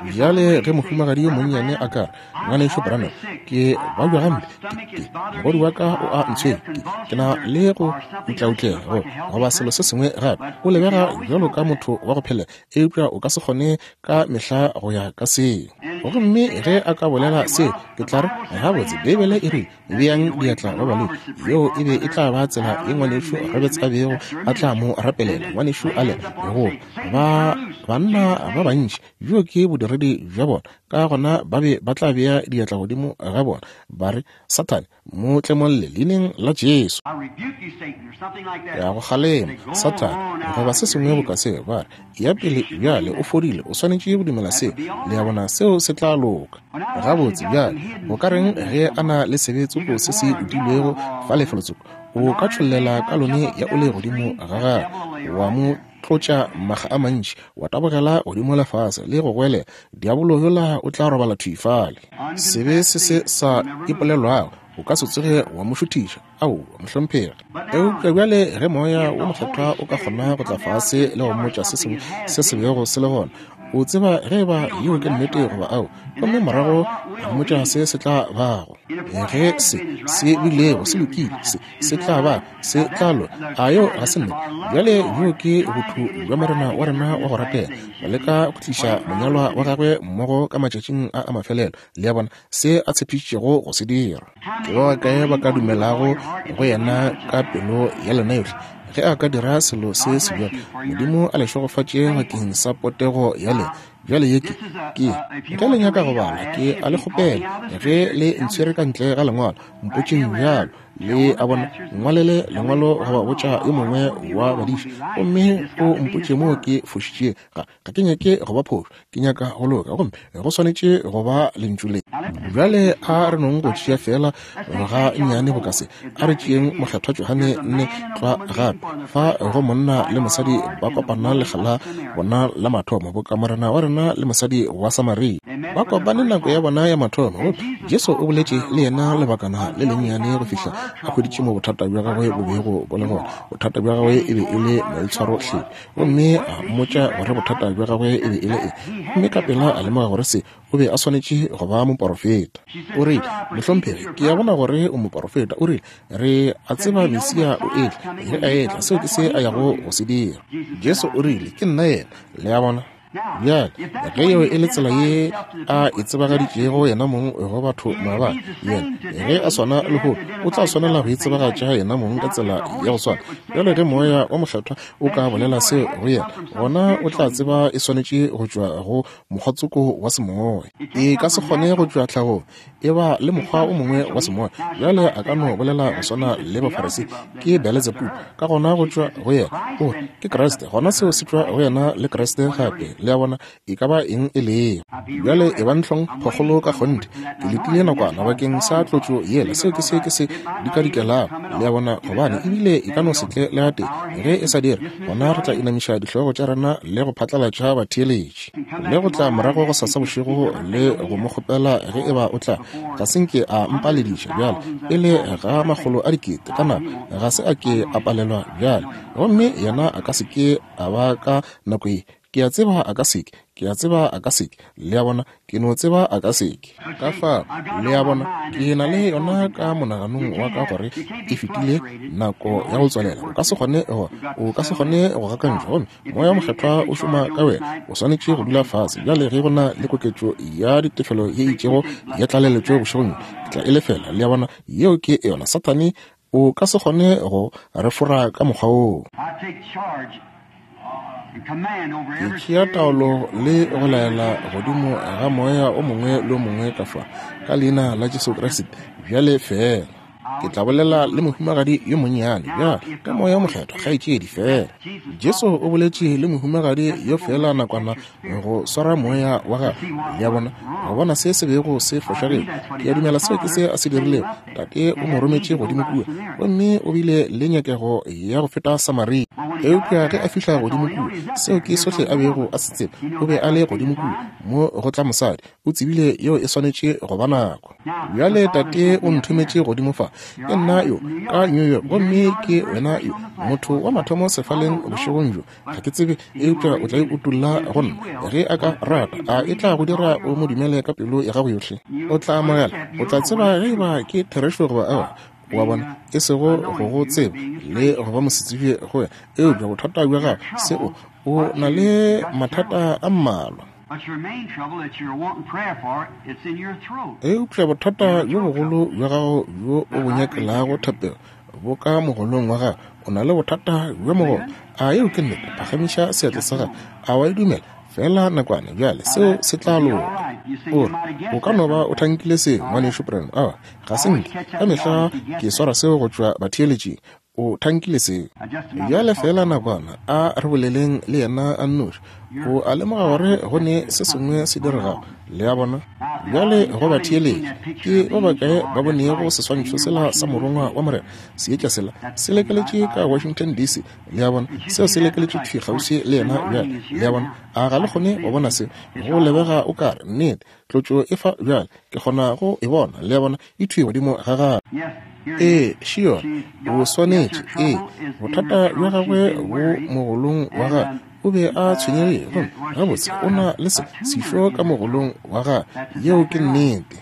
Bjale ge mohumagadi yo monnyane a ka re, Ngwanešu Branham, ke babja gampe, ke, ke, mogodu wa ka o a ntshwenya, ke, ke na le go utlautlega go, goba selo se sengwe gape, o lebega bjalo ka motho wa go phelela, eupša o ka se kgone ka mehla go ya ka seo. Gomme ge a ka bolela seo, ke tla re, gabotse, Beibele e rile, beang diatla ba balwetši. Yeo e be e tla ba tsela ye Ngwanešu Roberts a bego a tla mo rapelela, Ngwanešu Allen, goba ba banna ba bantši. Bjo ke bodiredi bja bona. Ka gona ba be ba tla bea diatla godimo ga bona, ba re, Sathane, mo tlemolle leineng la Jesu. Ke a go kgalema, Sathane, goba se sengwe boka seo. Ba re, ya pele bjale o fodile, o swanetše go dumela seo. Le a bona, seo se tla loka. Gabotse bjale, go ka reng ge a na le sebetsoko se se utilwego fa lefelotsoko? O ka tšhollela ka lone ya ole godimo ga gagwe, wa mo tlotša maga a mantši, wa tabogela godimo lefase le go goelela, diabolo yola o tla robala thwi fale. Sebe se se sa ipolelwago o ka se tsoge wa mo šuthiša. Aowa, mohlomphegi. Eupša bjale ge Moya wo Mokgethwa o ka kgona go tla fase le go mmotša se sengwe se se bego se le gona, o tseba ge eba yeo ke nnete goba ao, gomme morago a mmotša se se tla bago. Ge se se bilego se lokile, se se tla ba, se tla loka. A yeo ga se nnete? Bjale bjo ke botho bja Morena wa rena wa go ratega, go leka go tliša monyalwa wa gagwe mmogo ka matšatšing a a mafelelo, le a bona, se a tshepišitšego go se dira. Ke ba bakae ba ka dumelago go yena ka pelo ya lena yohle? Ge a ka dira selo se sebjalo, Modimo a le šegofatše bakeng sa potego ya lena. Bjale ye ke, ke, ge le nyaka go bala, ke a le kgopela, ge le ntshwere ka ntle ga lengwalo, mpotšeng bjalo. Le a bona, ngwalele lengwalo goba botša yo mongwe wa badiši, gomme o mpotše moo ke fošitšego. Ga, ga ke nyake go ba phošo, ke nyaka go loka, gomme go swanetše go ba lentšu le. Bjale a re nong go tšea fela ga nnyane boka se. A re tšeeng Mokgethwa Johane nne tlwa gape, fa go monna le mosadi ba kopana lekga la bona la mathomo, boka Morena wa rena le mosadi wa Samaria ba kopane nako ya bona ya mathomo. Gomme Jesu o boletše le yena lebakana le lennyane go fihla a hweditše mo bothata bja gagwe bo bego bo le gona. Bothata bja gagwe e be e le maitshwarohlephi, gomme a mmotša gore bothata bja gagwe e be e le eng. Gomme ka pela a lemoga gore se o be a swanetše go ba moporofeta. O rile, mohlomphegi, ke a bona gore o moporofeta. O rile, re a tseba Mesia o etla. Ge a etla, seo ke se a yago go se dira. Jesu o rile, ke nna yena. Le a bona? Bjale ge yeo e le tsela ye a e tsebagaditšego yena mong go batho maabane, yena ge a swana lehono o tla swanela go itsebagatša yena mong ka tsela ya go swana. Bjale ge Moya wa Mokgethwa o ka bolela seo go yena, gona o tla tseba e swanetše go tšwa go mokgwatsoko wa semoya. E ka se kgone go tšwa tlhagong, e ba le mokgwa o mongwe wa semoya. Bjale a ka no bolela go swana le Bafarisi, ke Beelzebub. Ka gona go tšwa go yena, o re ke Kriste, gona seo se tšwa go yena le Kriste gape. Le a bona, e ka ba eng e lego. Bjale e ba ntlong phokgolo ka kgonthe. Ke letile nakwana bakeng sa tlotšo yela, seo ke se ke se dikadikelago. Le a bona, gobane ebile e ka no se tle le gatee. Ge e sa dire, gona re tla inamiša dihlogo tša rena le go phatlalatša batheeletši, le go tla morago go sasa bošego le go mo kgopela ge eba o tla. Ga se nke a mpalediša bjale pele ga makgolo a dikete ka nako, ga se a ke a palelwa bjale, gomme yena a ka se ke a ba ka nako ye. Ke a tseba a ka seke, ke a tseba a ka seke. Le a bona, ke no tseba a ka seke. Ka fao, le a bona, ke na le yona ka monaganong wa ka gore e fetile nako ya go tswalela. O ka se kgone go, o ka se kgone go gakantšwa, gomme Moya Mokgethwa o šoma ka wena. O swanetše go dula fase. Bjale ge go na le koketšo ya ditefelo ye itšego ya tlaleletšo bošegong, ke tla e lefela. Le a bona, yeo ke yona. Sathane o ka se kgone go re fora ka mokgwa woo. Ke tšea taolo le go laela godimo ga moya o mongwe le o mongwe ka fa, ka leina la Jesu Kriste. Bjale fela ke tla bolela le mohumagadi yo monnyane bjale ka Moya Mokgethwa, kgaetšedi fela. Jesu o boletše le mohumagadi yo fela nakwana go swara moya wa gagwe. Le a bona, go bona se se bego se fošagetše. Ke a dumela seo ke se a se dirilego. Tate o mo rometše godimo kua, gomme o bile le nyakego ya go feta Samaria. Eupša ge a fihla godimo kua, seo ke sohle a bego a se tseba. O be a le godimo kua mo go tla mosadi, o tsebile yeo e swanetše go ba nako. Bjale Tate o nthometše godimo fa, Ke nna yo ka New York, gomme ke wena yo motho wa mathomo sefaleng bošegong bjo. Ga ke tsebe, eupša o tla e utolla go nna ge a ka rata. A e tla go dira o mo dumele ka pelo ya gago yohle? O tla amogela, o tla tseba ge eba ke therešo goba aowa. Wa bona, e sego go go tseba le go ba mosetsebje go wena, eupša bothata bja gago seo o na le mathata a mmalwa. Eupša bothata bjo bogolo bja gago bjo o bo nyakelago thapelo bo ka mogolong wa gago. O na le bothata bja mogolo. A yeo ke nnete? Phagamiša seatla sa gago. A wa e dumela? Fela nakwana bjale, seo se tla loka. O re, o ka no ba o thankile seo, ngwanešu Branham. Aowa, ga se nke. Ka mehla ke swara seo go tšwa batheeletšing. O thankile seo. Bjale fela nakwana, a re boleleng le yena a nnoši. O a lemoga gore go ne se sengwe se diregago. Le a bona? Bjale go batheeletši, ke ba bakae ba bonego seswantšho sela sa morongwa wa Morena? Seetša sela se lekeletše ka Washington D C. Le a bona? Seo se lekeletše thwi kgauswi le yena bjale. Le a bona? A ga le kgone go bona seo? Go lebega o kare nnete tlotšo e fa bjale. Ke kgona go e bona. Le a bona? E thwi godimo ga gagwe. Ee, šiona, o swanetše. Ee, bothata bja gagwe bo mogolong wa gagwe. O be a tshwenyegile, gomme gabotse o na le se sešo ka mogolong wa gagwe. Yeo ke nnete.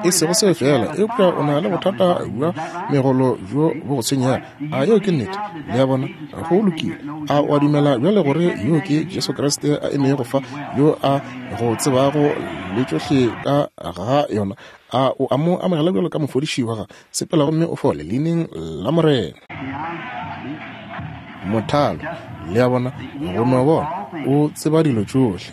E sego seo fela, eupša o na le bothata bja megolo bjo bo go tshwenyago. A yeo ke nnete? Le a bona? Go lokile. A o a dumela bjale gore yo ke Jesu Kriste a emego fa, yo a go tsebago le tšohle ka ga yona? A o a mo amogela bjalo ka mofodiši wa gago? Sepela gomme o fole leineng la Morena. Mothalo, le a bona, go no bona o tseba dilo tšohle.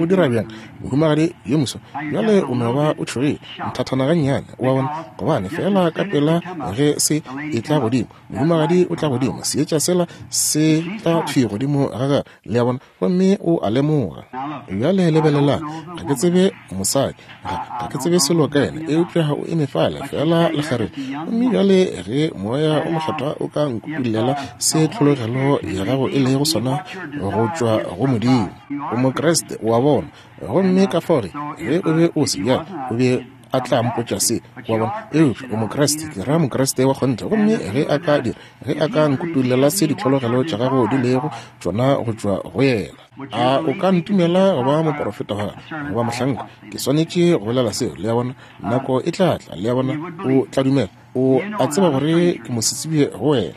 O dira bjang, mohumagadi yo moswa? Bjale o no ba o tšhogile nthathana gannyane, wa bona, gobane fela ka pela ge se e tla godimo, mohumagadi o tla godimo, seetša sela se tla thwi godimo ga gagwe. Le a bona, gomme o a lemoga. Bjale lebelelang, ga ke tsebe mosadi, ga, ga ke tsebe selo ka yena, eupša o eme fale fela lekgarebe. Gomme bjale ge moya o mokgethwa o ka nkutullela se tlhologelo ya gago e lego sona go tšwa go Modimo, o Mokriste, wa bona. Gomme ka fao ge o be o se bjalo, o be a tla mpotša se, wa bona. Eupša o Mokriste, ke ra Mokriste wa kgonthe. Gomme ge a ka dira, ge a ka nkutullela se ditlhologelo tša gago di lego tšona go tšwa go yena, a o ka ntumela go ba moporofeta wa gagwe, goba mohlanka? Ke swanetše go bolela seo. Le a bona? Nako e tla tla. Le a bona? O tla dumela. O a tseba gore ke mosetsebje go wena.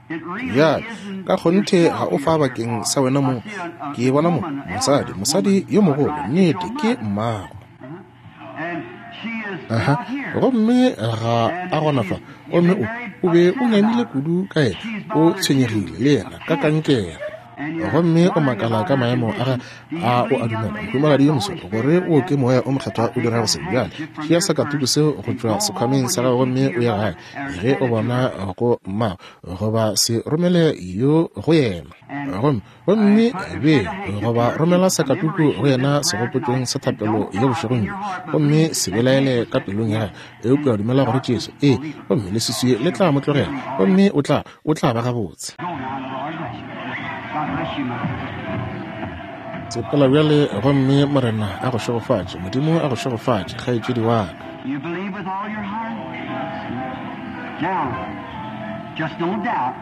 Bjale ka kgonthe ga o fa bakeng sa wena mong. Ke bona mo mosadi, mosadi yo mogolo, nnete ke mmago. Aha, gomme ga a gona fa. Gomme o, o be o nyamile kudu ka yena, o tshwenyegile le yena ka kankere. Gomme o makala ka maemo a ga a o a dumela, mohumagadi yo moswa, gore o ke moya o mokgethwa o dirago se. Bjale tšea sakatuku seo go tšwa sekhwameng sa gago gomme o ye gae. Ge o bona go mmago, goba se romele yo go yena. Gomme gomme be goba romela sakatuku go yena segopotšong sa thapelo ya bošegong bjo, gomme se belaele ka pelong ya gagwe, eupša dumela gore Jesu, ee, gomme leswiswi le tla mo tlogela, gomme o tla, o tla ba gabotse. Sepela bjale, gomme Morena a go šegofatše. Modimo a go šegofatše, kgaetšedi wa ka. You believe with all your heart? Now, just don't doubt.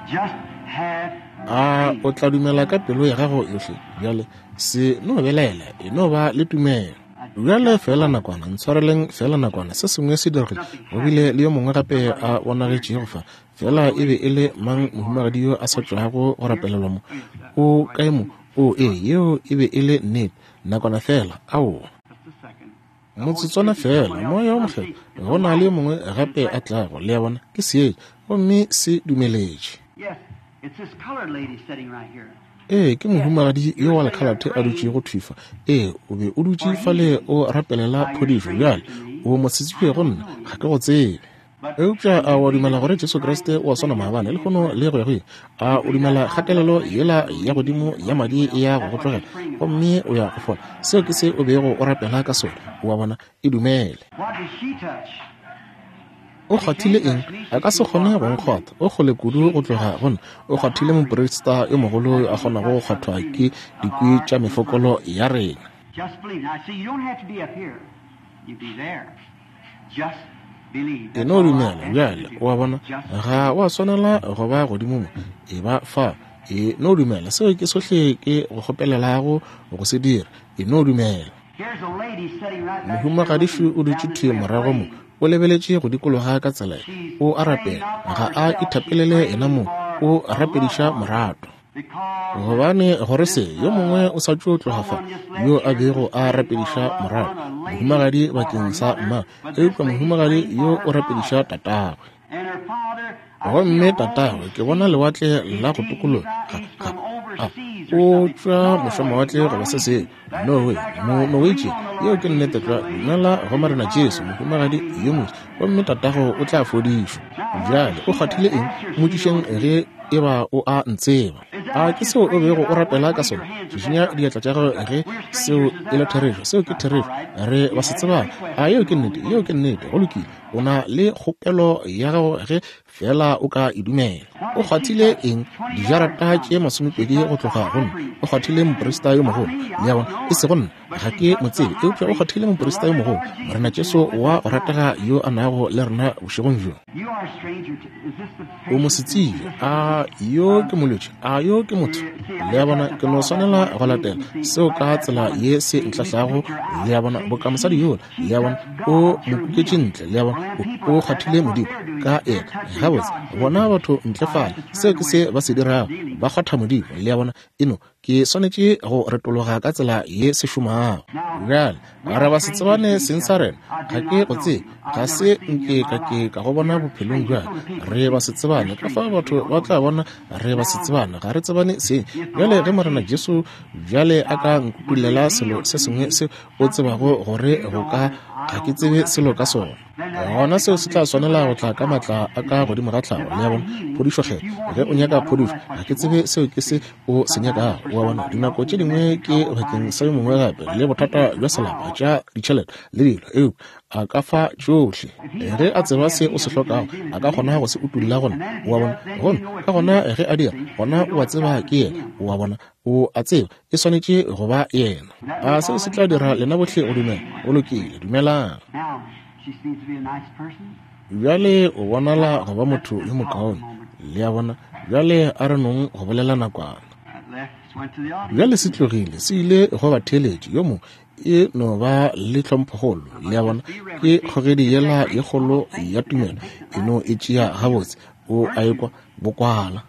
Just have A o tla dumela ka pelo ya gago yohle? Bjale se no belaela, e no ba le tumelo. Bjale fela nakwana, ntshwareleng fela nakwana, se sengwe se diregile. Go bile le yo mongwe gape a bonagetšego fa. Fela e be e le mang mohumagadi yo a sa tšwago go rapelelwa mo? O kae mo? O, ee, yeo e be e le nnete. Nakwana fela, aowa. just a second. Motsotswana fela, moya o mokgethwa, go na le yo mongwe gape a tlago. Le a bona, ke seetša, gomme se dumeletše. Yes, it's this colored lady sitting right here. Ee, ke mohumagadi yo wa lekhalate a dutšego thwi fa. Ee, o be o dutše fale o rapelela phodišo. Bjale o mosetsebje go nna, ga ke go tsebe. Eupša a o a dumela gore Jesu Kriste o a swana maabane, lehono le go ya go ile? A o dumela kgatelelo yela ya godimo ya madi e ya go go tlogela, gomme o ya go fola? Seo ke se o bego o rapela ka sona. O a bona? E dumele. What did she touch? O kgwathile eng? A ka se kgone go nkgwatha. O kgole kudu go tloga go nna. O kgwathile moprista yo mogolo yo a kgonago go kgwathwa ke dikwi tša mefokolo ya rena. Just believe. Now, see, you don't have to be up here. You be there. Just E no dumela bjale, o a bona, ga wa swanela go ba godimo mo, e ba fa. E no dumela, seo ke sohle ke go kgopelelago go se dira. E no dumela. Mohumagadišu o dutše thwi morago mo, o lebeletše go dikologa ka tsela, o a rapela, ga a ithapelele yena mo, o rapediša morato. Gobane gore se yo mongwe o sa tšo tloga fa yo a bego a rapediša morato, mohumagadi bakeng sa mma, eupša mohumagadi yo o rapediša tatagwe. Gomme tatagwe ke bona lewatle la go tokologa, ga, ga, o tšwa mošomawatle goba se sengwe. Norway, mo Norwegian, yeo ke nnete tlwa. Dumela go Morena Jesu, mohumagadi yo motse, gomme tatago o tla fodišwa. Bjale o kgwathile eng? Mmotšišeng ge e ba o a ntseba. A ke seo o bego o rapela ka sona? Šišinya diatla tša gago ge seo e le therešo. Seo ke therešo, re ba se tsebang. A yeo ke nnete? Yeo ke nnete. Go lokile. O na le kgopelo ya gago ge fela o ka e dumela. O kgwathile eng? Dijarata tše masomepedi go tloga go nna. O kgwathile moprista yo mogolo. Le a bona, e sego nna, ga ke mo tsebe, eupša o kgwathile moprista yo mogolo, Morena Jesu wa go ratega yo a nago le rena bošegong bjo. O mo se tsebe. A yo ke molwetši? A yo ke motho? Le a bona, ke no swanela go latela seo ka tsela ye se ntlahlago. Le a bona, boka mosadi yola. Le a bona, o mo kuketše ntle. Le a bona, o kgwathile Modimo ka yena. Gabotse, bona batho ntle fale, seo ke se ba se dirago, ba kgwatha Modimo. Le a bona, eno ke swanetše go retologa ka tsela ye se šomago. Bjale re ba se tsebane seng sa rena, ga ke go tsebe, ga se nke ka ke ka go bona bophelong bjale. Re ba se tsebane, ka fa batho ba tla bona re ba se tsebane, ga re tsebane seng. Bjale ge Morena Jesu bjale a ka nkutulela selo se sengwe se o tsebago gore go ka, ga ke tsebe selo ka sona, gona seo se tla swanela go tla ka matla a ka godimo ga tlhago. Le a bona, phodišo kgetho, ge o nyaka phodišo, ga ke tsebe seo ke se o se nyakago. O a bona, dinako tše dingwe ke bakeng sa yo mongwe gape, le bothata bja selapa, tša ditšhelete le dilo, eupša a ka fa tšohle. Ge a tseba se o se hlokago, a ka kgona go se utulla gona. O a bona, gomme ka gona ge a dira, gona o a tseba ke yena. O a bona, o a tseba e swanetše go ba yena. A seo se tla dira lena bohle go dumela? Go lokile, dumelang. Bjale o bonala go ba motho yo mokaone. Le a bona, bjale a re nong go bolela nakwana. Bjale se tlogile, se ile go ba theeletše yo mongwe, e no ba le tlhomphokgolo. Le a bona, ke kgogedi yela ye kgolo ya tumelo, e no e tšea gabotse. O a ekwa bokwala.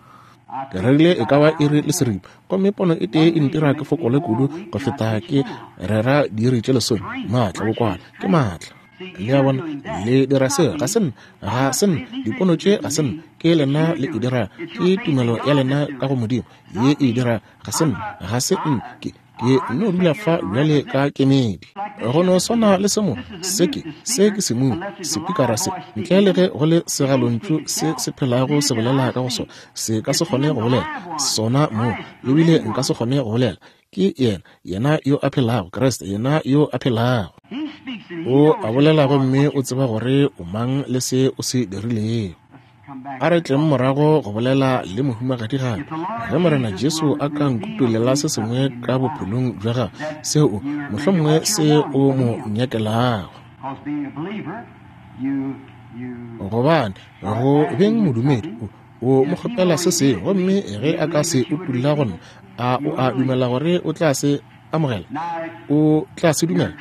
Ke rerile e ka ba iri le seripa, gomme pono e tee e ntira ke fokole kudu go feta ke rera diiri tše lesome. Maatla, bokwala ke maatla. Le a bona, le dira seo, ga se nna, ga se nna, dipono tše ga se nna, ke lena le e dira, ke tumelo ya lena ka go Modimo ye e dira, ga se nna, ga se nna, ke ke no dula fa bjale ka kemedi. Go no swana le se mo, se ke, se ke semumu, sepikara se, ntle le ge go le segalontšu se se phelago se bolela ka go sona, se ka se kgone go bolela sona mo, ebile nka se kgone go bolela. Ke yena, yena yo a phelago, Kriste, yena yo a phelago. O a bolela gomme o tseba gore o mang le se o se dirilego. A re tleng morago go bolela le mohumagadi gape. Ge Morena Jesu a ka nkutulela se sengwe ka bophelong bja gagwe, seo mohlomongwe se o mo nyakelago. Gobane go beng modumedi, o mo kgopela se sengwe, gomme ge a ka se utulla go nna, a o a dumela gore o tla se amogela? O tla se dumela?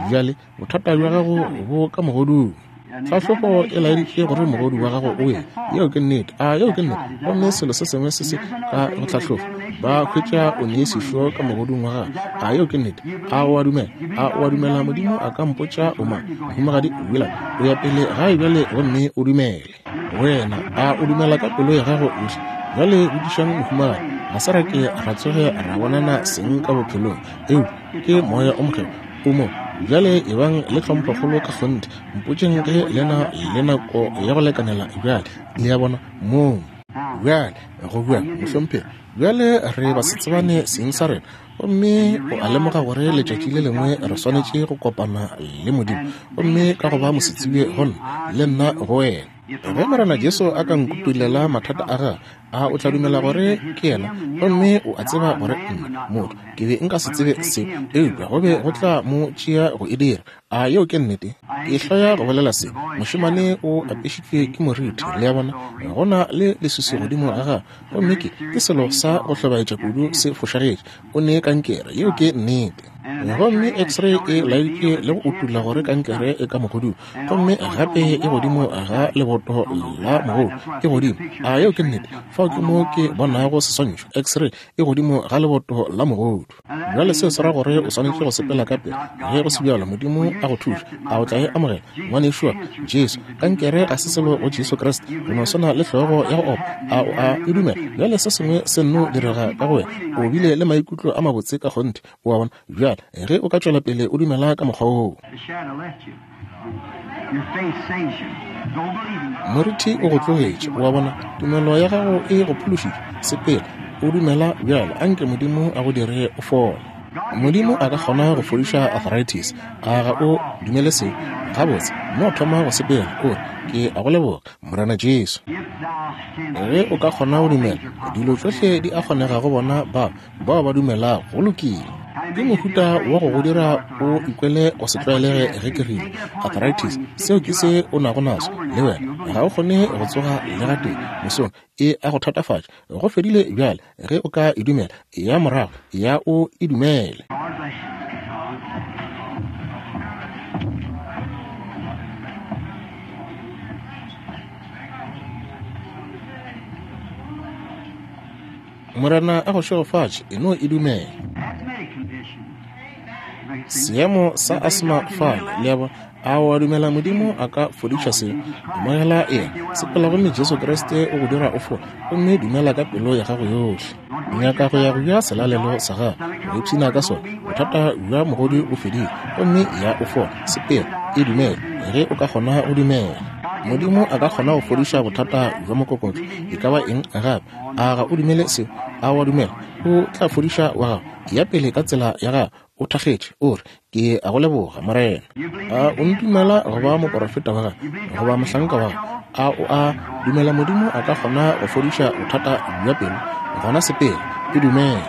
Bjale bothata bja gago bo ka mogodung. Tlhahlobo e laeditše gore mogodu wa gago o wele. Yeo ke nnete. A yeo ke nnete. Gomme selo se sengwe se se ka go tlhahlofa, ba hwetša o ne sešo ka mogodung wa gago. A yeo ke nnete. A o a dumela? A o a dumela Modimo a ka mpotša o mang? Mohumagadi Willard, o ya pele gae bjale gomme o dumele. Wena, a o dumela ka pelo ya gago yohle? Bjale botšišang mohumagadi, ga se ra ke ra tsoge ra bonana seng ka bophelong, eupša ke moya o mokgethwa o mo. Bjale ebang le tlhomphokgolo ka kgonthe, mpotšeng ge lena le nako ya go lekanela bjale. Le a bona moo bjale go bua mohlomphegi. Bjale re ba se tsebane seng sa rena, gomme o a lemoga gore letšatši le lengwe re swanetše go kopana le Modimo, gomme ka go ba mosetsebje go nna le nna go wena. Ge Morena Jesu a ka nkutulela mathata a gagwe, a o tla dumela gore ke yena? Gomme o a tseba gore nna, motho, ke be nka se tsebe se, eupša go be go tla mo tšea go e dira. A yeo ke nnete? Ke hloya go bolela se. Mošemane o apešitšwe ke moriti, le a bona, go na le leswiswi godimo ga gagwe, gomme ke, ke selo sa go hlobaetša kudu se fošagetše. O ne kankere, yeo ke nnete. Gomme x-ray e laeditše le go utulla gore kankere e ka mogodung, gomme gape e godimo ga leboto la mogodu, e godimo. A yeo ke nnete? Fao ke mo ke bonago seswantšho, x-ray e godimo ga leboto la mogodu. Bjale seo se ra gore o swanetše go sepela ka pele. Ge go se bjalo, Modimo a go thuša. A o tla e amogela, ngwanešu wa Jesu? Kankere ga se selo go Jesu Kriste, go no swana le hlogo ya go opa. A o a e dumela? Bjale se sengwe se nno direga ka go wena. O bile le maikutlo a mabotse ka kgonthe, o a bona. Bjale ge o ka tšwela pele o dumela ka mokgwa woo, moriti o go tlogetše, o a bona. Tumelo ya gago e go phološitše. Sepela o dumela bjale, anke Modimo a go dire o fole. Modimo a ka kgona go fodiša arthritis. A ga o dumele seo? Gabotse, mo thoma go sepela, o re, ke a go leboga, Morena Jesu. Ge o ka kgona go dumela, dilo tšohle di a kgonega go bona bao bao ba dumelago. Go lokile. Ke mohuta wa go go dira o ikwele go se tlwaelege ge ke rile arthritis. Seo ke se o nago naso le wena. Ga o kgone go tsoga le gatee mosong, e a go thatafatša. Go fedile bjale. Ge o ka e dumela, ya morago, ya o e dumele. Morena a go šegofatše, e no e dumela. Seemo sa asma fale, le a bona. A o a dumela Modimo a ka fodiša seo? Amogela yena, sepela gomme Jesu Kriste o go dira o fole, gomme dumela ka pelo ya gago yohle. Nyaka go ya go ja selalelo sa gago, go ipshina ka sona. Bothata bja mogodu o fedile, gomme ya o fola. Sepela, e dumele, ge o ka kgona go dumela. Modimo a ka kgona go fodiša bothata bja mokokotlo, e ka ba eng gape. A ga o dumele seo? A o a dumela? O tla fodiša wa gago. Ya pele ka tsela ya gago, o thakgetše, o re, ke a go leboga, Morena. A o ntumela go ba moporofeta wa gago, goba mohlanka wa gago? A o a dumela Modimo a ka kgona go fodiša bothata bja pelo? Gona sepela, e dumele.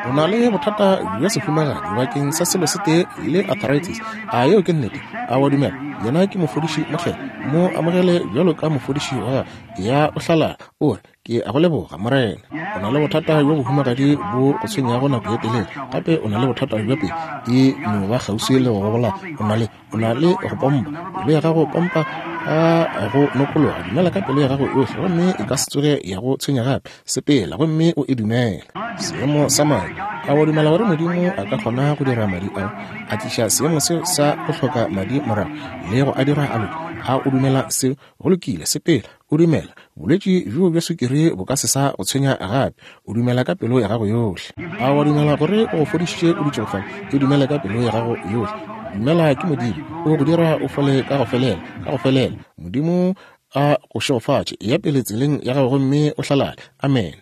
O na le bothata bja sehumagadi bakeng sa selo se tee le arthritis. A yeo ke nnete? A wa dumela? Yena ke mofodiši mokgethwa. Mo amogele bjalo ka mofodiši wa gago. Ya o hlalala, o re, ke a go leboga, Morena. O na le bothata bjo bohumagadi bo go tshwenyago nako ye telele. Gape o na le bothata bja pelo, e no ba kgauswi le go gobola. O na le, o na le go pompa. Pelo ya gago pompa ka go nokologa. Dumela ka pelo ya gago yohle, gomme e ka se tsoge ya go tshwenya gape. Sepela gomme o e dumele. Seemo sa madi. A wa dumela gore Modimo a ka kgona go dira madi ao, a tliša seemo seo sa go hloka madi morago le go a dira a loke? A o dumela seo? Go lokile, sepela o dumela. Bolwetši bjo bja sukiri bo ka se sa go tshwenya gape. O dumela ka pelo ya gago yohle. A wa dumela gore o go fodišitše o dutšego fale? E dumela ka pelo ya gago yohle. Dumela ke Modimo o go dira o fole ka go felela, ka go felela. Modimo a go šegofatše. Ya pele tseleng ya gago gomme o hlalale. Amen.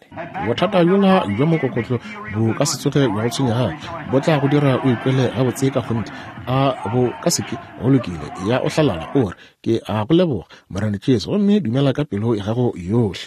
Bothata bjola bja mokokotlo bo ka se tsoge bja go tshwenya gape. Bo tla go dira o ikwele gabotse ka kgonthe. A bo ka se ke? Go lokile. Ya o hlalala, o re, ke a go leboga, Morena Jesu, gomme dumela ka pelo ya gago yohle.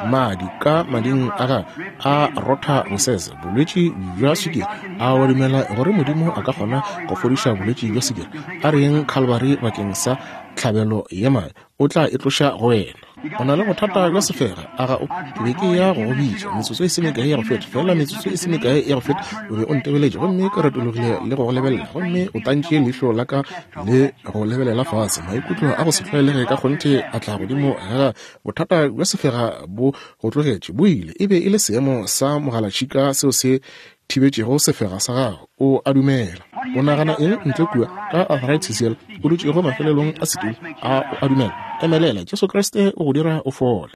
Madi ka mading a gago a rotha bosese, bolwetši bja sukiri. A wa dumela gore Modimo a ka kgona go fodiša bolwetši bja sukiri? A reng Calvary bakeng sa tlhabelo ya madi, o tla e tloša go wena. O na le bothata bja sefega. A ga o? Ke be ke ya go go bitša metsotso e se mekae ya go feta, fela metsotso e se mekae ya go feta, o be o ntebeletše, gomme ke retologile le go go lebelela, gomme o tantše leihlo la ka le go lebelela fase. Maikutlo a go se tlwaelege ka kgonthe a tla godimo ga bothata bja sefega bo go tlogetše, bo ile. E be e le seemo sa mogalatšhika seo se thibetšego sefega sa gago. O a dumela? O nagana eng ntle kua ka arthritis yela o dutšego mafelelong a setulo? A o a dumela? Emelela, Jesu Kriste o go dira o fole.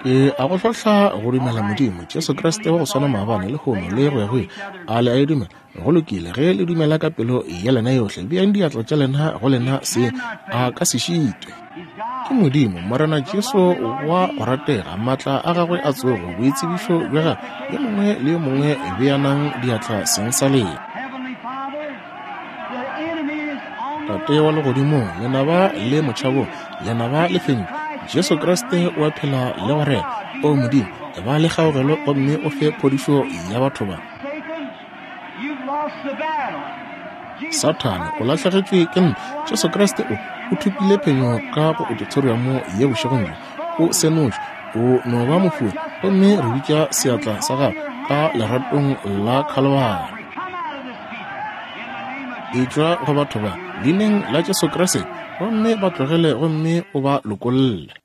Ke a go hlohla go dumela Modimo, Jesu Kriste wa go swana maabane, lehono le go ya go ile. A le a e dumela? Go lokile. Ge le dumela ka pelo ya lena yohle, beang diatla tša lena go lena seng, a ka se šitwe. Ke Modimo, Morena Jesu wa go ratega, maatla a gagwe a tsogo, boitsebišo bja gagwe. Yo mongwe le yo mongwe beanang diatla seng sa lena. Tate wa legodimong, lenaba le motšhabong, lenaba le fentšwe. Jesu Kriste o a phela le go rena. O Modimo, ba le kgaogelo gomme o fe phodišo ya batho ba. Sathane o lahlegetšwe ke ntwa. Jesu Kriste o o thopile phenyo ka go auditoriamo ye bošegong bjo. O senotšwe, o no ba mofori, gomme re bitša seatla sa gago ka leratong la Khalibari. Etšwa go batho ba, leineng la Jesu Kriste, gomme ba tlogele gomme o ba lokolle.